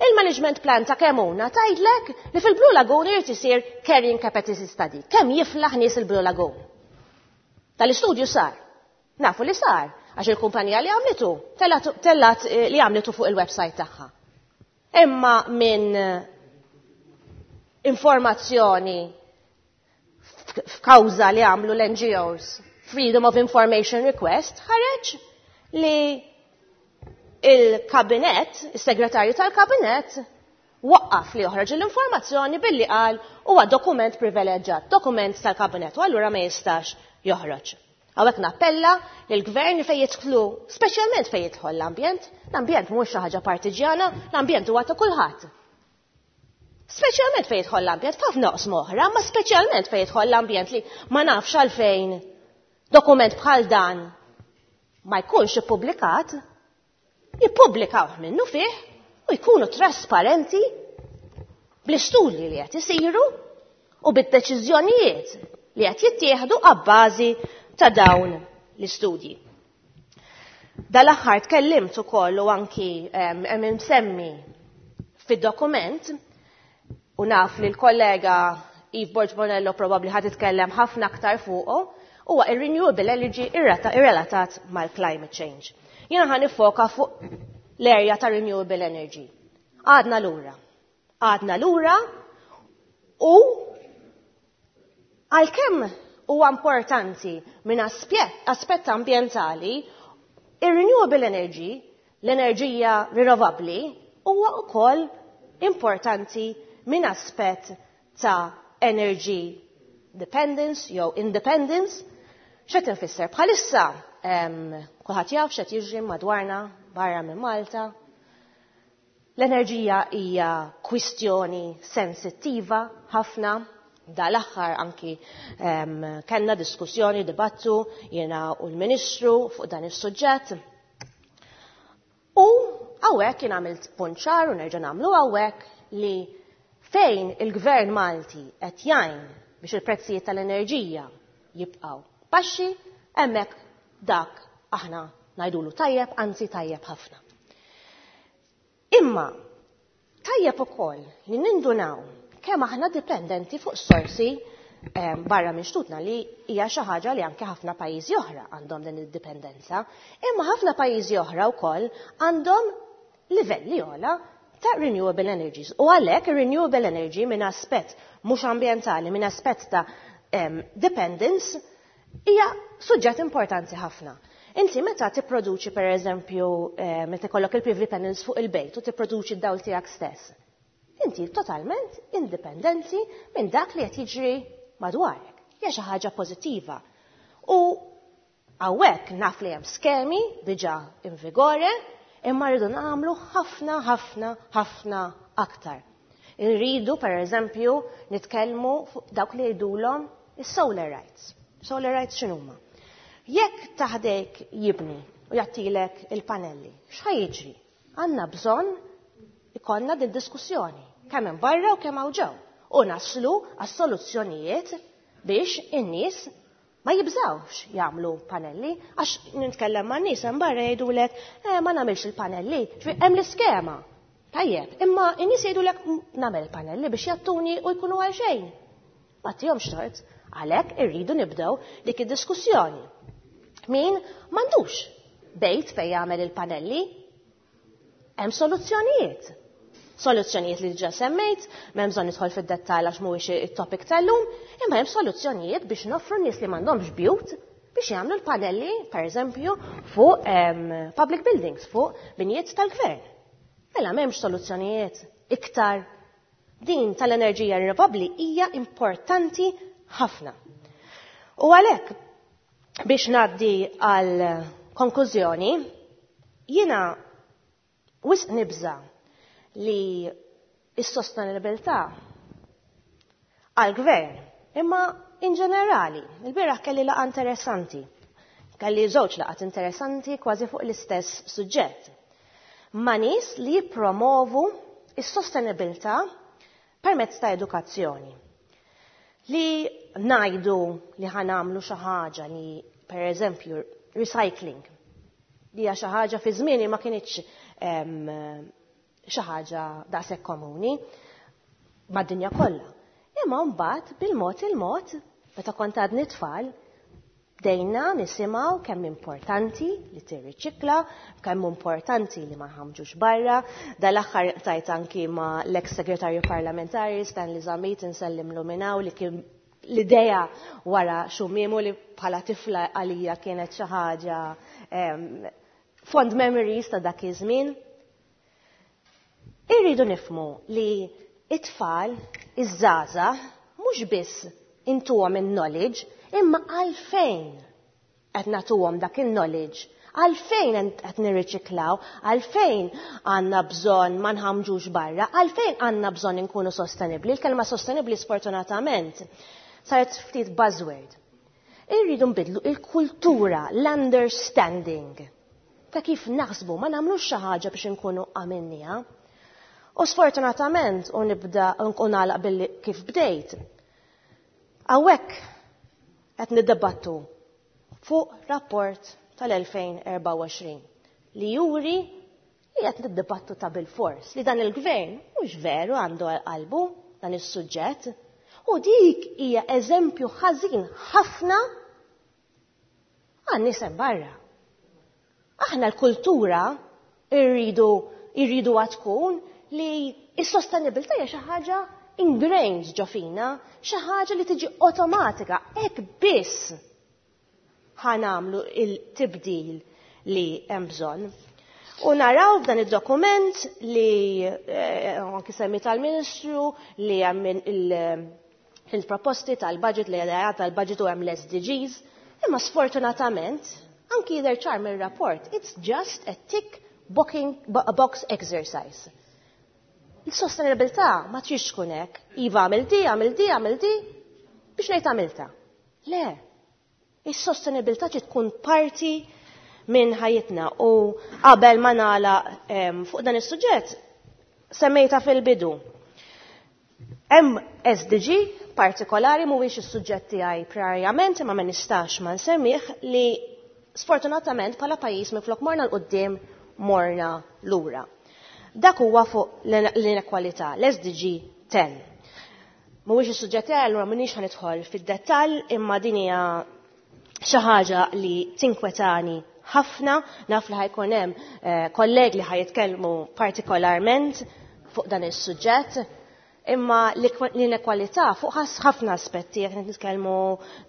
S11: Il-management plan ta' Kemuna tgħidlek li fil-Blue Lagoon irid isir carrying capacity study. Kemm jiflaħ nies il-Blue Lagoon? Tal-istudju sar. Nafu li sar, għax il-kumpanija li għamlitu, tellat li għamlitu fuq il-website tagħha. Imma minn informazzjoni f'kawża li għamlu l-NGOs, Freedom of Information Request, ħareġ li il-kabinet, il-segretarju tal-kabinet, waqqaf li joħroġ l-informazzjoni billi qal huwa dokument privileġġat, dokument tal-kabinet, u allura ma jistax joħroġ. Hawnhekk nappella lill-gvern fejn jidħlu, speċjalment fejn jidħol l-ambjent, l-ambjent mhux xi ħaġa partiġjana, l-ambjent huwa ta' kulħadd. Speċjalment fejn jidħol l-ambjent, f'ħafna oqsma oħra, ma speċjalment fejn jidħol l-ambjent li ma nafx għalfejn dokument bħal dan ma jkunx ippubblikat, jippubblikaw minnu fih u jkunu trasparenti bl-istudji li qed isiru u bid-deċiżjonijiet li qed jittieħdu abbażi ta' dawn l-istudji. Dal-aħħar tkellimt ukoll u anki hemm imsemmi fid-dokument u naf li l-kollega Eve Borg Bonello probabbli ħad titkellem ħafna aktar fuqu, huwa ir-renewable energy irrelatat mal-climate change. Jiena ħa nifoka fuq l-area ta' renewable energy. Għadna lura. Għadna lura u għalkemm huwa importanti minn aspett ambientali, ir-renewable energy, l-enerġija rinnovabbli, huwa wkoll importanti minn aspett ta' energy dependence jew independence. X'qed infisser? Bħalissa kulħadd jaf x'qed jiġri madwarna barra minn Malta. L-enerġija hija kwistjoni sensittiva ħafna. Dal-aħħar anki kellna diskussjoni, dibattu jiena u l-Ministru fuq dan is-suġġett. U hawnhekk jien għamilt punt ċar u nerġa' nagħmlu hawnhekk li fejn il-Gvern Malti qed jgħin biex il-prezzijiet tal-enerġija jibqgħu baxxi, hemmhekk dak aħna ngħidulu tajjeb, anzi tajjeb ħafna. Imma tajjeb ukoll li nindunaw kemm aħna dipendenti fuq sorsi barra minn xtutna, li hija xi ħaġa li anke ħafna pajjiżi oħra għandhom din id-dipendenza, imma ħafna pajjiżi oħra wkoll għandhom livelli ogħla ta' renewable energies. U għalhekk renewable energy minn aspett mhux ambjentali, minn aspett ta' dependence, Hija suġġett importanti ħafna. Inti meta tipproduċi per eżempju meta ikollok il-PV panels fuq il-bejt u tipproduċi d-dawl tiegħek stess, inti totalment indipendenti minn dak li qed jiġri madwarek. Hija xi ħaġa pożittiva. U hawnhekk naf li hemm skemi diġà in vigore, imma rridu nagħmlu ħafna, ħafna, ħafna aktar. Irridu, per eżempju, nitkellmu fuq dawk li jgħidulhom is-solar rights. Solar rights x'inhuma? Jekk taħdejk jibni u jagħtilek il-panelli, x'ħa jiġri? Għandna bżonn ikollna din diskussjoni, kemm hemm barra u kemm hawn ġew, u naslu għas-soluzzjonijiet biex in-nies ma jibżawx jagħmlu panelli, għax nitkellem ma' nies hemm barra jgħidulek ma nagħmilx il-panelli, ġifieri hemm l-iskema. Tajjeb, imma n-nies jgħidulek nagħmel panelli biex jattuni u jkunu għal xejn. Ma tihomx tort, għalhekk irridu nibdew dik id-diskussjoni. Min m'għandux bejt fejn jagħmel il-panelli, hemm soluzzjonijiet. Soluzzjonijiet li diġà semmejt, m'hemm bżonn nidħol fid-dettall għax mhuwiex it-topic tal-lum, imma hemm soluzzjonijiet biex noffru nies li m'għandhomx bjut biex jagħmlu l-panelli, per eżempju, fuq public buildings, fuq binjiet tal-gvern. Mela m'hemmx soluzzjonijiet iktar. Din tal-enerġija rinnovabbli hija importanti ħafna. U għalhekk biex ngħaddi għal konklużjoni, jiena wisq nibża li s-sostenibilità għal-gvern, imma in ġenerali, il-bieraħ kelli laqgħa interessanti. Kelli żewġ laqgħat interessanti kważi fuq l-istess suġġett. Ma' nies li jippromovu is-sostenibilità permezz ta' edukazzjoni. Li ngħidu li ħa nagħmlu xi ħaġa li, per eżempju, recycling, li hija xi ħaġa fi żmieni ma kinitx xi ħaġa daqshekk komuni mad-dinja kollha. Imma mbagħad bil-mod il-mod, meta kont għadni tfal, bdejna nisimgħu kemm importanti li tirriċikla, kemm importanti li ma nħamġux barra. Dal-aħħar tajt anki ma l-ex segretarju parlamentari Stanley Zammit insellimlu minn hawn li kien l-idea wara xumimu li bħala tifla għalija kienet xi ħaġa fond memories ta' dak iż-żmien. Irridu nifhmu li it-tfal, iż-żgħażagħ, mhux biss intuhom il-knowledge, imma għalfejn qed nagħtuhom dak il-knowledge, għalfejn qed nirriċiklaw, għalfejn għandna bżonn ma nħamġux barra, għalfejn għandna bżonn inkunu sostenibbli. Il-kelma sostenibbli sfortunatament saret ftit buzzword. Irridu nbidlu il-kultura, l-understanding ta' kif naħsbu, ma nagħmlux xi ħaġa biex inkunu għamilniha. U sfortunatament, u nibda u nagħlaq billi kif bdejt, hawnhekk qed niddebattu fuq rapport tal-2024 li juri li qed niddebattu ta' bil-fors li dan il-gvern mhux veru għandu għal qalbu dan is-suġġett, u dik hija eżempju ħażin ħafna għan-nies hemm barra. Aħna l-kultura irridu tkun li s-sostenibilità hija xi ħaġa ingrained ġo fina, xi ħaġa li tiġi awtomatika, hekk biss ħa nagħmlu il-tibdil li hemm bżonn. U naraw f'dan id-dokument li anki semmi tal-Ministru li hemm il-proposti tal-budget li għadha tal-budget u hemm l-SDGs, imma sfortunatament anki jidher ċar mir-rapport, it's just a tick box exercise. Il-sostenibilità ma tridx tkun hekk. Iva għamil di, għamil di, għamil di, biex ngħid għamilta. Le, is-sostenibilità trid tkun parti minn ħajjitna. U qabel ma nagħlaq fuq dan is-suġġett, semmejta fil-bidu. Hemm SDG partikolari mhuwiex is-suġġett tiegħi primarjament, imma ma nistax ma nsemmih li sfortunatament bħala pajjiż minflok morna 'l quddiem morna lura. Dak huwa fuq l-inekwalità, l-SDG 10. Mhuwiex is-suġġett tiegħi, allura m'iniex ħa nidħol fid-dettall, imma din hija xi ħaġa li tinkwetani ħafna, naf li ħajkun hemm kollegi li ħajitkellmu partikolarment fuq dan is-suġġett. Imma l-inekwalità fuq ħafna aspetti, jekk nitkellmu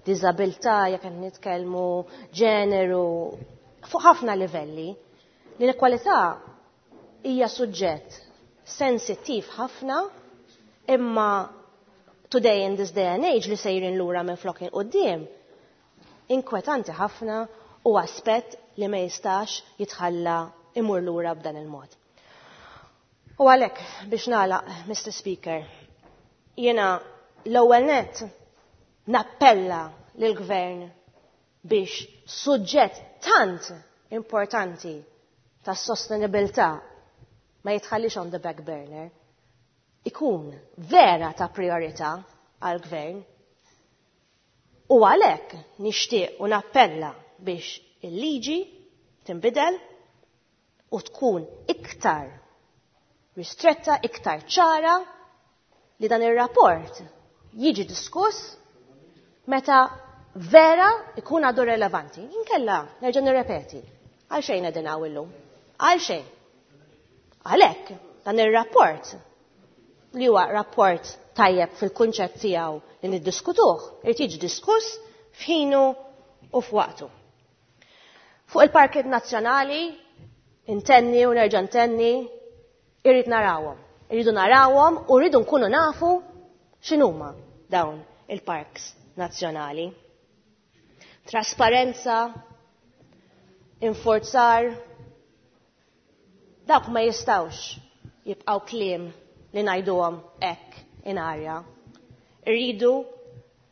S11: diżabilità, jekk nitkellmu ġeneru, fuq ħafna livelli. L-inekwalità hija suġġett sensittiv ħafna, imma today in this day and age li sejrin lura minn flok 'il quddiem, inkwetanti ħafna u aspett li ma jistax jitħalla imur lura b'dan il-mod. U għalhekk biex nagħlaq, Mr. Speaker, jiena l-ewwel net nappella lill-Gvern biex suġġett tant importanti tas sostenibilità ma jitħallix on the back burner, ikun vera ta' priorità għal-gvern. U għalhekk nixtieq u nappella biex il-liġi tinbidel u tkun iktar ristretta, iktar ċara li dan ir-rapport jiġi diskuss meta vera ikun għadu relevanti. Inkella, nerġa' nirrepeti, għal xejn qegħdin hawn illum. Għal xejn. Għalhekk dan ir-rapport li huwa rapport tajjeb fil-kunċett tiegħu li niddiskutuh, irid jiġi diskuss f'ħinu u f'waqtu. Fuq il-parkijiet nazzjonali, intenni u nerġa' ntenni, irrid narawhom. Irridu narawhom u rridu nkunu nafu x'inhuma dawn il-parks nazzjonali. Trasparenza, inforzar, dawk ma jistawx jibqaw kliem li ngħiduhom hekk in arja. Irridu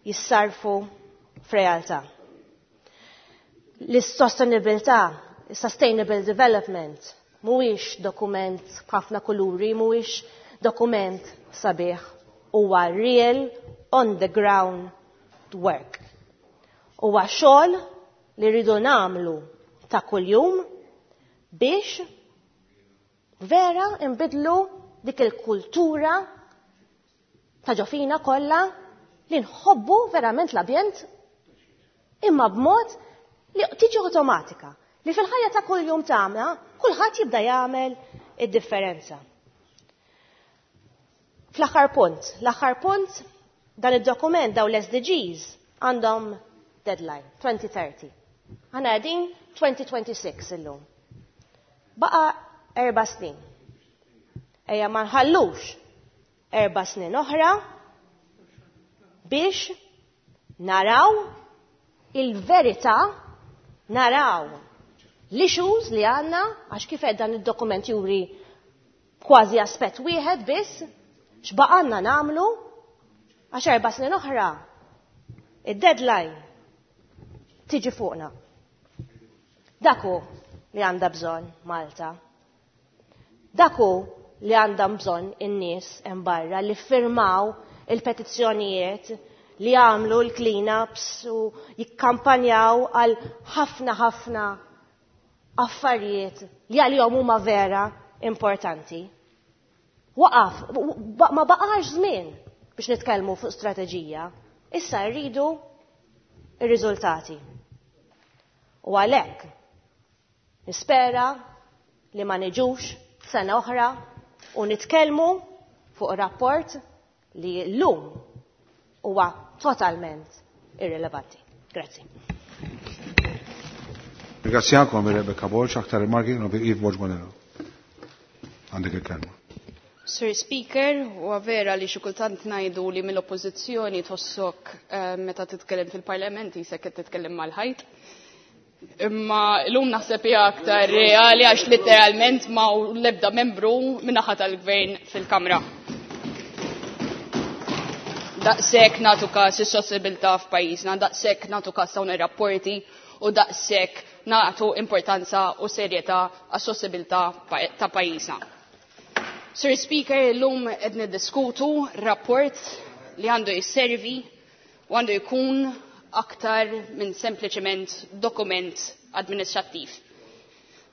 S11: jissarfu f'realtà. L-sostenibilità, sustainable development, mhuwiex dokument b'ħafna kuluri, mhuwiex dokument sabiħ, huwa real on the ground work. Huwa xogħol li rridu nagħmlu ta' kuljum biex vera nbidlu dik il-kultura ta' ġo fina kollha li nħobbu verament l-ambjent imma b'mod li tiġi automatika li fil-ħajja ta' kuljum tagħna kulħadd jibda jagħmel id-differenza. Fl-aħħar punt, l-aħħar punt dan id-dokument daw l-SDGs għandhom deadline 2030. Aħna qegħdin 2026 illum. Baqa 4 snin. Ejja ma nħallux 4 snin oħra biex naraw il-verità, naraw l-issues li għandna, għax kif dan id-dokument juri kważi aspett wieħed biss, x'baqanna nagħmlu, għax 4 snin oħra id-deadline tiġi fuqna. Dak hu li għandha bżonn Malta. Dak hu li għandha bżonn in-nies hemm barra li firmaw il-petizzjonijiet, li għamlu l-cleanups u jikkampanjaw għal ħafna ħafna affarijiet li għalihom huma vera importanti. Waqaf, ma baqax żmien biex nitkellmu fuq strateġija. Issa rridu ir-riżultati. U għalhekk nispera li ma niġux sena oħra u nitkellmu fuq rapport li llum huwa totalment irrelevanti. Grazzi.
S1: Ringrazzjakom Rebecca Borg, aktar rimarki Eve Borg Bonello. Għandek il-kelma.
S10: Sir Speaker, u vera li xi kultant ngħidu li mill-oppożizzjoni tħossok meta titkellem fil-Parlament jisek qed titkellem mal-ħajt. Imma llum naħseb hija aktar reali għax literalment ma l-ebda membru min-naħa tal-gvern fil-Kamra. Daqshekk nagħtu każ is-sostenibilità f'pajjiżna, daqshekk nagħtu każ dawn ir-rapporti u daqshekk nagħtu importanza u serjetà għas-sostenibilità ta' pajjiżna. Sir Speaker, illum qed niddiskutu rapport li għandu jisservi u għandu jkun aktar minn sempliċement dokument administrattiv.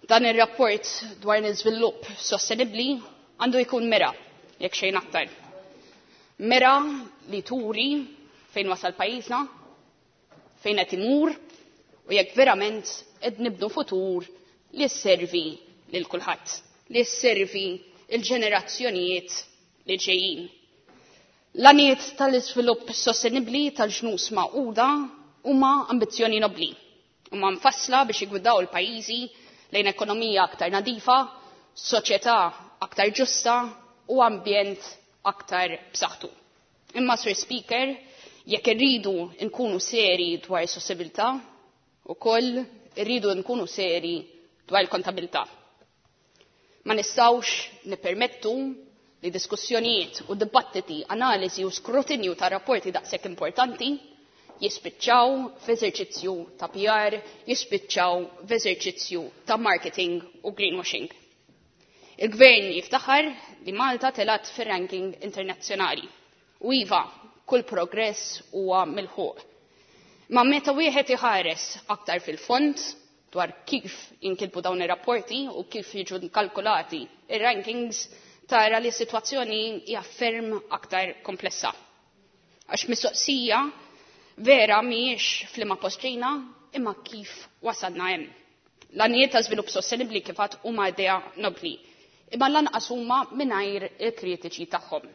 S10: Dan ir-rapport dwar l-iżvilupp sostenibbli għandu jkun mera, jekk xejn aktar. Mera li turi fejn wasal pajjiżna, fejn qed imur u jekk verament qed nibnu futur li sservi lil kulħadd, li sservi il-ġenerazzjonijiet li ġejjin. L-għaniet tal-iżvilupp sostenibbli tal-ġnus Magħquda huma ambizzjoni nobbli. Huma mfassla biex jiggwidaw il-pajjiżi lejn ekonomija aktar nadifa, soċjetà aktar ġusta u ambjent aktar b'saħħtu. Imma, Sur Speaker, jekk irridu nkunu seri dwar is-sostenibilità, ukoll irridu nkunu seri dwar il-kontabilità. Ma nistgħux nippermettu li diskussjonijiet u dibattiti, analiżi u skrutinju ta' rapporti daqshekk importanti jispiċċaw f'eżerċizzju ta' PR, jispiċċaw f'eżerċizzju ta' marketing u greenwashing. Il-gvern jiftaħar li Malta telat fir-ranking internazzjonali. U iva, kull progress huwa milħuq. Ma meta wieħed iħares aktar fil-fond dwar kif jinkitbu dawn ir-rapporti u kif jiġu kalkulati ir-rankings, tara li s-sitwazzjoni hija ferm aktar komplessa. Għax mistoqsija vera mhijiex f'liema post ġejna, imma kif wasalna hemm. L-għanijiet ta' żvilupp sostenibbli kif għad huma idea nobli, imma lanqas huma mingħajr il-kritiċi tagħhom.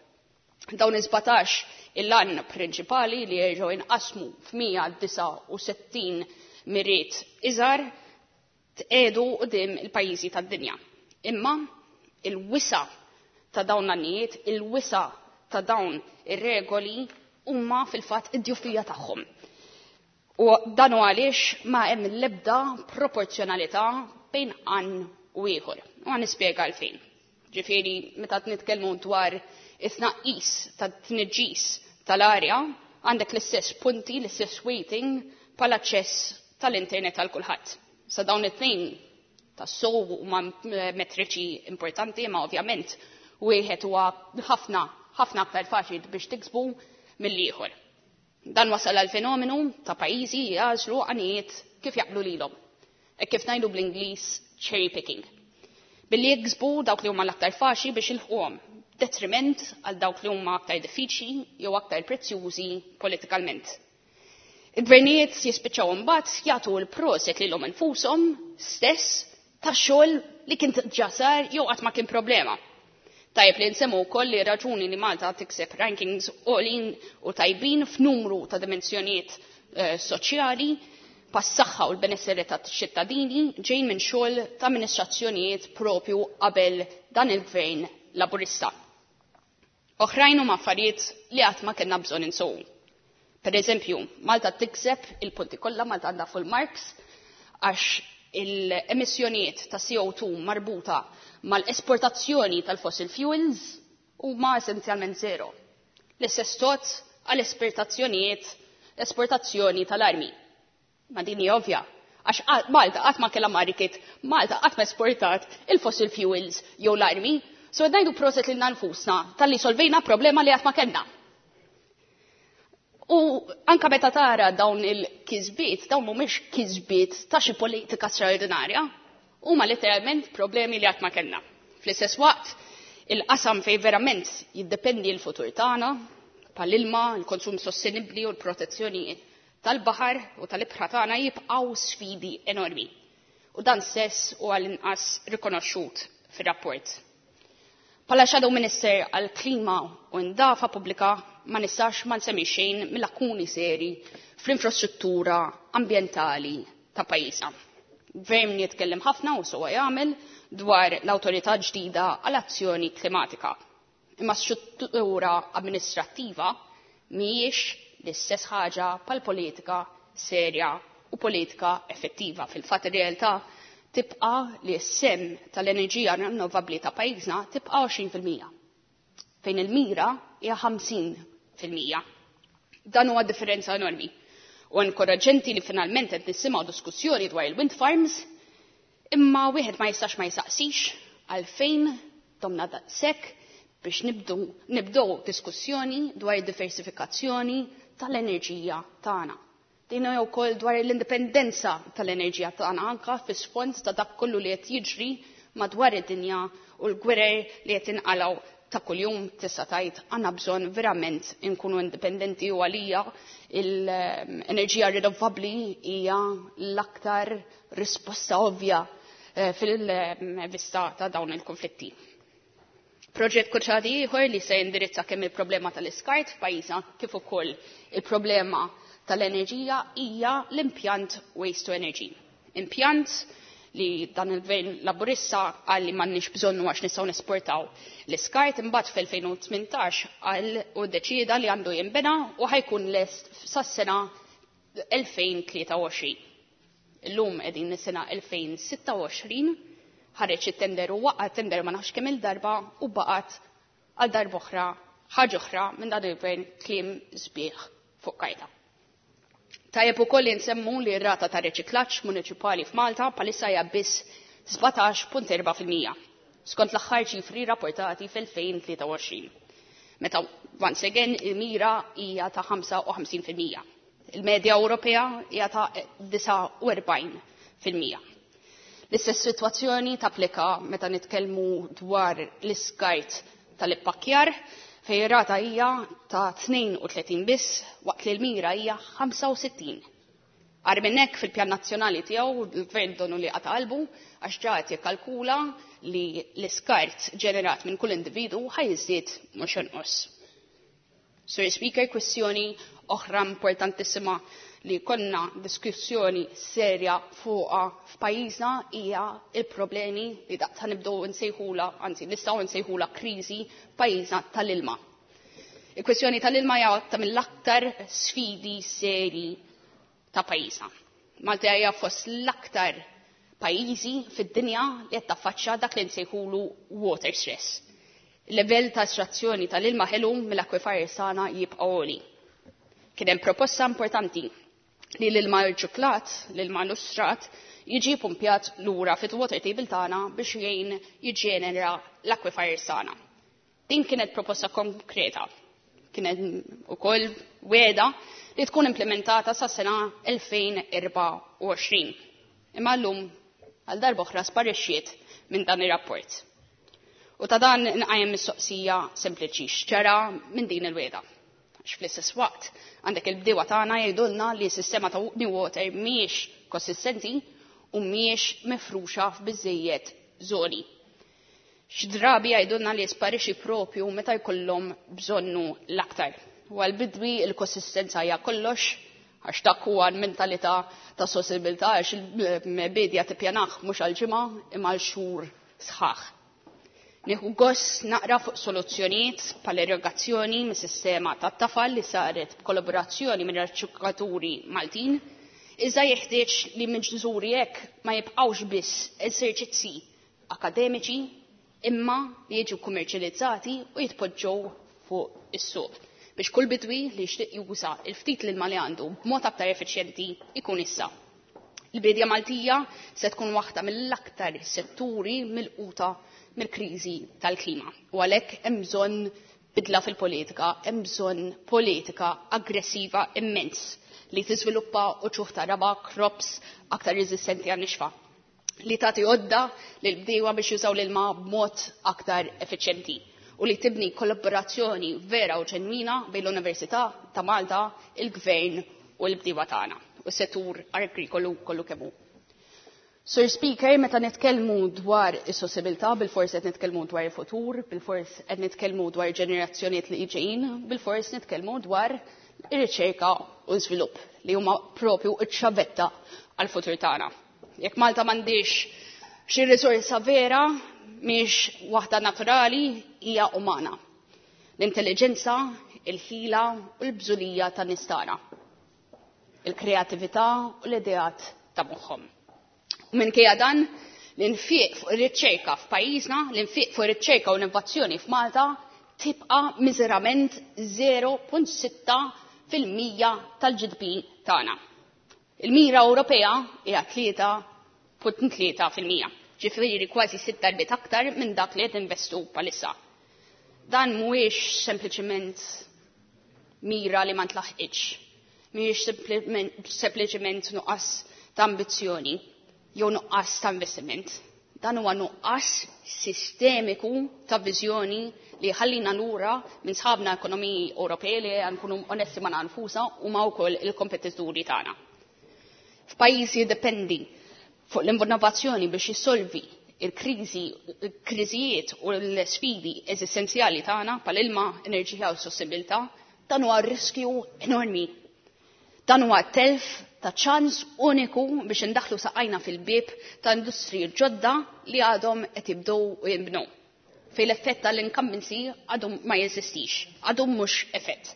S10: Dawn is-17 il-għan prinċipali li jerġgħu inqasmu f'169 miriet iżgħar tqiegħdu quddiem il-pajjiżi tad-dinja. Imma il-wisa ta' dawn l-għanijiet, il-wisa ta' dawn ir-regoli huma fil-fatt id-djufija tagħhom. U dan hu għaliex ma hemm l-ebda proporzjonalità bejn għan u ieħor. U għan nispjega għalfejn. Ġifieri meta nitkellmu dwar it-tnaqqis tat-tniġġis tal-arja, għandek l-istess punti, l-istess weighting bħal aċċess tal-internet għal kulħadd. Sa dawn it-tnejn tas-sow huma metriċi importanti, ma ovvjament wieħed huwa ħafna ħafna aktar faċli biex tiksbu mill-ieħor. Dan wasal għal fenomenu ta' pajjiżi jagħżlu għanijiet kif jaqblu lilhom. E kif ngħidu bl-Ingliż cherry picking. Billi jiksbu dawk li huma l-aktar faċli biex ilħquhom, detriment għal dawk li huma aktar diffiċli jew aktar prezzjużi politikalment. Il-gvernijiet jispiċċaw imbagħad jagħtu l-proset lilhom infushom stess ta' xogħol li kien ġa sar jew qatt ma kien problema. Tajjeb li nsemmu wkoll li raġuni li Malta tikseb rankings għolin u tajbin f'numru ta' dimensjonijiet soċjali pas-saħħa u l-benesseri ta' ċittadini ġejn minn xogħol ta' amministrazzjonijiet propju qabel dan il-gvern Laburista. Oħrajn huma affarijiet li qatt ma kellna bżonn insowu. Per eżempju, Malta tikseb il-punti kollha, Malta għandha full marks għax il-emissjonijiet ta' CO2 marbuta mal-esportazzjoni tal-fossil fuels huma essenzjalment zero. L-istess tot għall-esportazzjonijiet esportazzjoni tal-armi. Ma din hija ovvja, għax Malta qatt ma kellha market, Malta qatt ma esportat il-fossil fuels jew l-armi, so qed ngħidu proset lilna nfusna talli solvejna problema li qatt ma kellna. U anka meta tara dawn il-kisbiet, dawn mhumiex kisbiet ta' xi politika straordinarja, huma letteralment problemi li qatt ma kellna. Fl-istess waqt, il-qasam fej verament jiddependi l-futur tagħna, bħall-ilma, il-konsum sostenibbli u l-protezzjoni tal-baħar u tal-ibħra tagħna jibqgħu sfidi enormi. U dan stess u għall-inqas rikonoxxut fir-rapport. Bħala Shadow Minister għall-Klima u Ndafa Pubblika ma nistax ma nsemmi xejn mill-lakuni seri fl-infrastruttura ambjentali ta' pajjiżna. Gvern jitkellem ħafna u sewwa jagħmel dwar l-awtorità ġdida għall-azzjoni klimatika. Imma struttura amministrattiva mhijiex l-istess ħaġa pal politika serja u politika effettiva. Fil-fatt ir-realtà tibqa' li s-sehem tal-enerġija rinnovabbli ta' pajjiżna tibqa' 20%, fejn il-mira hija 50%. Dan huwa differenza enormi. U inkoraġġenti li finalment qed nisimgħu diskussjoni dwar il-wind farms, imma wieħed ma jistax ma jisaqsix għalfejn domna daqshekk biex nibdew diskussjoni dwar id-diversifikazzjoni tal-enerġija tagħna. Din hija wkoll dwar l-indipendenza tal-enerġija tagħna anka fis-sfond ta' dak kollu li qed jiġri madwar id-dinja u l-gwerer li qed inqalgħu ta' kuljum. Tista' tgħid għandna bżonn verament inkunu indipendenti u għalija l-enerġija rinnovabbli hija l-aktar risposta ovvja fil-vista ta' dawn il-konflitti. Proġett kruċjali ieħor li se jindirizza kemm il-problema tal-iskart f'pajjiżna kif ukoll il-problema tal-enerġija hija l-impjant Waste to Energy. Impjant li dan il-gvern Laburista qal li m'għandniex bżonnu għax nistgħu nesportaw l-iskart, imbagħad fl-2018 qal u ddeċieda li għandu jinbena u ħa jkun lest sas-sena 2023. Illum qegħdin is-sena 2026, ħareġ it-tender u waqa' tender ma nafx kemm il-darba u baqgħet għal darb'oħra ħaġa oħra minn dan il-gvern kliem sbieħ fuq karta. Tajjeb ukoll li nsemmu li r-rata ta' riċiklaġġ muniċipali f'Malta bħalissa hija biss 17.4% skont l-aħħar ċifri rapportati fl-2023. Meta once again il-mira hija ta' 55%. Il-medja Ewropea hija ta' 49%. L-istess sitwazzjoni tapplika meta nitkellmu dwar l-iskart tal-ippakkjar fejn ir-rata hija ta' 32 biss waqt li l-mira hija 65. Agħar minn hekk, fil-pjan nazzjonali tiegħu l-gvern donu li qata' qalbu għax ġa qed jikkalkula li l-iskart ġenerat minn kull individu ħa jiżdied mhux jonqos. Sur Speaker, kwestjoni oħra importantissima li konna diskussjoni serja fuqha f'pajjiżna hija il-problemi li daqta nibdew nsejħula, anzi nistgħu nsejħula kriżi f'pajjiżna tal-ilma. Il-kwestjoni tal-ilma hija waħda mill-aktar sfidi seri ta' pajjiżna. Malta hija fost l-aktar pajjiżi fid-dinja li qed taffaċċja dak li nsejħulu water stress. Il-level ta' estrazzjoni tal-ilma ħelu mill-akwifers tagħna jibqa' għoli. Kien hemm proposta importanti li l-ilma rċiklat, l-ilma lustrat, jiġi pumpjat lura fit-water table tagħna biex jgħin jiġġenera l-akwifers tagħna. Din kienet proposta konkreta. Kienet ukoll wegħda li tkun implementata sa sena 2024. Imma llum għal darba oħra sparixxiet minn dan ir-rapport. U ta' dan nqajjem mistoqsija sempliċi: x'ġara minn din il-wegħda? Għax fl-istess waqt għandek il-bdiewa tagħna jgħidulna li s-sistema ta' New Water mhijiex konsistenti u mhijiex mifruxa f'biżejjed żoni. Xi drabi jgħidulna li jisparixxi propju meta jkollhom bżonnu l-aktar. U għal-bidwi il-konsistenza hija kollox, għax dak huwa l-mentalità ta' sostenibilità, għax il-bidja tippjanah mhux għal ġimgħa imma għal xhur sħaħ. Nieħu gost naqra fuq soluzzjonijiet bħal irrigazzjoni mis-sistema tat-tafal li saret b'kollaborazzjoni minn riċerkaturi Maltin, iżda jeħtieġ li miżuri hekk ma jibqgħux biss eżerċizzi akademiċi imma li jiġu kummerċjalizzati u jitpoġġew fuq is-suq biex kull bidwi li jixtieq juża il-ftit l-ilma li għandu b'mod aktar effiċjenti ikun issa. Il-bidja Maltija se tkun waħda mill-aktar setturi milquta mill-kriżi tal-klima. U għalhekk hemm bżonn bidla fil-politika, hemm bżonn politika aggressiva immens li tiżviluppa uċuħ ta' raba, crops aktar reżistenti għan-nixfa, li tagħti għodda lil bdiewa biex jużaw l-ilma b'mod aktar effiċjenti u li tibni kollaborazzjoni vera u ġenwina bejn l-Università ta' Malta, il-Gvern u l-bdiewa tagħna u s-settur agrikolu kollu kemm hu. Sir Speaker, meta nitkellmu dwar is-sostenibilità, bilfors qed nitkellmu dwar il-futur, bilfors qed nitkellmu dwar ġenerazzjonijiet li ġejjin, bilfors nitkellmu dwar ir-riċerka u żvilupp li huma propju ċ-ċavetta għall-futur tagħna. Jekk Malta m'għandix xi risorsa vera, mhix waħda naturali, hija umana. L-intelligenza, il-ħila u l-bżulija tan-nies tagħna. Il-kreatività u l-ideat ta' moħħhom. U minkejja dan, l-infiq fuq ir-riċerka f'pajjiżna, l-infiq fuq ir-riċerka u l-innovazzjoni f'Malta tibqa' miżerament 0.6% tal-GDP tagħna. Il-mira Ewropea hija 3.3%. Ġifieri kważi sitt darbiet aktar minn dak li qed investu bħalissa. Dan mhuwiex sempliċement mira li ma ntlaħqitx. Mhuwiex sempliċement nuqqas ta' ambizzjoni jew nuqqas ta' investiment. Dan huwa nuqqas sistemiku ta' viżjoni li ħallina lura minn sħabna ekonomiji Ewropej li nkunu onesti ma' nfusna u ma' wkoll il-kompetituri tagħna. F'pajjiż jiddependi fuq l-innovazzjoni biex jissolvi Il-kriżi, kriżijiet u l-sfidi eżistenzjali tagħna bħal-ilma, enerġija u sostenibilità, dan huwa riskju enormi. Dan huwa telf ta' ċans uniku biex indaħlu saqajna fil-bieb ta' industriji ġodda li għadhom qed jibdew u jinbnew. Fejn l-effett tal-incumbency għadhom ma jeżistix, għadhom mhux effett.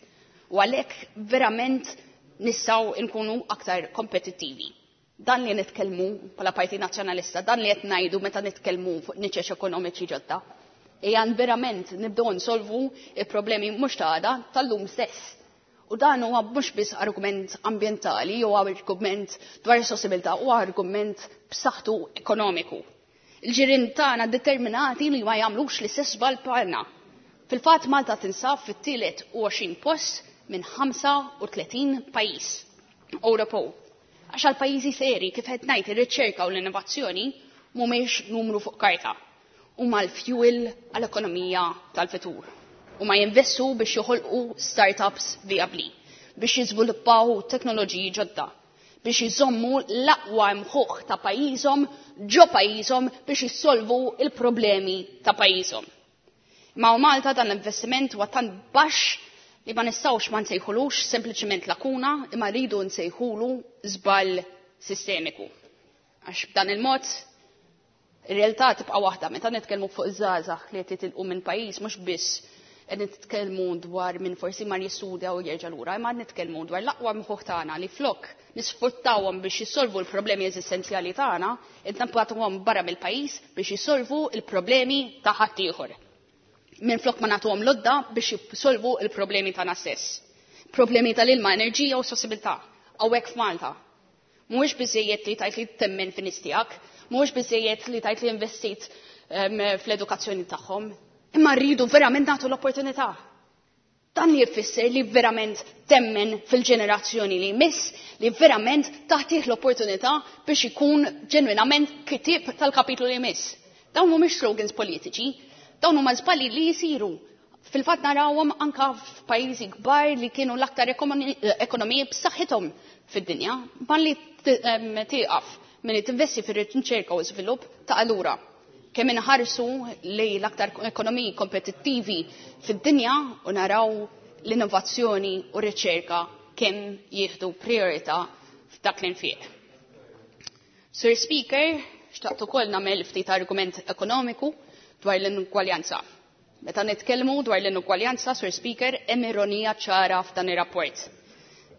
S10: U għalhekk verament nistgħu nkunu aktar kompetittivi. Dan li nitkellmu bħala Partit Nazzjonalista, dan li qed ngħidu meta nitkellmu fuq niċeċ ekonomiċi ġodda. Ejja verament nibdew nsolvu il-problemi mhux ta' għada tal-lum stess. U dan huwa mhux biss argument ambjentali jew argument dwar is-sostenibilità, huwa argument b'saħħtu ekonomiku. Il-ġirien tagħna determinati li ma jagħmlux l-istess żball bħalna. Fil-fatt Malta tinsab fit-tielet u 20 post minn 35 pajjiż Ewropew. Għax għal pajjiżi seri kif qed ngħid ir-riċerka u l-innovazzjoni mhumiex numru fuq karta. Huma l-fuel għall-ekonomija tal-futur. Huma jinvestu biex joħolqu startups viabli, biex jiżviluppaw teknoloġiji ġodda, biex jżommu l-aqwa mħuħ ta' pajjiżhom ġo pajjiżhom biex jissolvu il-problemi ta' pajjiżhom. Ma' Malta dan l-investiment huwa tant baxx li ma nistgħux ma nsejħulux sempliċement lakuna imma rridu nsejħulu żball sistemiku. Għax b'dan il-mod ir-realtà tibqa' waħda meta nitkellmu fuq iż-żgħażagħ li qed jitilqu minn pajjiż mhux biss qed nitkellmu dwar min forsi mar jistudja u jerġa' lura, imma nitkellmu dwar l-aqwa mħuħ tagħna li flok nisfruttawhom biex jissolvu l-problemi eżistenzjali tagħna, qed nibagħtuhom barra mill-pajjiż biex jissolvu l-problemi ta' ħaddieħor. Minn flok ma nagħtuhom lodda biex jissolvu l-problemi tagħna stess. Problemi tal-ilma, enerġija u sostenibilità hawnhekk f'Malta. Mhuwiex biżejjed li tajt li temmen fin-nies tiegħek, mhuwiex biżejjed li tajt li investit fl-edukazzjoni tagħhom, imma rridu verament nagħtu l-opportunità. Dan li jfisser li verament temmen fil-ġenerazzjoni li jmiss, li verament taħtih l-opportunità biex ikun ġenwinament kitib tal-kapitlu li jmiss. Dawn mhumiex slogans politiċi, dawn huma żbalji li jisiru. Fil-fatt narawhom anka f'pajjiżi kbar li kienu l-aktar ekonomiji b'saħħithom fid-dinja, ma li tieqaf milli tinvesti fir-riċerka u żvilupp ta' allura. Kemm inħarsu li l-aktar ekonomiji kompetittivi fid-dinja u naraw l-innovazzjoni u r-riċerka kemm jieħdu priorità f'dak l-infiq. Sir Speaker, xtaqt ukoll nagħmel ftit argument ekonomiku dwar l-inugwaljanza. Meta nitkellmu dwar l-inugwaljanza, Sir Speaker, hemm ironija ċara f'dan ir-rapport.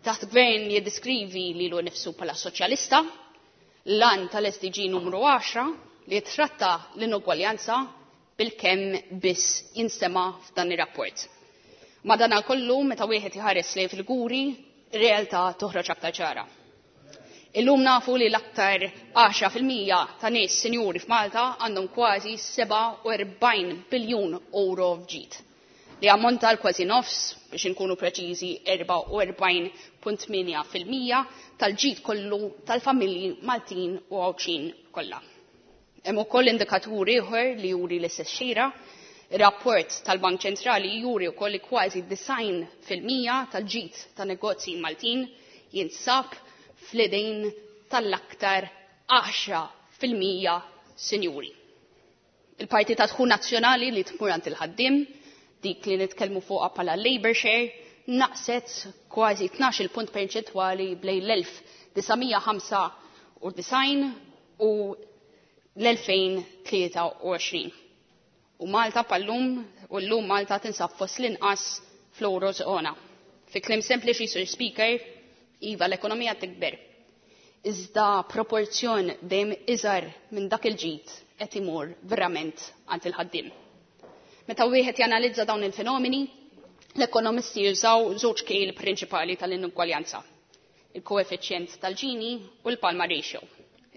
S10: Taħt gvern jiddiskrivi lilu nnifsu bħala soċjalista, l-għan tal-SDG numru 10 li tratta l-inugwaljanza bil-kemm biss jinstema f'dan ir-rapport. Madana kollu meta wieħed iħares lejn fil-guri, ir-realtà toħroġ aktar ċara. Illum nafu li l-aktar 10% ta' nies sinjuri f'Malta għandhom kważi 47 biljun euro f'ġid, li ammonta għal kważi nofs, biex inkunu preċiżi 44.8% tal-ġid kollu tal-familji Maltin u Għawdxin kollha. Hemm ukoll indikatur ieħor li juri l-istess xira. Ir-rapport tal-Bank Ċentrali juri wkoll li kważi 90% tal-ġid ta' negozji Maltin jinsab fl-idejn tal-aktar 10% sinjuri. Il-parti ta' dħul nazzjonali li tmur għand il-ħaddiem, dik li nitkellmu fuqha bħala labor share, naqset kważi 12 punt perċentwali bejn l-1995 u l-2023. U Malta pallum, u l-lum Malta tinsab fost l-inqas fl-Eurozona. Fi kliem sempliċi, Sir Speaker, iva l-ekonomija tikber. Iżda proporzjon dejjem iżgħar minn dak il-ġid qed imur verament għand il-ħaddiem. Meta wieħed janalizza dawn il-fenomeni, l-ekonomisti jużaw żewġ kejl prinċipali tal-inugwaljanza: il-koeffiċjent tal-Gini u l-Palma ratio.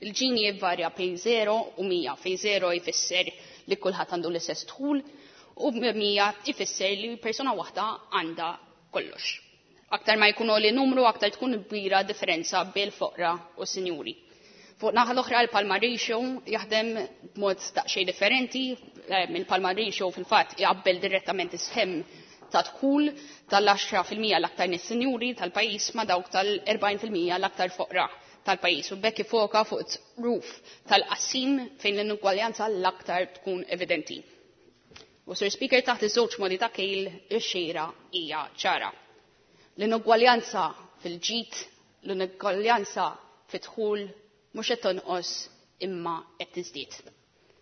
S10: Il-Gini jivvarja bejn 0 u 100, fejn 0 jfisser li kulħadd għandu l-istess dħul u 100 jfisser li persuna waħda għandha kollox. Aktar ma jkunu li numru, aktar tkun kbira differenza bejn foqra u sinjuri. Fuq naħa l-oħra l-Palma ratio jaħdem b'mod daqsxejn differenti. Il-Palma ratio fil-fatt jaqbel direttament is-sħem ta' dħul tal-10% l-aktar nies sinjuri tal-pajjiż ma' dawk tal-40% l-aktar foqra. tal-pajjiż u b'hekk ifoka fuq ruf tal-qassim fejn l-inugwaljanza l-aktar tkun evidenti. U Sir Speaker taħt iż-żewġ modi ta' kejl ix-xejra hija ċara. L-inugwaljanza fil-ġid, l-inugwaljanza fid-dħul mhux qed tonqos imma qed tiżdied.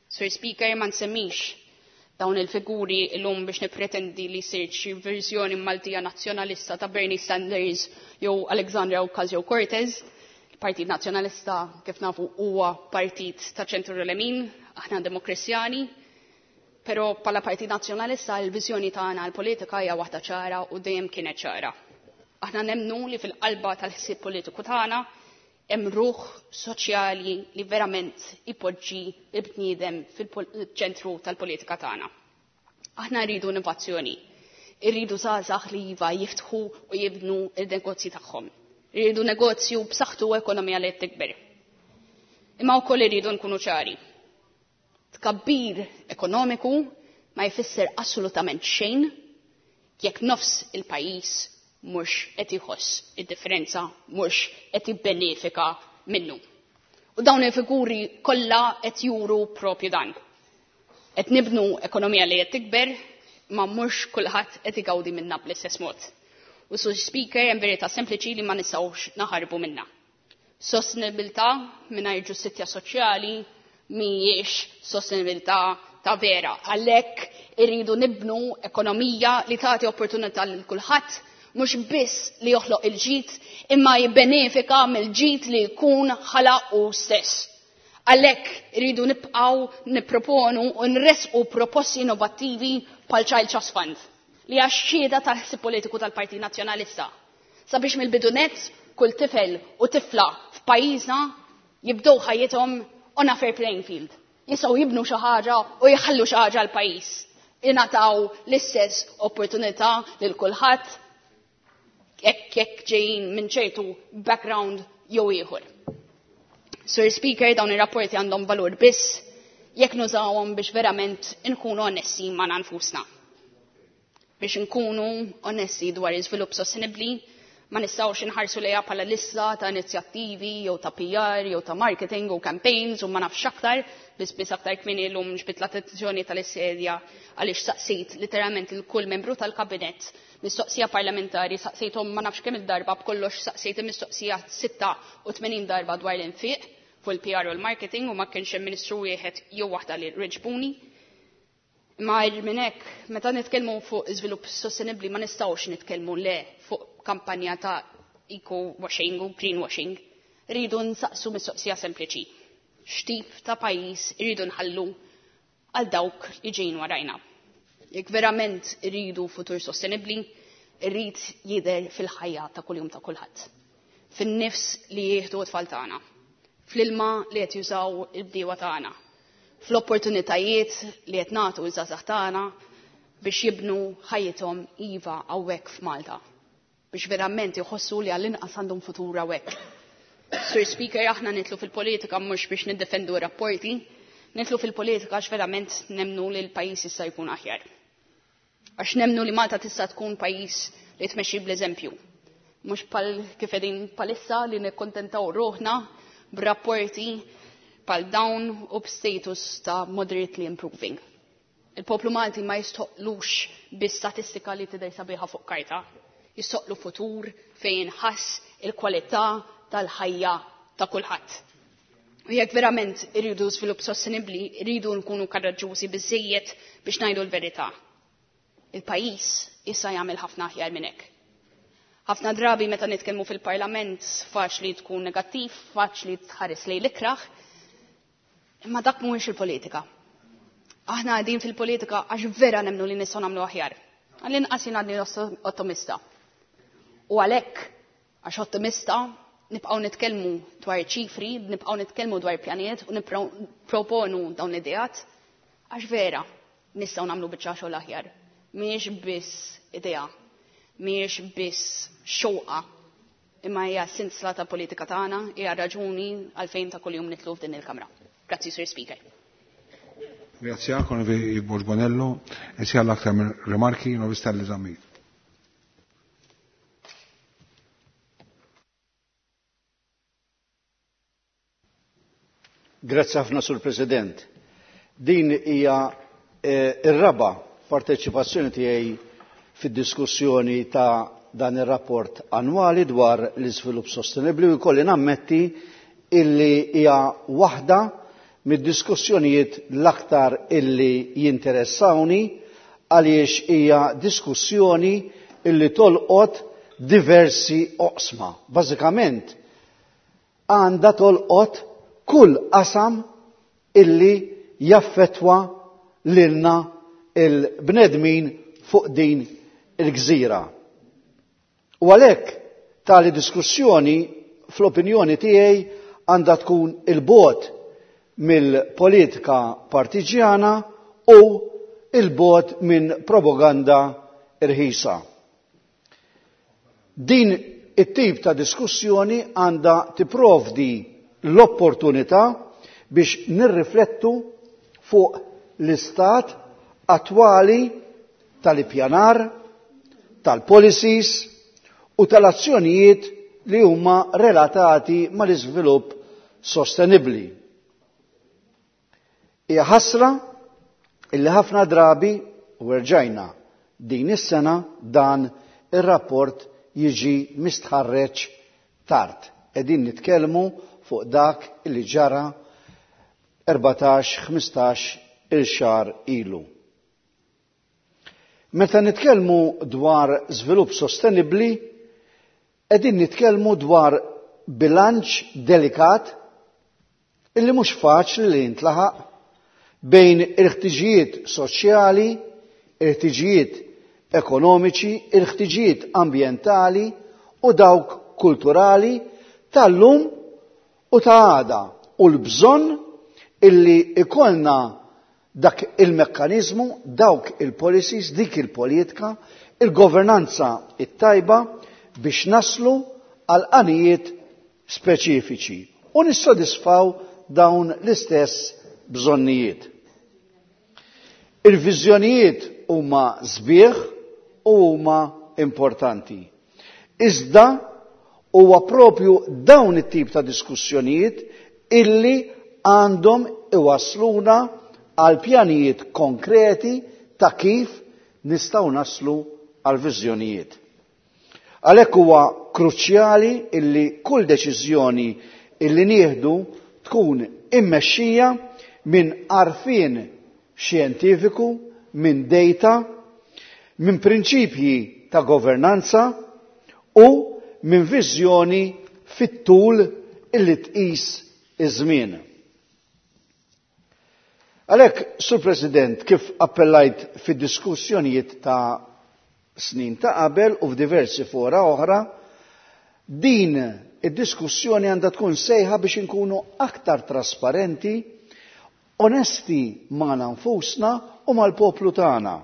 S10: Sir Speaker ma nsemmix dawn il-figuri illum biex nippretendi li sirt xi verżjoni Maltija nazzjonalista ta' Bernie Sanders jew Alexandria Ocasio-Cortez. Il-Partit Nazzjonalista kif nafu huwa partit ta' ċentru lemin, aħna demokristjani, però bħala Partit Nazzjonalista l-viżjoni tagħna għall-politika hija waħda ċara u dejjem kienet ċara. Aħna nemmnu li fil-qalba tal-ħsieb politiku tagħna hemm ruħ soċjali li verament ipoġġi l-bniedem fil-ċentru tal-politika tagħna. Aħna rridu innovazzjoni, irridu żgħażagħ li iva jiftħu u jibnu il-negozji tagħhom. Irridu negozju b'saħħtu u ekonomija li qed tikber. Imma wkoll irridu nkunu ċari. Tkabbir ekonomiku ma jfisser assolutament xejn jekk nofs il-pajjiż mhux qed iħoss id-differenza, mhux qed jibbenefika minnu. U dawn il-figuri kollha qed juru propju dan. Qed nibnu ekonomija li qed tikber, ma mhux kulħadd qed igawdi minnha bl-istess mod. U Sur Speaker hemm verità sempliċi li ma nistgħux naħarbu minnha. Sostenibilità mingħajr ġustizzja soċjali mhijiex sostenibilità ta' vera. Għalhekk irridu nibnu ekonomija li tagħti opportunità lil kulħadd mhux biss li joħloq il-ġid imma jibbenefika mill-ġid li jkun ħalaq hu stess. Għalhekk irridu nibqgħu nipproponu u nresqu proposti innovattivi bħal Child Trust Fund li hija xhieda tal-ħsieb politiku tal-Partit Nazzjonalista. Sabiex mill-bidu nett kull tifel u tifla f'pajjiżna jibdew ħajjithom on a fair playing field. Jistgħu jibnu xi ħaġa u jħallu xi ħaġa l-pajjiż. Ingħataw l-istess opportunità lil kulħadd jekk jekk ġejjin minn ċertu background jew ieħor. Sir Speaker, dawn ir-rapporti għandhom valur biss jekk nużawhom biex verament inkunu onesti ma' nfusna. Biex inkunu onesti dwar iżvilupp sostenibbli, ma nistgħux inħarsu lejha bħala lista ta' inizjattivi jew ta' PR jew ta' marketing u campaigns u ma nafx aktar, biss biss aktar kmieni llum ġbidt l-attenzjoni tal-issedja għaliex saqsejt literalment il kull membru tal-kabinett mistoqsija parlamentari saqsejthom ma nafx kemm il-darba b'kollox saqsejt il-mistoqsija 86 darba dwar l-infiq fuq il-PR u l-marketing u ma kienx hemm ministru wieħed jew waħda li reġbuni. Imma minn hekk, meta nitkellmu fuq iżvilupp sostenibbli ma nistgħux nitkellmu le fuq kampanja ta' eco washing u green washing. Rridu nsaqsu mistoqsija sempliċi. X'tip ta' pajjiż irridu nħallu għal dawk li ġejjin warajna. Jekk verament irridu futur sostenibbli, irrid jidher fil-ħajja ta' kuljum ta' kulħadd. Fin-nifs li jieħdu t-tfal tagħna, fl-ilma li qed jużaw il-bdiewa tagħna, fl-opportunitajiet li qed nagħtu ż-żgħażagħ tagħna biex jibnu ħajjithom iva hawnhekk f'Malta, biex verament jħossu li għall-inqas għandhom futur hawnhekk. Sir Speaker, aħna nidħlu fil-politika mhux biex niddefendu rapporti, nidħlu fil-politika għax verament nemnu li l-pajjiż jista' jkun aħjar. Għax nemnu li Malta tista' tkun pajjiż li tmexxi bl-eżempju. Mhux pal kif qegħdin palissa li nikkontentaw ruħna b'rapporti pal dawn u b'status ta' moderately improving. Il-poplu Malti ma jistħoqlux bi statistika li tidher sabiħa fuq karta. Jistħoqlu futur fejn ħass il-kwalità tal-ħajja ta' kulħadd. U jekk verament irridu żvilupp sostenibbli, irridu nkunu karaġġużi biżejjed biex ngħidu l-verità. Il-pajjiż issa jagħmel ħafna aħjar minn hekk. Ħafna drabi meta nitkellmu fil-Parlament faċli tkun negattiv, faċli tħares lejn l-ikraħ, imma dak mhuwiex il-politika. Aħna qegħdin fil-politika għax vera nemmnu li nistgħu nagħmlu aħjar. Għall-inqas jien għadni ottimista. U għalhekk għax ottimista nibqgħu nitkellmu dwar ċifri, nibqgħu nitkellmu dwar pjanijiet u nipproponu dawn l-ideat għax vera nistgħu nagħmlu biċċa xogħol aħjar. Mhijiex biss idea, mhijiex biss xewqa, imma hija sinsla ta' politika tagħna, hija raġuni għalfejn ta' kuljum nidħlu f'din il-Kamra. Grazzi, Sir Speaker.
S1: Grazie anche Borg Bonello e sia l-aktar rimarki novista l-eżamijiet.
S12: Grazzi ħafna, Sur President. Din hija ir-raba' parteċipazzjoni tiegħi fid-diskussjoni ta' dan ir-rapport annwali dwar l-iżvilupp sostenibbli u jkolli nammetti illi hija waħda mid-diskussjonijiet l-aktar illi jinteressawni għaliex hija diskussjoni illi tolqot diversi oqsma. Bażikament għandha tolqot kull qasam illi jaffettwa lilna il-bnedmin fuq din il-gżira. U għalhekk tali diskussjoni fl-opinjoni tiegħi għandha tkun il-bogħod mill-politika partiġjana u il-bogħod minn propaganda irħisa. Din it-tip ta' diskussjoni għandha tipprovdi l-opportunità biex nirriflettu fuq l-istat attwali tal-ippjanar, tal-policies u tal-azzjonijiet li huma relatati mal-iżvilupp sostenibbli. Hija ħasra illi ħafna drabi u rġajna din is-sena dan ir-rapport jiġi mistħarreġ tard. Qegħdin nitkellmu fuq dak illi ġara 14-15 il-xahar ilu. Meta nitkellmu dwar żvilupp sostenibbli, qegħdin nitkellmu dwar bilanċ delikat illi mhux faċli li jintlaħaq bejn il-ħtiġijiet soċjali, il-ħtiġijiet ekonomiċi, il-ħtiġijiet ambjentali u dawk kulturali tal-lum u ta' għada u l-bżonn illi ikollna dak il-mekkanizmu, dawk il-policies, dik il-politika, il-governanza it-tajba biex naslu għal għanijiet speċifiċi u nissodisfaw dawn l-istess bżonnijiet. Il-viżjonijiet huma sbieħ u huma importanti. Iżda huwa propju dawn it-tip ta' diskussjonijiet illi għandhom iwasluna għal pjanijiet konkreti ta' kif nistgħu naslu għal viżjonijiet. Għalhekk huwa kruċjali illi kull deċiżjoni illi nieħdu tkun immexxija minn għarfien xjentifiku, minn data, minn prinċipji ta' governanza u minn viżjoni fit-tul illi tqis iż-żmien. Għalhekk, Sur President, kif appellajt fid-diskussjonijiet ta' snin ta' qabel u f'diversi fora oħra, din id-diskussjoni għandha tkun sejħa biex inkunu aktar trasparenti, onesti magħna nfusna u mal-poplu tagħna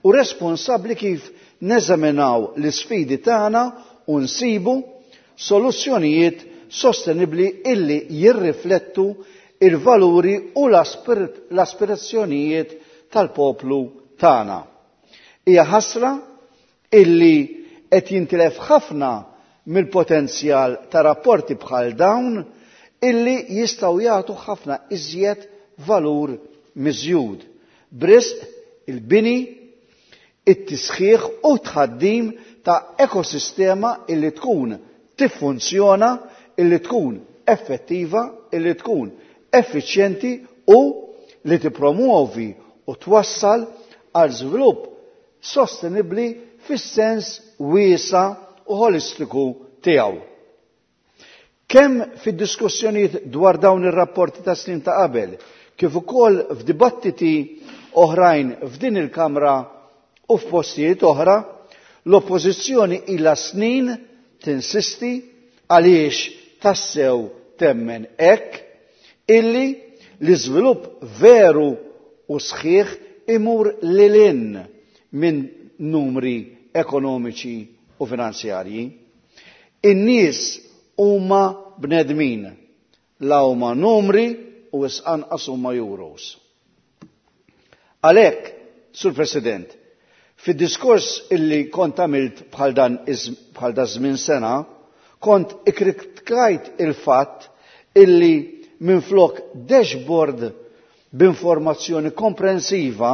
S12: u responsabbli kif neżaminaw l-isfidi tagħna u nsibu soluzzjonijiet sostenibbli illi jirriflettu il-valuri u l-aspirazzjonijiet tal-poplu tagħna. Hija ħasra illi qed jintilef ħafna mill-potenzjal ta' rapporti bħal dawn illi jistgħu jagħtu ħafna iżjed valur miżjud. B'risq il-bini, it-tisħiħ u tħaddim ta' ekosistema illi tkun tiffunzjona, illi tkun effettiva, illi tkun effiċjenti u li tippromuovi u twassal għal żvilupp sostenibbli fis-sens wiesa u holistiku tiegħu. Kemm fid-diskussjonijiet dwar dawn ir-rapporti ta' snin ta' qabel, kif ukoll f'dibattiti oħrajn f'din il-Kamra u f'postijiet oħra, l-Oppożizzjoni ilha snin tinsisti għaliex tassew temmen hekk illi l-iżvilupp veru u sħiħ imur lil hinn minn numri ekonomiċi u finanzjarji. In-nies huma bnedmin, la huma numri u wisq anqas huma euros. Għalhekk, Sur President, fid-diskors illi kont għamilt bħal dan bħal da żmien sena, kont ikkritikajt il-fatt illi minflok dashboard b'informazzjoni komprensiva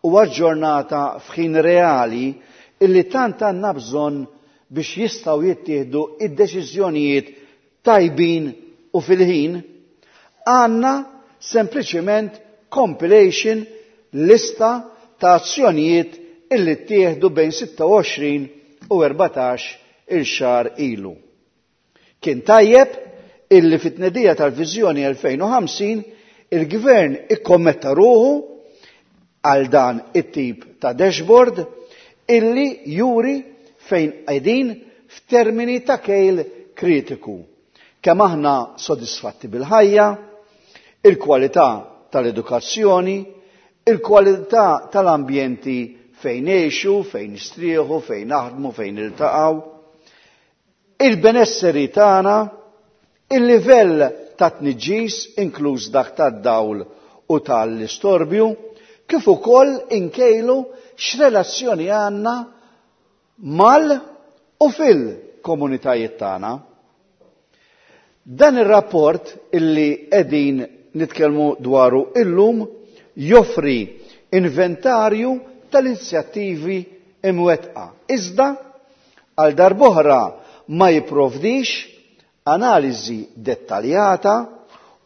S12: u aġġornata f'ħin reali illi tant għandna bżonn biex jistgħu jittieħdu id-deċiżjonijiet tajbin u fil-ħin, għandna sempliċiment compilation lista ta' azzjonijiet illi ttieħdu bejn 26 u 14 il-xahar ilu. Kien tajjeb illi fit-tnedija tal-Viżjoni 2050 il-Gvern ikkommetta ruħu għal dan it-tip ta' dashboard illi juri fejn qegħdin f'termini ta' kejl kritiku. Kemm aħna sodisfatti bil-ħajja, il-kwalità tal-edukazzjoni, il-kwalità tal-ambjenti fejn ngħixu, fejn nistrieħu, fejn naħdmu, fejn niltaqgħu, il-benesseri tagħna, il-livell ta' tniġġis inkluż dak tad-dawl u tal-istorbju, kif ukoll inkejlu x'relazzjoni għandna mal u fil-komunitajiet tagħna. Dan ir-rapport illi qegħdin nitkellmu dwaru illum joffri inventarju tal-inizjattivi imwettqa, iżda għal darb'oħra ma jipprovdix analiżi dettaljata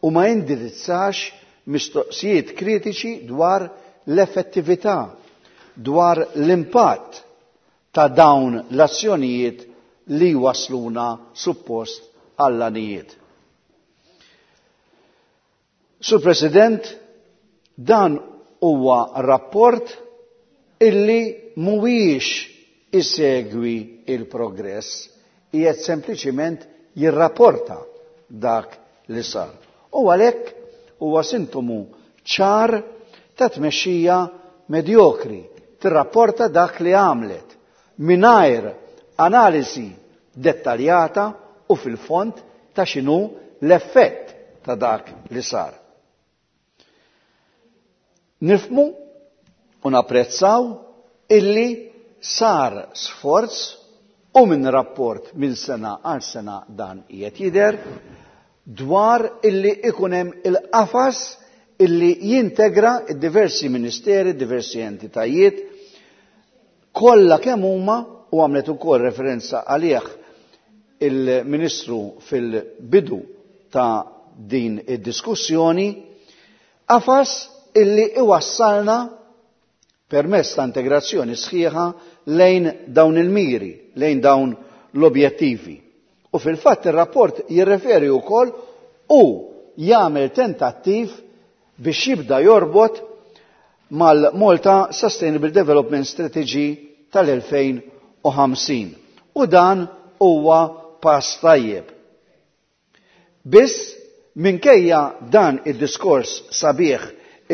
S12: u ma jindirizzax mistoqsijiet kritiċi dwar l-effettività, dwar l-impatt ta' dawn l-azzjonijiet li jwassluna suppost għall-għanijiet. Sur President, dan huwa rapport illi mhuwiex isegwi il-progress, qiegħed sempliċiment jirrapporta dak li sar. U għalhekk huwa sintomu ċar ta' tmexxija medjokri, tirrapporta dak li għamlet mingħajr analiżi dettaljata u fil-fond ta' x'inhu l-effett ta' dak li sar. Nifhmu u napprezzaw illi sar sforz u minn rapport minn sena għal sena dan qiegħed jidher dwar illi ikun hemm il-qafas illi jintegra d-diversi ministeri, diversi entitajiet kollha kemm huma u għamlet ukoll referenza għalih il-Ministru fil-bidu ta' din id-diskussjoni, qafas illi iwassalna permezz ta' integrazzjoni sħiħa lejn dawn il-miri, lejn dawn l-objettivi. U fil-fatt ir-rapport jirreferi wkoll u jagħmel tentattiv biex jibda jorbot mal-Malta Sustainable Development Strategy tal-2050. U dan huwa pass tajjeb. Biss, minkejja dan id-diskors sabiħ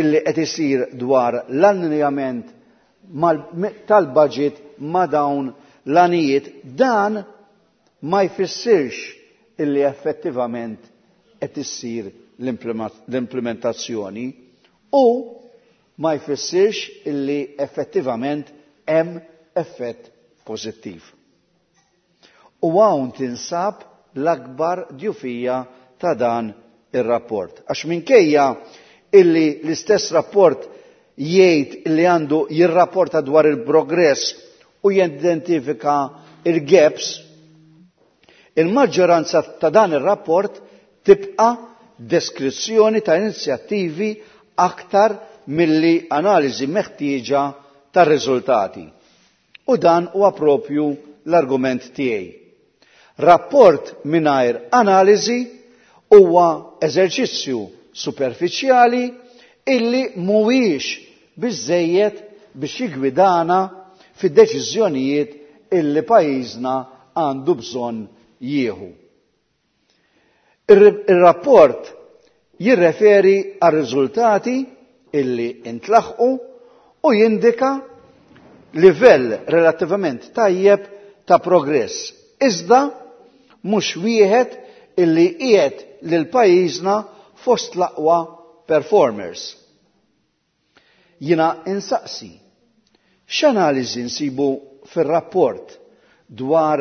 S12: illi qed isir dwar l-allinjament tal-budget ma' dawn l-għanijiet, dan ma jfissirx illi effettivament qed issir l-implementazzjoni u ma jfissirx illi effettivament hemm effett pożittiv. U hawn tinsab l-akbar djufija ta' dan ir-rapport. Għax minkejja illi l-istess rapport jgħid illi għandu jirrapporta dwar il-progress u jidentifika il-gaps, il-maġġoranza ta' dan ir-rapport tibqa' deskrizzjoni ta' inizjattivi aktar milli analiżi meħtieġa tar-riżultati. U dan huwa propju l-argument tiegħi. Rapport mingħajr analiżi huwa eżerċizzju superfiċjali illi mhuwiex biżżejjed biex jiggwidana fid-deċiżjonijiet illi pajjiżna għandu bżonn jieħu. Ir-rapport jirreferi għar-riżultati illi intlaħqu u jindika livell relattivament tajjeb ta' progress, iżda mhux wieħed illi qiegħed lil pajjiżna fost l-aqwa performers. Jiena insaqsi, x'analiżi nsibu fir-rapport dwar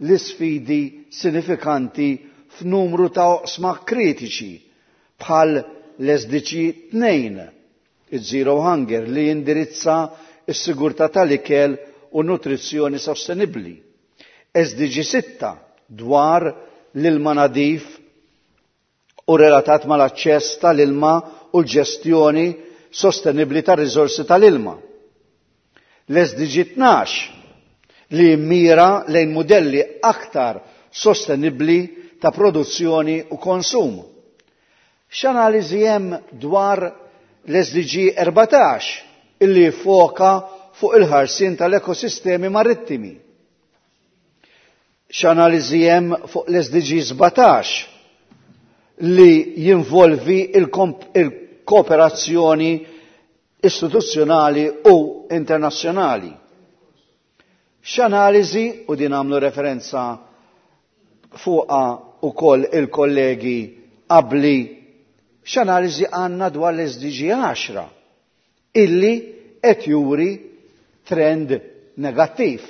S12: l-isfidi sinifikanti f'numru ta' oqsma kritiċi Bħal l-SDG 2, il-Zero Hunger, li jindirizza s-sigurtà tal-ikel u nutrizzjoni sostenibbli. SDG 6 dwar l-ilma nadif u relatat mal-aċċess tal-ilma u l-ġestjoni sostenibbli tar-riżorsi tal-ilma. L-SDG 12 li jimmira lejn mudelli aktar sostenibbli ta' produzzjoni u konsum. X'analiżi hemm dwar l-SDG 14 illi jiffoka fuq il-ħarsien tal-ekosistemi marittimi? X'analiżi hemm fuq l-SDG 17 li jinvolvi il-kooperazzjoni istituzzjonali u internazzjonali? X'analiżi, u din għamlu referenza fuqha ukoll il-kollegi qabli, x'analiżi għandna dwar l-SDG 10 illi qed juri trend negattiv?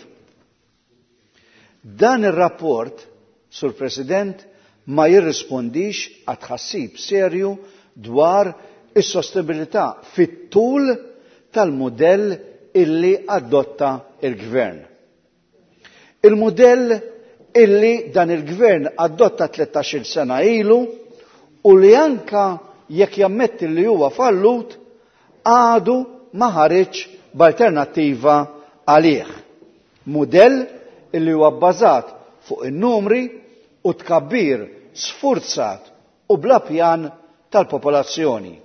S12: Dan ir-rapport, Sur President, ma jirrispondix għat-tħassib serju dwar is-sostenibilità fit-tul tal-mudell illi adotta il-Gvern. Il-mudell illi dan il-Gvern adotta 13-il sena ilu u li anka jekk jammetti li huwa fallut għadu ma ħareġ b'alternattiva għalih. Mudell illi huwa bbażat fuq in-numri u tkabbir sfurzat u bla pjan tal-popolazzjoni.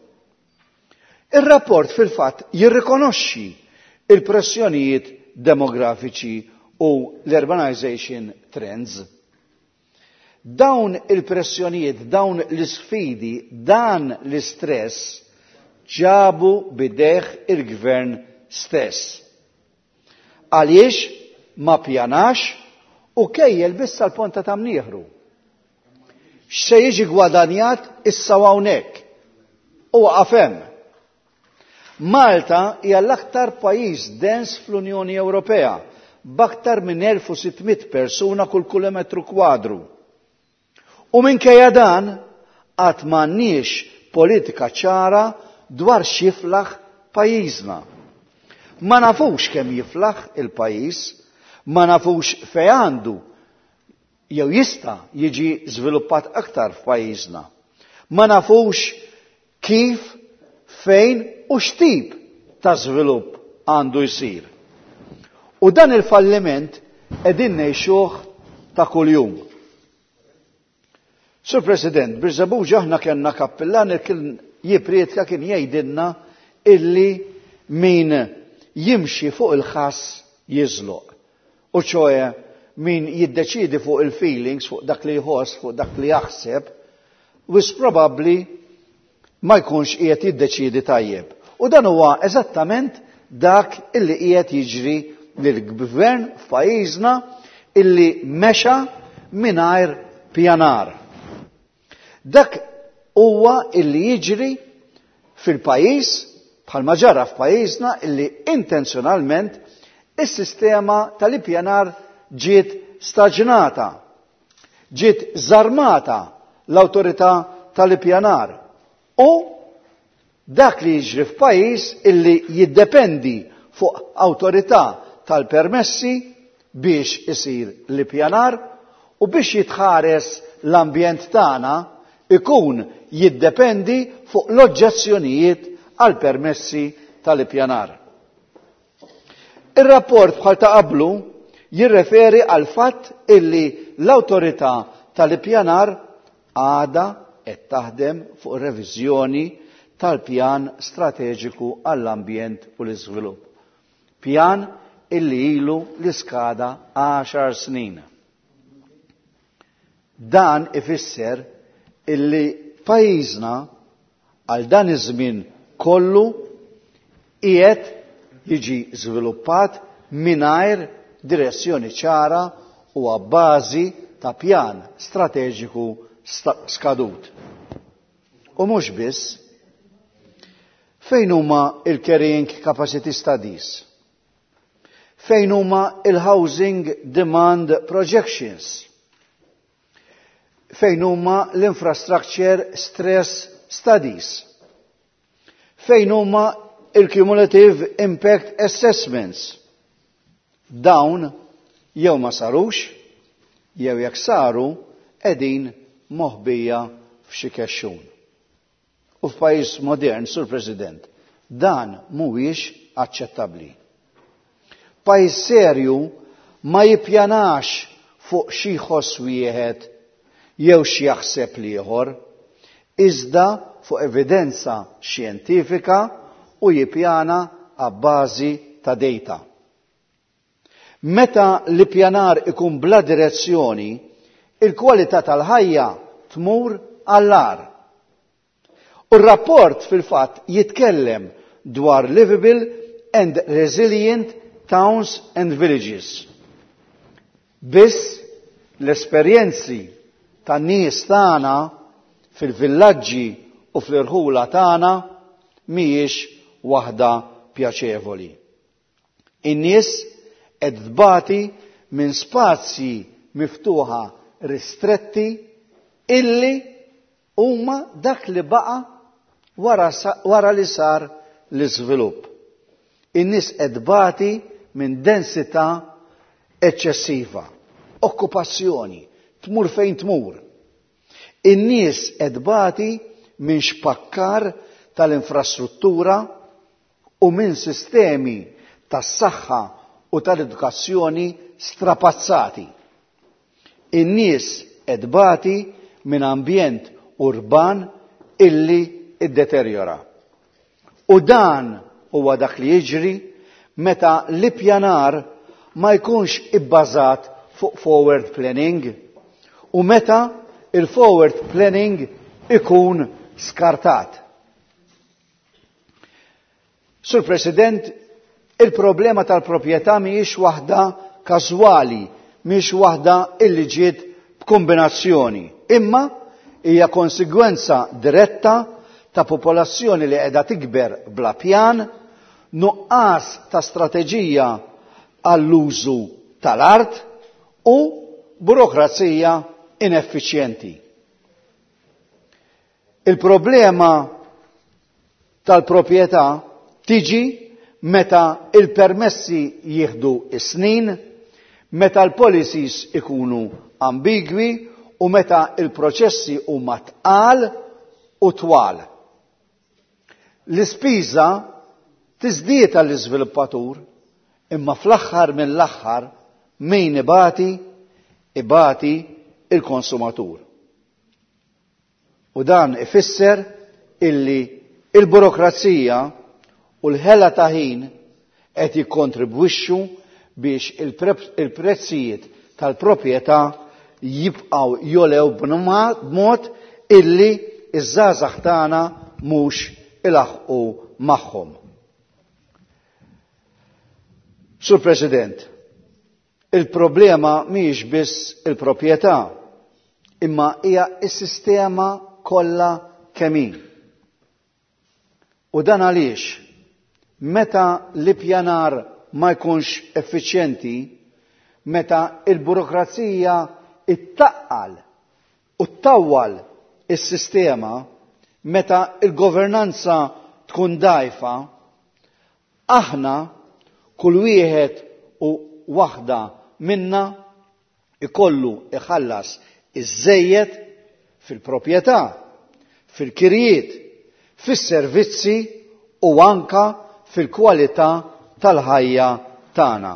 S12: Ir-rapport fil-fatt jirrikonoxxi il-pressjonijiet demografiċi u l-urbanization trends. Dawn il-pressjonijiet, dawn l-isfidi, dan l-istress ġabu bidejh il-gvern stess. Għaliex ma pjanax u kejjel biss sal-ponta ta' mnieħru. X'se jiġi gwadanjat issa hawnhekk u waqaf hemm. Malta hija l-aktar pajjiż dens fl-Unjoni Ewropea b'aktar minn 1600 persuna kull kilometru kwadru. U minkejja dan qatt m'għandniex politika ċara dwar x'jiflaħ pajjiżna. Ma nafux kemm jiflaħ il-pajjiż, ma nafux fejn għandu jew jista' jiġi żviluppat aktar f'pajjiżna. Ma nafux kif, fejn u x'tip ta' żvilupp għandu jsir. U dan il-falliment qegħdin ngħixuh ta' kuljum. Sur President, Birżebbuġa aħna kellna kappillan li kien jipprietka kien jgħidilna illi min jimxi fuq il-ħass jiżloq. U ċoe min jiddeċidi fuq il-feelings, fuq dak li jħoss, fuq dak li jaħseb, wis probabbli ma jkunx qiegħed jiddeċidi tajjeb. U dan huwa eżattament dak illi qiegħed jiġri lill-gvern f'pajjiżna illi mexa mingħajr pjanar. Dak huwa illi jiġri fil-pajjiż bħalma ġara f'pajjiżna illi intenzjonalment is-sistema tal-ippjanar ġiet staġnata, ġiet żarmata l-awtorità tal-ippjanar. U dak li jiġri f'pajjiż illi jiddependi fuq awtorità tal-permessi biex isir l-ippjanar u biex jitħares l-ambjent tagħna ikun jiddependi fuq l-oġġezzjonijiet għal permessi tal-ippjanar. Ir-rapport bħal ta' qablu jirreferi għal fatt illi l-awtorità tal-ippjanar għadha qed taħdem fuq reviżjoni tal-pjan strateġiku għall-ambjent u l-iżvilupp. Pjan illi ilu li skada 10 snin. Dan ifisser illi pajjiżna għal dan iż-żmien kollu qiegħed jiġi żviluppat mingħajr direzzjoni ċara u għabbażi ta' pjan strateġiku skadut. U mhux biss, fejn huma il-carrying capacity studies? Fejn huma il-housing demand projections? Fejn huma l-infrastructure stress studies? Fejn huma il-cumulative impact assessments? Dawn jew ma sarux, jew jekk saru qegħdin moħbija f'xi kexxun. U f'pajjiż modern, Sur President, dan mhuwiex aċċettabbli. Pajjiż serju ma jippjanax fuq xi jħoss wieħed jew x'jaħseb l-ieħor, iżda fuq evidenza xjentifika u jippjana abbażi ta' data. Meta l-ippjanar ikun bla direzzjoni, il-kwalità tal-ħajja tmur għall-agħar. U r-rapport fil-fatt jitkellem dwar livable and resilient towns and villages. Biss l-esperjenzi tan-nies tagħna fil-villaġġi u fl-irħula tagħna mhijiex waħda pjaċevoli. In-nies qed tbati minn spazji miftuħa ristretti illi huma dak li baqa' wara, wara li sar l-iżvilupp. In-nies qed tbati minn densità eċċessiva, okkupazzjoni, tmur fejn tmur. In-nies qed tbati minn xpakkar tal-infrastruttura u minn sistemi tas-saħħa u tal-edukazzjoni strapazzati. In-nies qed tbati minn ambjent urban illi iddeterjora. U dan huwa dak li jiġri meta l-ippjanar ma jkunx ibbażat fuq forward planning u meta il-forward planning ikun skartat. Sur President, il-problema tal-proprjetà mhijiex waħda każwali, mhijiex waħda illi ġiet b'kombinazzjoni, imma hija konsegwenza diretta ta' popolazzjoni li qiegħda tikber bla pjan, nuqqas ta' strateġija għall-użu tal-art u burokrazija ineffiċjenti. Il-problema tal-proprjetà tiġi meta il-permessi jieħdu is-snin, meta l-policies ikunu ambigwi u meta il-proċessi huma tqal u twal. L-ispiża tiżdied għall-iżviluppatur, imma fl-aħħar mill-aħħar min ibati, ibati il-konsumatur. U dan ifisser illi il-burokrazija u l-ħela ta' ħin qed jikkontribwixxu biex il-prezzijiet tal-proprjetà jibqgħu jolew b'mod illi iż-żgħażagħ tagħna mhux ilaħqu magħhom. Sur President, il-problema mhijiex biss il-proprjetà, imma hija s-sistema kollha kemm hi. U dan għaliex meta l-ippjanar ma jkunx effiċjenti, meta il-burokrazija ittaqqal u ttawwal is-sistema, meta il-governanza tkun dgħajfa, aħna kull wieħed u waħda minna ikollu iħallas iż-żejjed fil-proprjetà, fil-kirjiet, fis-servizzi u anka fil-kwalità tal-ħajja tagħna.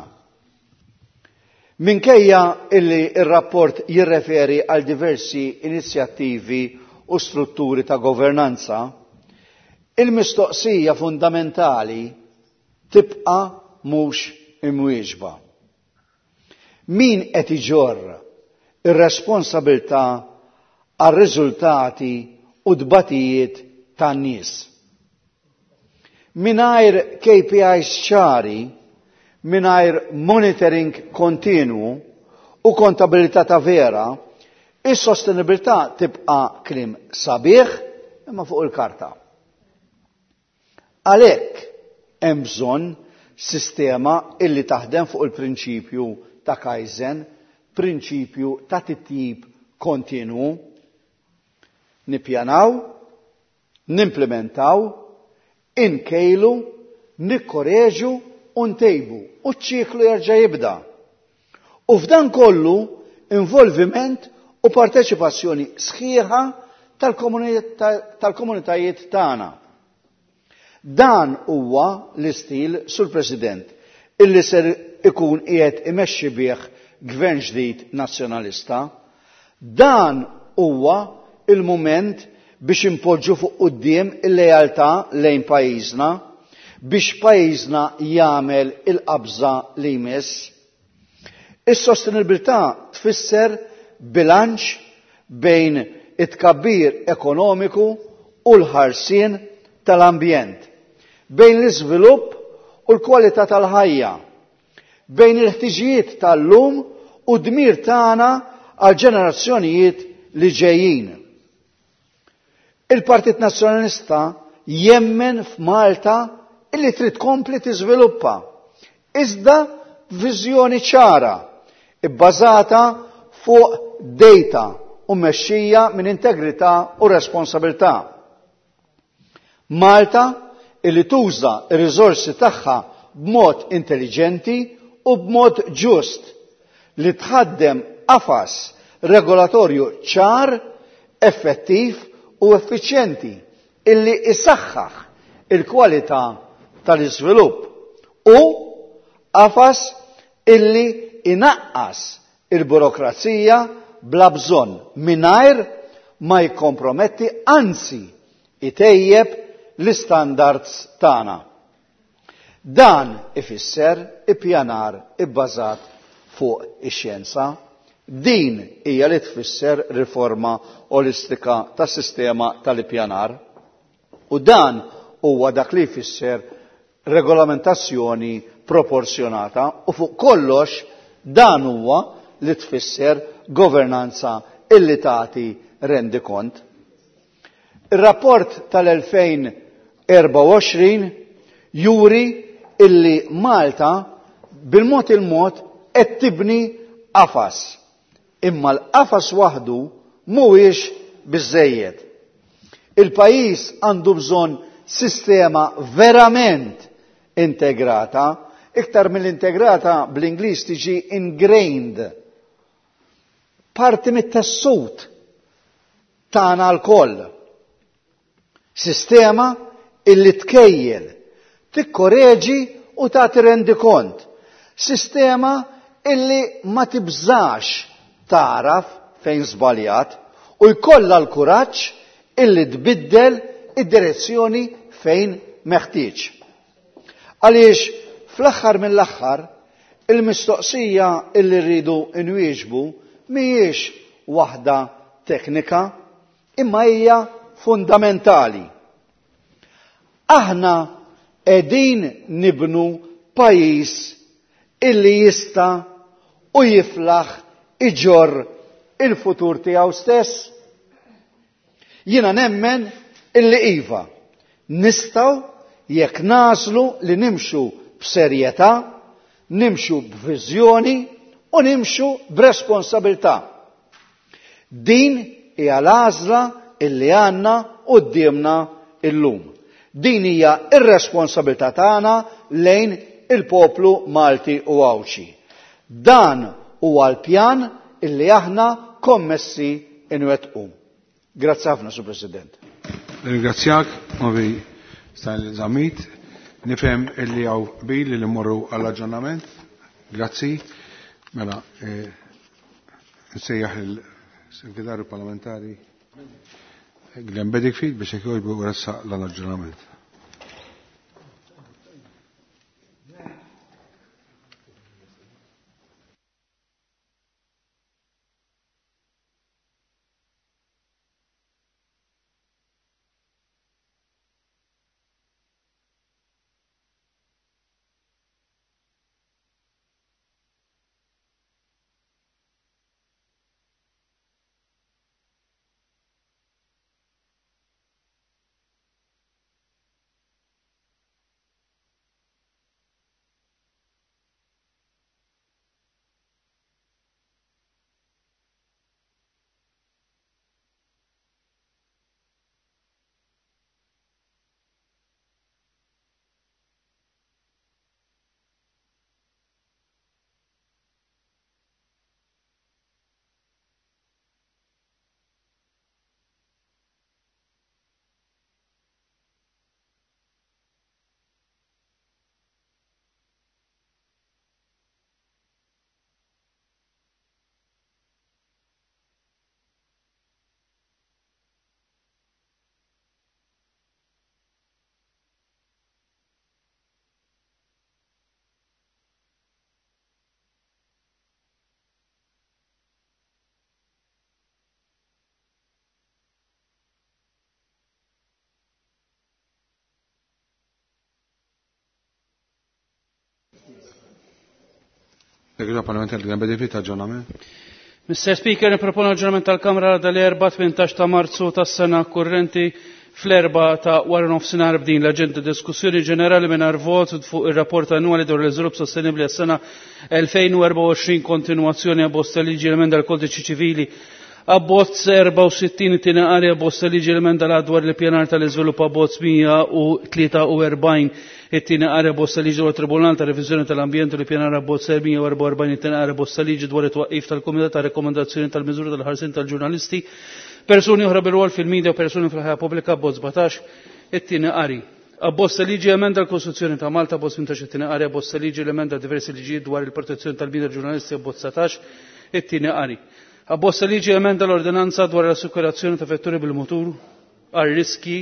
S12: Minkejja illi ir-rapport jirreferi għal diversi inizjattivi u strutturi ta' governanza, il-mistoqsija fundamentali tibqa' mhux imwieġba. Min qed iġorr ir-responsabilità għar-riżultati u tbatijiet tan-nies? Mingħajr KPIs ċari, mingħajr monitoring kontinwu u kontabilità ta' vera, is-sostenibilità tibqa' kliem sabiħ imma fuq il-karta. Għalhekk hemm bżonn sistema illi taħdem fuq il-prinċipju ta' Kaizen, prinċipju ta' titjib kontinwu. Nippjanaw, Nimplementaw, inkejlu, nikkoreġu u ntejbu u ċ-ċiklu jerġa' jibda. U f'dan kollu involviment u parteċipazzjoni sħiħa tal-komunitajiet tagħna. Dan huwa l-istil, Sur President, illi ser ikun qiegħed imexxi bih gvern ġdid nazzjonalista. Dan huwa il-mument biex impoġġu fuq quddiem il-lealtà lejn pajjiżna, biex pajjiżna jagħmel il-qabża li jmiss. Is-sostenibilità tfisser bilanċ bejn it-tkabbir ekonomiku u l-ħarsien tal-ambjent, bejn l-iżvilupp u l-kwalità tal-ħajja, bejn il-ħtiġijiet tal-lum u dmir tagħna għal ġenerazzjonijiet li ġejjin. Il-Partit Nazzjonalista jemmen f'Malta illi trid tkompli tiżviluppa, iżda b'viżjoni ċara, ibbażata fuq data u mmexxija minn integrità u responsabilità. Malta illi tuża r-riżorsi tagħha b'mod intelliġenti u b'mod ġust, li tħaddem qafas regolatorju ċar, effettiv u effiċjenti illi isaħħaħ il-kwalità tal-iżvilupp u qafas illi inaqqas il-burokrazija bla bżonn mingħajr ma jikkomprometti, anzi itejjeb l-istandards tagħna. Dan ifisser ippjanar ibbażat fuq ix-xjenza. Din hija li tfisser riforma olistika tas-sistema tal-ippjanar. U dan huwa dak li jfisser regolamentazzjoni proporzjonata u fuq kollox dan huwa li tfisser governanza illi tagħti rendikont. Ir-rapport tal-2024 juri illi Malta bil-mod il-mod qed tibni qafas. Imma l-qafas waħdu mhuwiex biżżejjed. Il-pajjiż għandu bżonn sistema verament integrata, iktar mill-integrata bl-Ingliż tiġi ingrained. Parti mit-tessut tagħna lkoll. Sistema illi tkejjel, tikkoreġi u tagħti rendikont. Sistema illi ma tibżax tagħraf fejn żbaljat u jkollha l-kuraġġ illi tbiddel id-direzzjoni fejn meħtieġ. Għaliex fl-aħħar mill-aħħar il-mistoqsija illi rridu nwieġbu mhijiex waħda teknika imma hija fundamentali. Aħna qegħdin nibnu pajjiż illi jista' u jiflaħ iġorr il-futur tiegħu stess. Jiena nemmen illi iva, nistgħu jekk nagħżlu li nimxu b'serjetà, nimxu b'viżjoni u nimxu b'responsabilità. Din hija l-għażla illi għandna quddiemna illum. Din hija r-responsabilità tagħna lejn il-poplu Malti u Għawdxi. Dan huwa l-pjan illi aħna kommessi inwettqu. Grazzi ħafna, Sur President.
S1: Ringrazzjak, Ovi Stanley Zammit. Nifhem illi hawn qbil li mmorru għall-aġġornament. Grazzi. Mela, nsejjaħ il-Segretarju Parlamentari Glenn Bedingfield biex jekk jogħġbu jressaq l-aġġornament. Segretarju Parlamentari Glenn Bedingfield, aġġornament.
S13: Mr. Speaker, niproponu aġġornament tal-Kamra dal-4 18 ta' Marzu tas-sena kurrenti fl-4 ta' wara nofsinhar b'din l-aġenda: diskussjoni ġenerali mingħajr vot fuq ir-rapport annwali dwar l-iżvilupp sostenibbli għas-sena 2024, kontinwazzjoni abbozz ta' liġi l-emenda l-Kodiċi Ċivili, abbozz 64 tieni qari, abbozz ta' liġi l-emenda l dwar l-ippjanar tal-iżvilupp, abbozz 143 it-tieni qari, abbozz ta' liġi dwar Tribunal ta' Reviżjoni tal-Ambjent u l-ippjanar, abbozz 144 it-tieni qari, abbozz ta' liġi dwar it-twaqqif tal-Kumitat ta' Rekomendazzjoni tal-Miżuri tal-Ħarsien tal-Ġurnalisti, persuni oħra bil-rwol fil-media u persuni fil-ħajja pubblika, abbozz 17 it-tieni qari. Abbozz ta' liġi emenda l-Kostituzzjoni ta' Malta, abbozz 18 it-tieni qari, abbozz ta' liġi l-emenda diversi liġijiet dwar il-protezzjoni tal-bniedem ġurnalisti, abbozz 19 it-tieni qari. Abbozz ta' liġi emenda l-ordinanza dwar l-assikurazzjoni ta' vetturi bil-mutur għal riski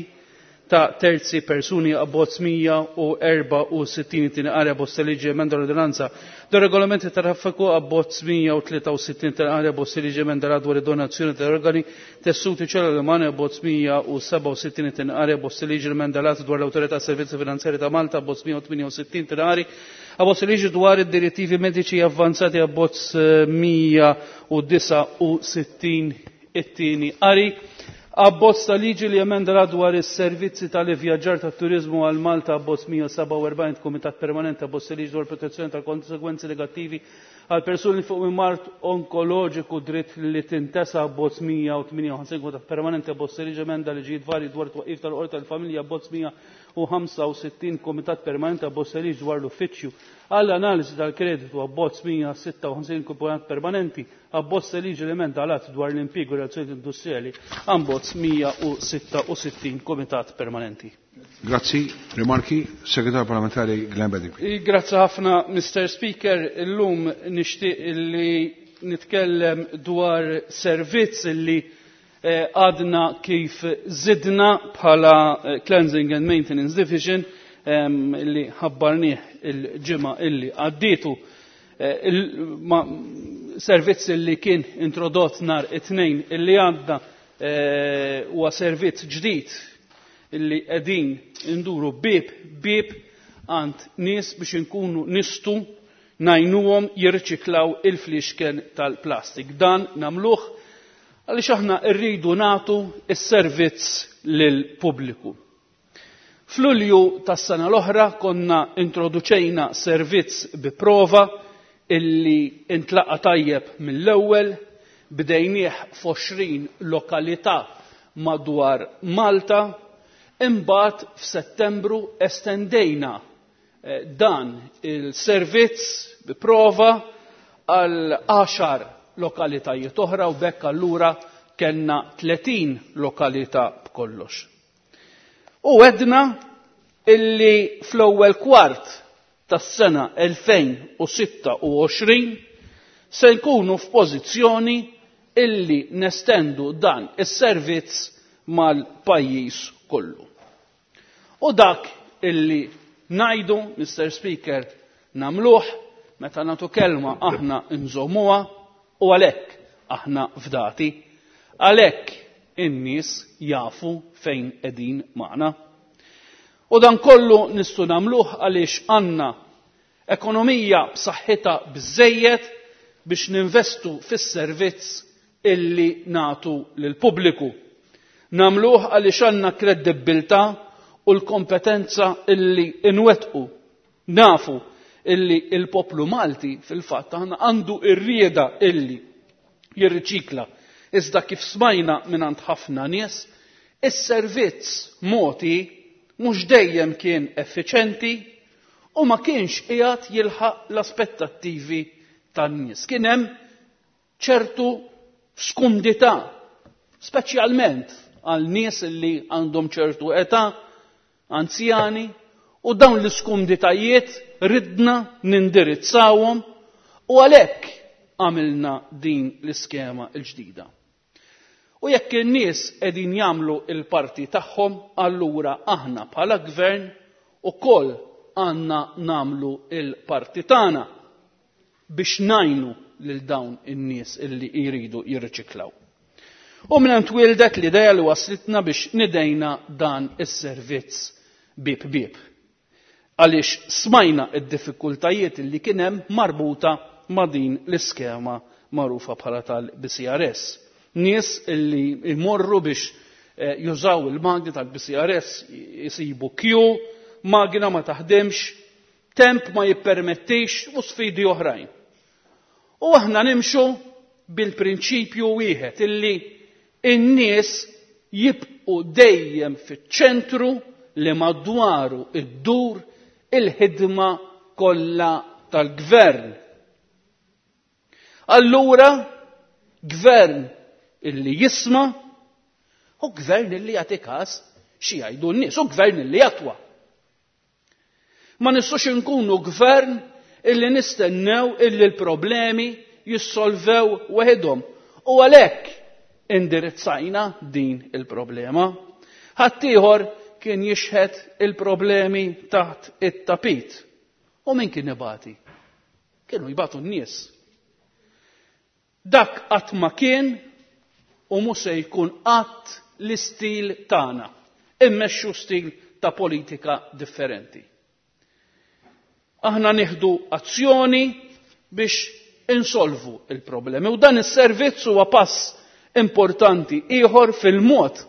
S13: ta' terzi persuni, abbozz 164 tieni qari, abbozz ta' liġi emenda l-ordinanza dwar regolamenti ta' traffiku, abbozz 163 tieni qari, abbozz ta' liġi emenda dwar id-donazzjoni ta' organi, tessuti, ċelluli umani, abbozz 167 tieni qari, abbozz ta' liġi emenda l dwar l-Awtorità Servizzi Finanzjari ta' Malta, abbozz 168 tieni qari, abbozz ta' liġi dwar id-direttivi mediċi avvanzati, abbozz 169 it-tieni qari. Abbozz ta' liġi li emenda dwar is-servizzi tal-ivvjaġġar tat-turiżmu għal Malta, abbozz 147 Kumitat Permanenti, abbozz ta' liġi dwar protezzjoni tal-konsegwenzi negattivi għal persuni fuq minn mard onkoloġiku, dritt li tintesa, abbozz 158 Kumitat Permanenti, abbozz ta' liġi emenda liġijiet varji dwar twaqqif tal-Qorti tal-Familja, abbozz 165 Kumitat Permanenti, abbozz ta' liġi dwar l-Uffiċċju għall analiżi tal-kreditu, abbozz 156 Kumitat Permanenti, abbozz ta' liġi l-emenda għal dwar l-impjieg u relazzjonijiet industrijali, abbozz 166 Kumitat Permanenti.
S1: Grazzi. Rimarki, Segretarju Parlamentari Glenn Bedingfield.
S13: Grazzi ħafna, Mr. Speaker. Illum nixtieq li nitkellem dwar servizz li għadna kif zidna bħala Cleansing and Maintenance Division li ħabbarnieh il-ġimgħa illi għaddietu. Servizz li kien introdott nhar it-Tnejn illi għadda huwa servizz ġdid illi qegħdin induru bieb bieb għand nies biex inkunu nistu ngħinuhom jirriċiklaw il-fliexken tal-plastik. Dan nagħmluh għaliex aħna rridu nagħtu s-servizz lill-pubbliku. F'Lulju tas-sena l-oħra konna introduċejna servizz bi prova illi intlaqa tajjeb mill-ewwel, bdejnieh f'20 lokalità madwar Malta, imbagħad f'Settembru estendejna dan il-servizz bi prova għal 10 lokalitajiet oħra u bekk allura kellna 30 lokalità b'kollox. U għedna illi fl-ewwel kwart tas-sena 2026 se nkunu f'pożizzjoni illi nestendu dan is-servizz mal-pajjiż kollu. U dak illi ngħidu, Mr. Speaker, nagħmluh, meta nagħtu kelma aħna nżommuha u għalhekk aħna fdati, għalhekk in-nies jafu fejn qegħdin magħna. U dan kollu nistgħu nagħmluh għaliex għandna ekonomija b'saħħitha biżejjed biex ninvestu fis-servizz illi nagħtu lill-pubbliku. Nagħmluh għaliex għandna kredibbiltà u l-kompetenza illi nwettqu. Nafu illi il-poplu Malti fil-fatt aħna għandu r-rieda illi jirriċikla. Iżda kif smajna mingħand ħafna nies, is-servizz moti mhux dejjem kien effiċenti u ma kienx qiegħed jilħaq l-aspettattivi tan-nies. Kien hemm ċertu skumdità, speċjalment għal nies li għandhom ċertu età, anzjani, u dawn l-iskumditajiet ridna nindirizzawhom u għalhekk għamilna din l-iskema l-ġdida. U jekk in-nies qegħdin jagħmlu l-parti tagħhom, allura aħna bħala gvern ukoll għandna nagħmlu l-parti tagħna biex ngħinu lil dawn in-nies illi jridu jirriċiklaw. U minn hemm twildet l-idea li waslitna biex nidejna dan is-servizz bieb bieb. Għaliex smajna id-diffikultajiet li kien hemm marbuta ma' din l-iskema magħrufa bħala tal-BCRS. Nies illi jmorru biex jużaw il-magni tal-BCRS jisibu kju, magna ma taħdimx, temp ma jippermettix u sfidi oħrajn. U aħna nimxu bil-prinċipju wieħed illi n-nies jibqu dejjem fiċ-ċentru li madwaru iddur il-ħidma kollha tal-gvern. Allura, gvern illi jisma' u gvern illi jagħti każ xi jgħidu n-nies, u gvern illi jatwa. Ma nistgħux inkunu gvern illi nistennew illi l-problemi jissolvew waħedhom. U għalhekk indirizzajna din il-problema. Ħaddieħor kien jixħet il-problemi taħt it-tapit. U min kien ibati? Kienu jbatu n-nies. Dak qatt ma kien u mhux se jkun qatt l-istil tagħna. Immexxu stil ta' politika differenti. Aħna nieħdu azzjoni biex insolvu il-problemi u dan is-servizz huwa pass importanti ieħor fil-mod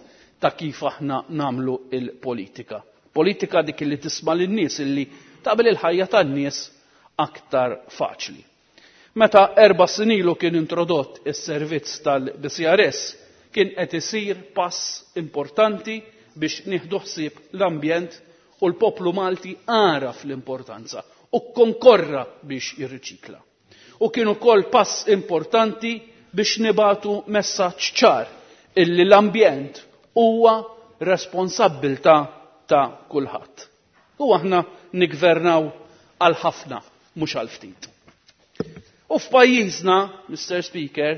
S13: ta' kif aħna nagħmlu il-politika. Politika dik li tisma' lin-nies illi taqbel il-ħajja tan-nies aktar faċli. Meta 4 snin ilu kien introdott is-servizz tal-BCRS, kien qed isir pass importanti biex nieħdu ħsieb l-ambjent u l-poplu Malti għaraf l-importanza u konkorra biex jirriċikla. U kien ukoll pass importanti biex nibatu messaġġ ċar illi l-ambjent huwa responsabbiltà ta' kulħadd. U aħna nigvernaw għal ħafna, mhux għal ftit. U f'pajjiżna, Mr. Speaker,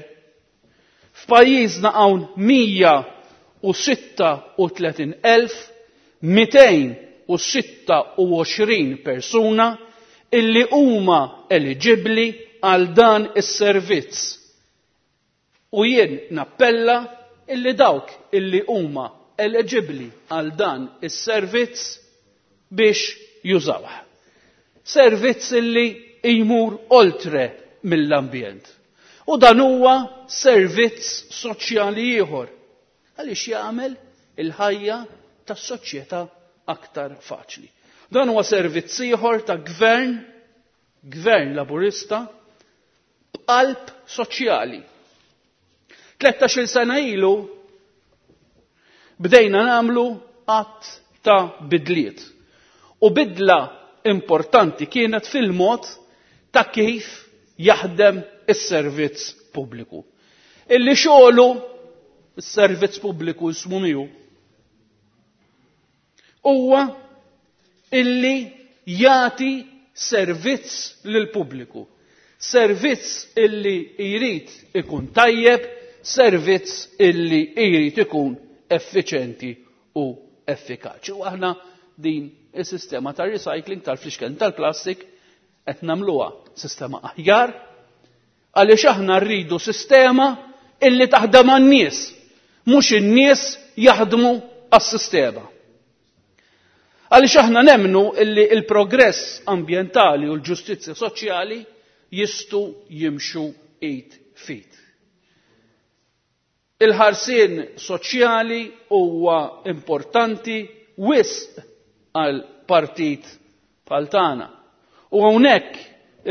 S13: f'pajjiżna hawn 136,226 persuna illi huma eliġibbli għal dan is-servizz. U jien nappella illi dawk illi huma eliġibbli għal dan is-servizz biex jużawh. Servizz illi jmur oltre mill-ambjent. U dan huwa servizz soċjali ieħor għaliex jagħmel il-ħajja tas-soċjetà aktar faċli. Dan huwa servizz ieħor ta' gvern, gvern laburista, b'qalb soċjali. 13-il sena ilu bdejna nagħmlu att ta' bidliet. U bidla importanti kienet fil-mod ta' kif jaħdem is-servizz pubbliku. Illi xogħlu is-servizz pubbliku jismu miegħu huwa illi jagħti servizz lill-pubbliku. Servizz illi jrid ikun tajjeb, servizz illi jrid ikun effiċenti u effikaċi. U aħna din is-sistema tar-recycling tal-flixken tal-plastik qed nagħmluha sistema aħjar għaliex aħna rridu sistema illi taħdem għan-nies, mhux in-nies jaħdmu għas-sistema. Għaliex aħna nemmnu illi il-progress ambjentali u l-ġustizzja soċjali jistgħu jimxu id f'id. Il-ħarsien soċjali huwa importanti wisq għal partit bħal tagħna. U hawnhekk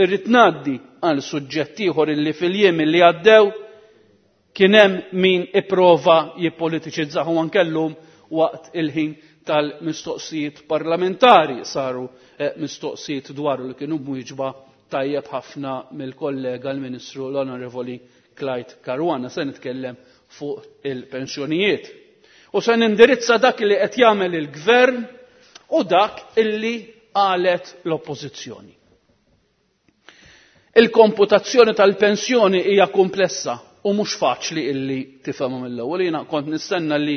S13: irrid ngħaddi għal suġġett ieħor illi fil-jiem illi għaddew kien hemm min ipprova jippolitiċizzahu anke llum waqt il-ħin tal-mistoqsijiet parlamentari saru mistoqsijiet dwaru li kienu mwieġba tajjeb ħafna mill-kollega l-Ministru l-Onorevoli Clyde Caruana. Se nitkellem fuq il-pensjonijiet. U se nindirizza dak li qed jagħmel il-gvern u dak illi qalet l-oppożizzjoni. Il-komputazzjoni tal-pensjoni hija komplessa u mhux faċli illi tifhemha mill-ewwel. Jiena kont nistenna li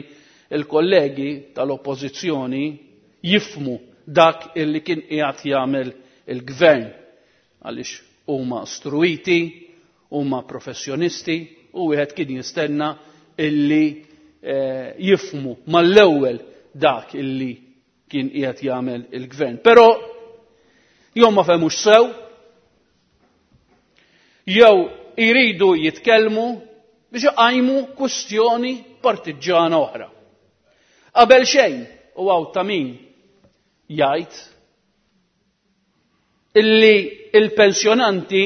S13: l-kollegi tal-oppożizzjoni jifhmu dak illi kien qiegħed jagħmel il-gvern għaliex huma struiti, huma professjonisti u wieħed kien jistenna illi jifhmu mal-ewwel dak illi kien qiegħed jagħmel il-gvern. Però jew ma fehmux sew, Jew jridu jitkellmu biex iqajmu kwistjoni partiġġana oħra. Qabel xejn, u hawn ta' min jgħid illi il-pensjonanti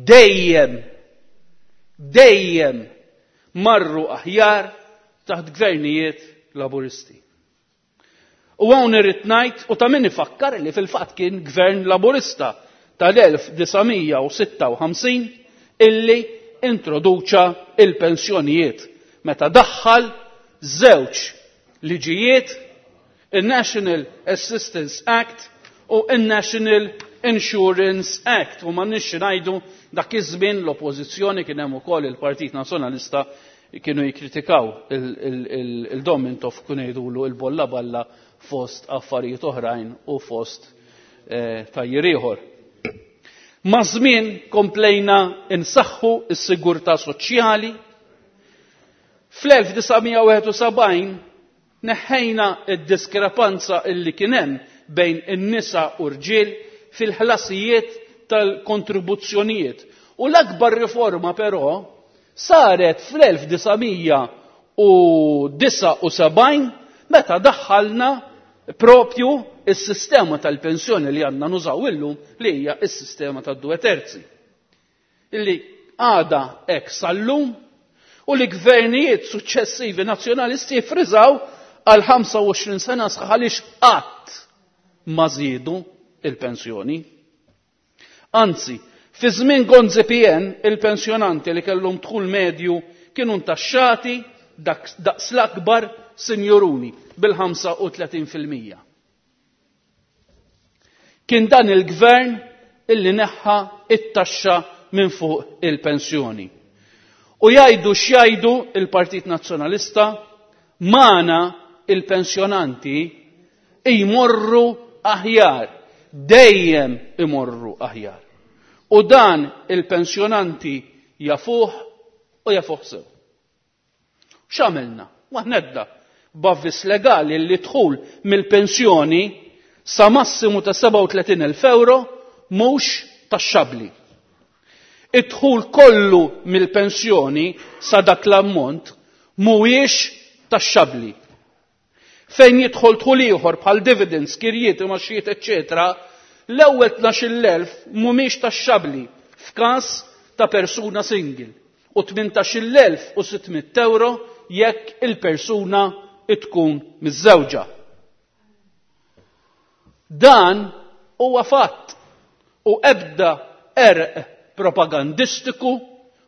S13: dejjem dejjem marru aħjar taħt gvernijiet Laburisti. U hawn irrid ngħid u ta' min ifakkar li fil-fatt kien gvern Laburista tal-1956 illi introduċa il-pensjonijiet meta daħħal żewġ liġijiet, il-National Assistance Act u il-National Insurance Act. U m'għandniex ngħidu dak iż-żmien l-oppożizzjoni kien hemm ukoll il-Partit Nazzjonalista kienu jikkritikaw il-Dom Mintoff, kienu jgħidulu il-bolla balla fost affarijiet oħrajn u fost tajjir ieħor. Ma' żmien komplejna insaħħu s-sigurtà soċjali. Fl-1971 neħħejna id-diskrepanza illi kien hemm bejn in-nisa u rġiel fil-ħlasijiet tal-kontribuzzjonijiet. U l-akbar riforma però saret fl-1979 meta daħħalna propju is-sistema tal-pensjoni li għandna nużaw illum, li hija s-sistema tad-due terzi. Illi għada hekk sal-lum u li gvernijiet suċċessivi nazzjonalisti friżaw għal 25 sena sħaħ għaliex qatt ma żiedu il-pensjoni. Anzi, fi żmien Gonzi PN il-pensjonanti li kellhom dħul medju kienu ntaxxati daqs l-akbar sinjuruni bil-35 fil-mija. Kien dan il-gvern illi neħħa it-taxxa minn fuq il-pensjoni. U jgħidu x'jgħidu il-Partit Nazzjonalista, magħna il-pensjonanti jmorru aħjar, dejjem imorru aħjar. U dan il-pensjonanti jafuh u jafuh sew. X'għamilna? Waħnedda b'avviż legali li dħul mill-pensjoni sa massimu ta' 37,000 euro mhux taxxabbli. Id-dħul kollu mill-pensjoni sa dak l-ammont mhuwiex taxxabbli. Fejn jidħol dħul ieħor bħal dividends, kirjiet, imgħaxijiet, eċċetera, l-ewwel 12,000 mhumiex taxxabbli f'każ ta' persuna single u 18,600 euro jekk il-persuna tkun miżżewġa. Dan huwa fatt u ebda erq propagandistiku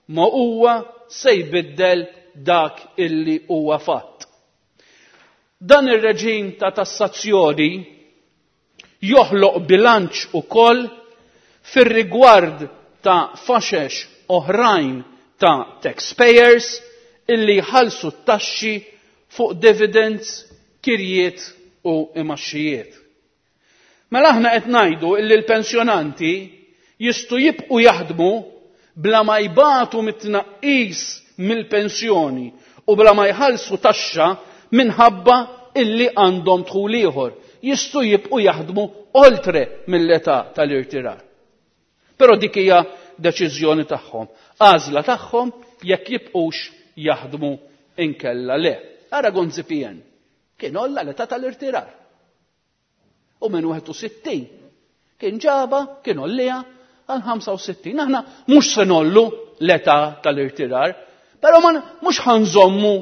S13: ma huwa se jbiddel dak illi huwa fatt. Dan ir-reġim ta' tassazzjoni joħloq bilanċ ukoll fir-rigward ta' faxex oħrajn ta' taxpayers illi jħallsu t-taxxi fuq dividends, kirjiet u imgħaxxijiet. Mela aħna qed ngħidu illi l-pensjonanti jistgħu jibqgħu jaħdmu bla ma jbatu mit-tnaqqis mill-pensjoni u bla ma jħallsu taxxa minħabba illi għandhom dħul ieħor. Jistgħu jibqgħu jaħdmu oltre mill-età tal-irtirar. Però dik hija deċiżjoni tagħhom, għażla tagħhom jekk jibqux jaħdmu inkella le. Ara Gonzi PN kien olla l-età tal-irtirar. U minn 61 kien ġaba, kien ollija għal 65. Aħna mhux se nollu l-età tal-irtirar, però ma mhux ħanżommu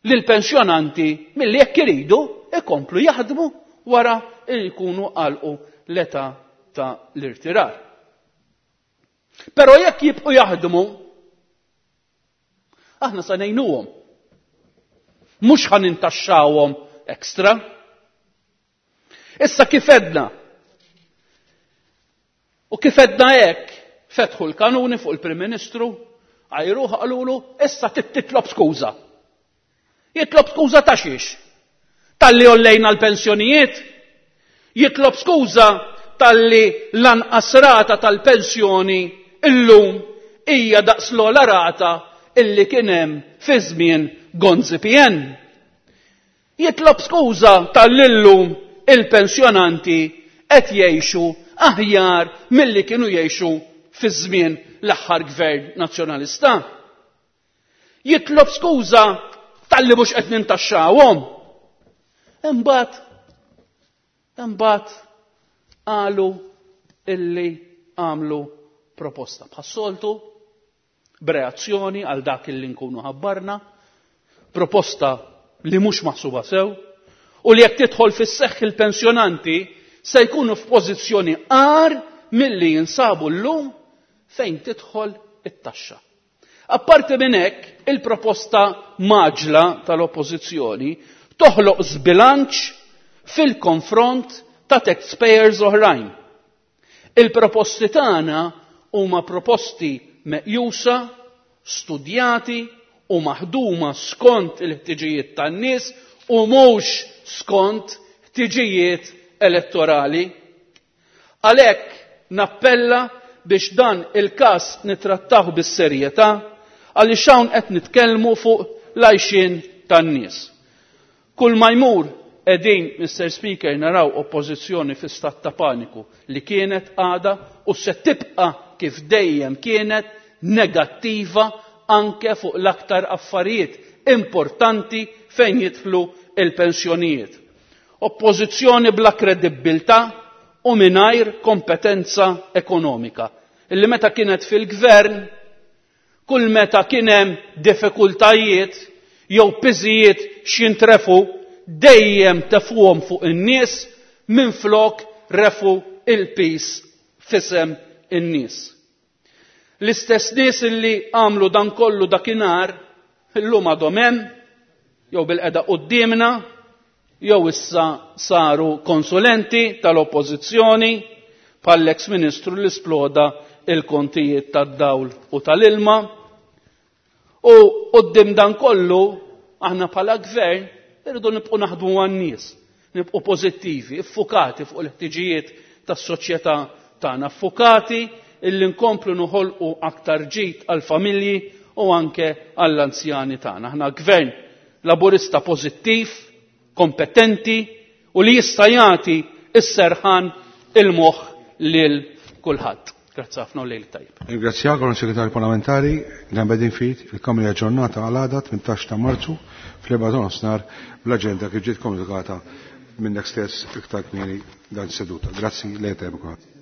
S13: lill-pensjonanti milli jekk iridu ikomplu jaħdmu wara li jkunu għalqu l-età ta' l-irtirar. Però jekk jibqu jaħdmu, aħna sa ngħinuhom. Mhux ħa nintaxxawhom ekstra. Issa kif edna? U kif edna hekk, fetħu l-kanuni fuq il-Prim Ministru, għajruh qalulu issa titlob skuża. Jitlob skuża ta' xiex? Talli ollejna l-pensjonijiet? Jitlob skuża talli lanqas rata tal-pensjoni illum hija daqs l-ogħla rata illi kien hemm fi żmien Gonzi PN. Jitlob skuża tal-illum il-pensjonanti qed jgħixu aħjar milli kienu jgħixu fi żmien l-aħħar gvern nazzjonalista. Jitlob skuża talli mhux qed nintaxxawhom. Imbagħad imbagħad qalu illi għamlu proposta bħas-soltu b'reazzjoni għal dak illi nkunu ħabbarna, proposta li mhux maħsuba sew u li jekk tidħol fis-seħħ il-pensjonanti se jkunu f'pożizzjoni agħar milli jinsabu llum fejn tidħol it-taxxa. Apparti minn hekk, il-proposta mgħaġġla tal-Oppożizzjoni toħloq żbilanċ fil-konfront ta' taxpayers oħrajn. Il-proposti tagħna huma proposti meqjusa, studjati u maħduma skont il-ħtiġijiet tan-nies u mhux skont ħtiġijiet elettorali. Għalhekk nappella biex dan il-każ nittrattawh bis-serjetà għaliex hawn qed nitkellmu fuq l-għajxien tan-nies. Kull ma jmur qegħdin, Mister Speaker, naraw oppożizzjoni fi stat ta' paniku li kienet għadha u se tibqa' kif dejjem kienet negattiva anke fuq l-aktar affarijiet importanti fejn jidħlu il-pensjonijiet. Oppożizzjoni bla kredibbiltà u mingħajr kompetenza ekonomika. Illi meta kienet fil-gvern, kull meta kien hemm diffikultajiet jew piżijiet x'jintrefu, dejjem tefuhom fuq in-nies minflok refu il-piż f'isem in-nies. L-istess nies illi għamlu dan kollu dakinhar, illum għadhom hemm, jew bil-qeda quddiemna, jew issa saru konsulenti tal-oppożizzjoni bħall-eks ministru li sploda il-kontijiet tad-dawl u tal-ilma. U quddiem dan kollu aħna bħala gvern irridu nibqgħu naħdmu għan-nies, nibqgħu pożittivi, iffukati fuq il-ħtiġijiet tas-soċjetà tagħna, ffukati illi nkomplu noħolqu aktar ġid għall-familji u anke għall-anzjani tagħna. Aħna gvern laburista pożittiv, kompetenti u li jista' jagħti s-serħan il-moħħ lil kulħadd. Grazzi ħafna u lejl tajjeb.
S1: Ringrazzjak, Onorevoli Segretarju Parlamentari, Dan bedin fit, il-Kamra hija aġġornata għal għada 18 ta' Marzu fl-4 ta' nofsinhar bl-aġenda kif ġiet komunikata minnek stess iktar kmieni dan is-seduta. Grazzi, lejl tajjeb kulħadd.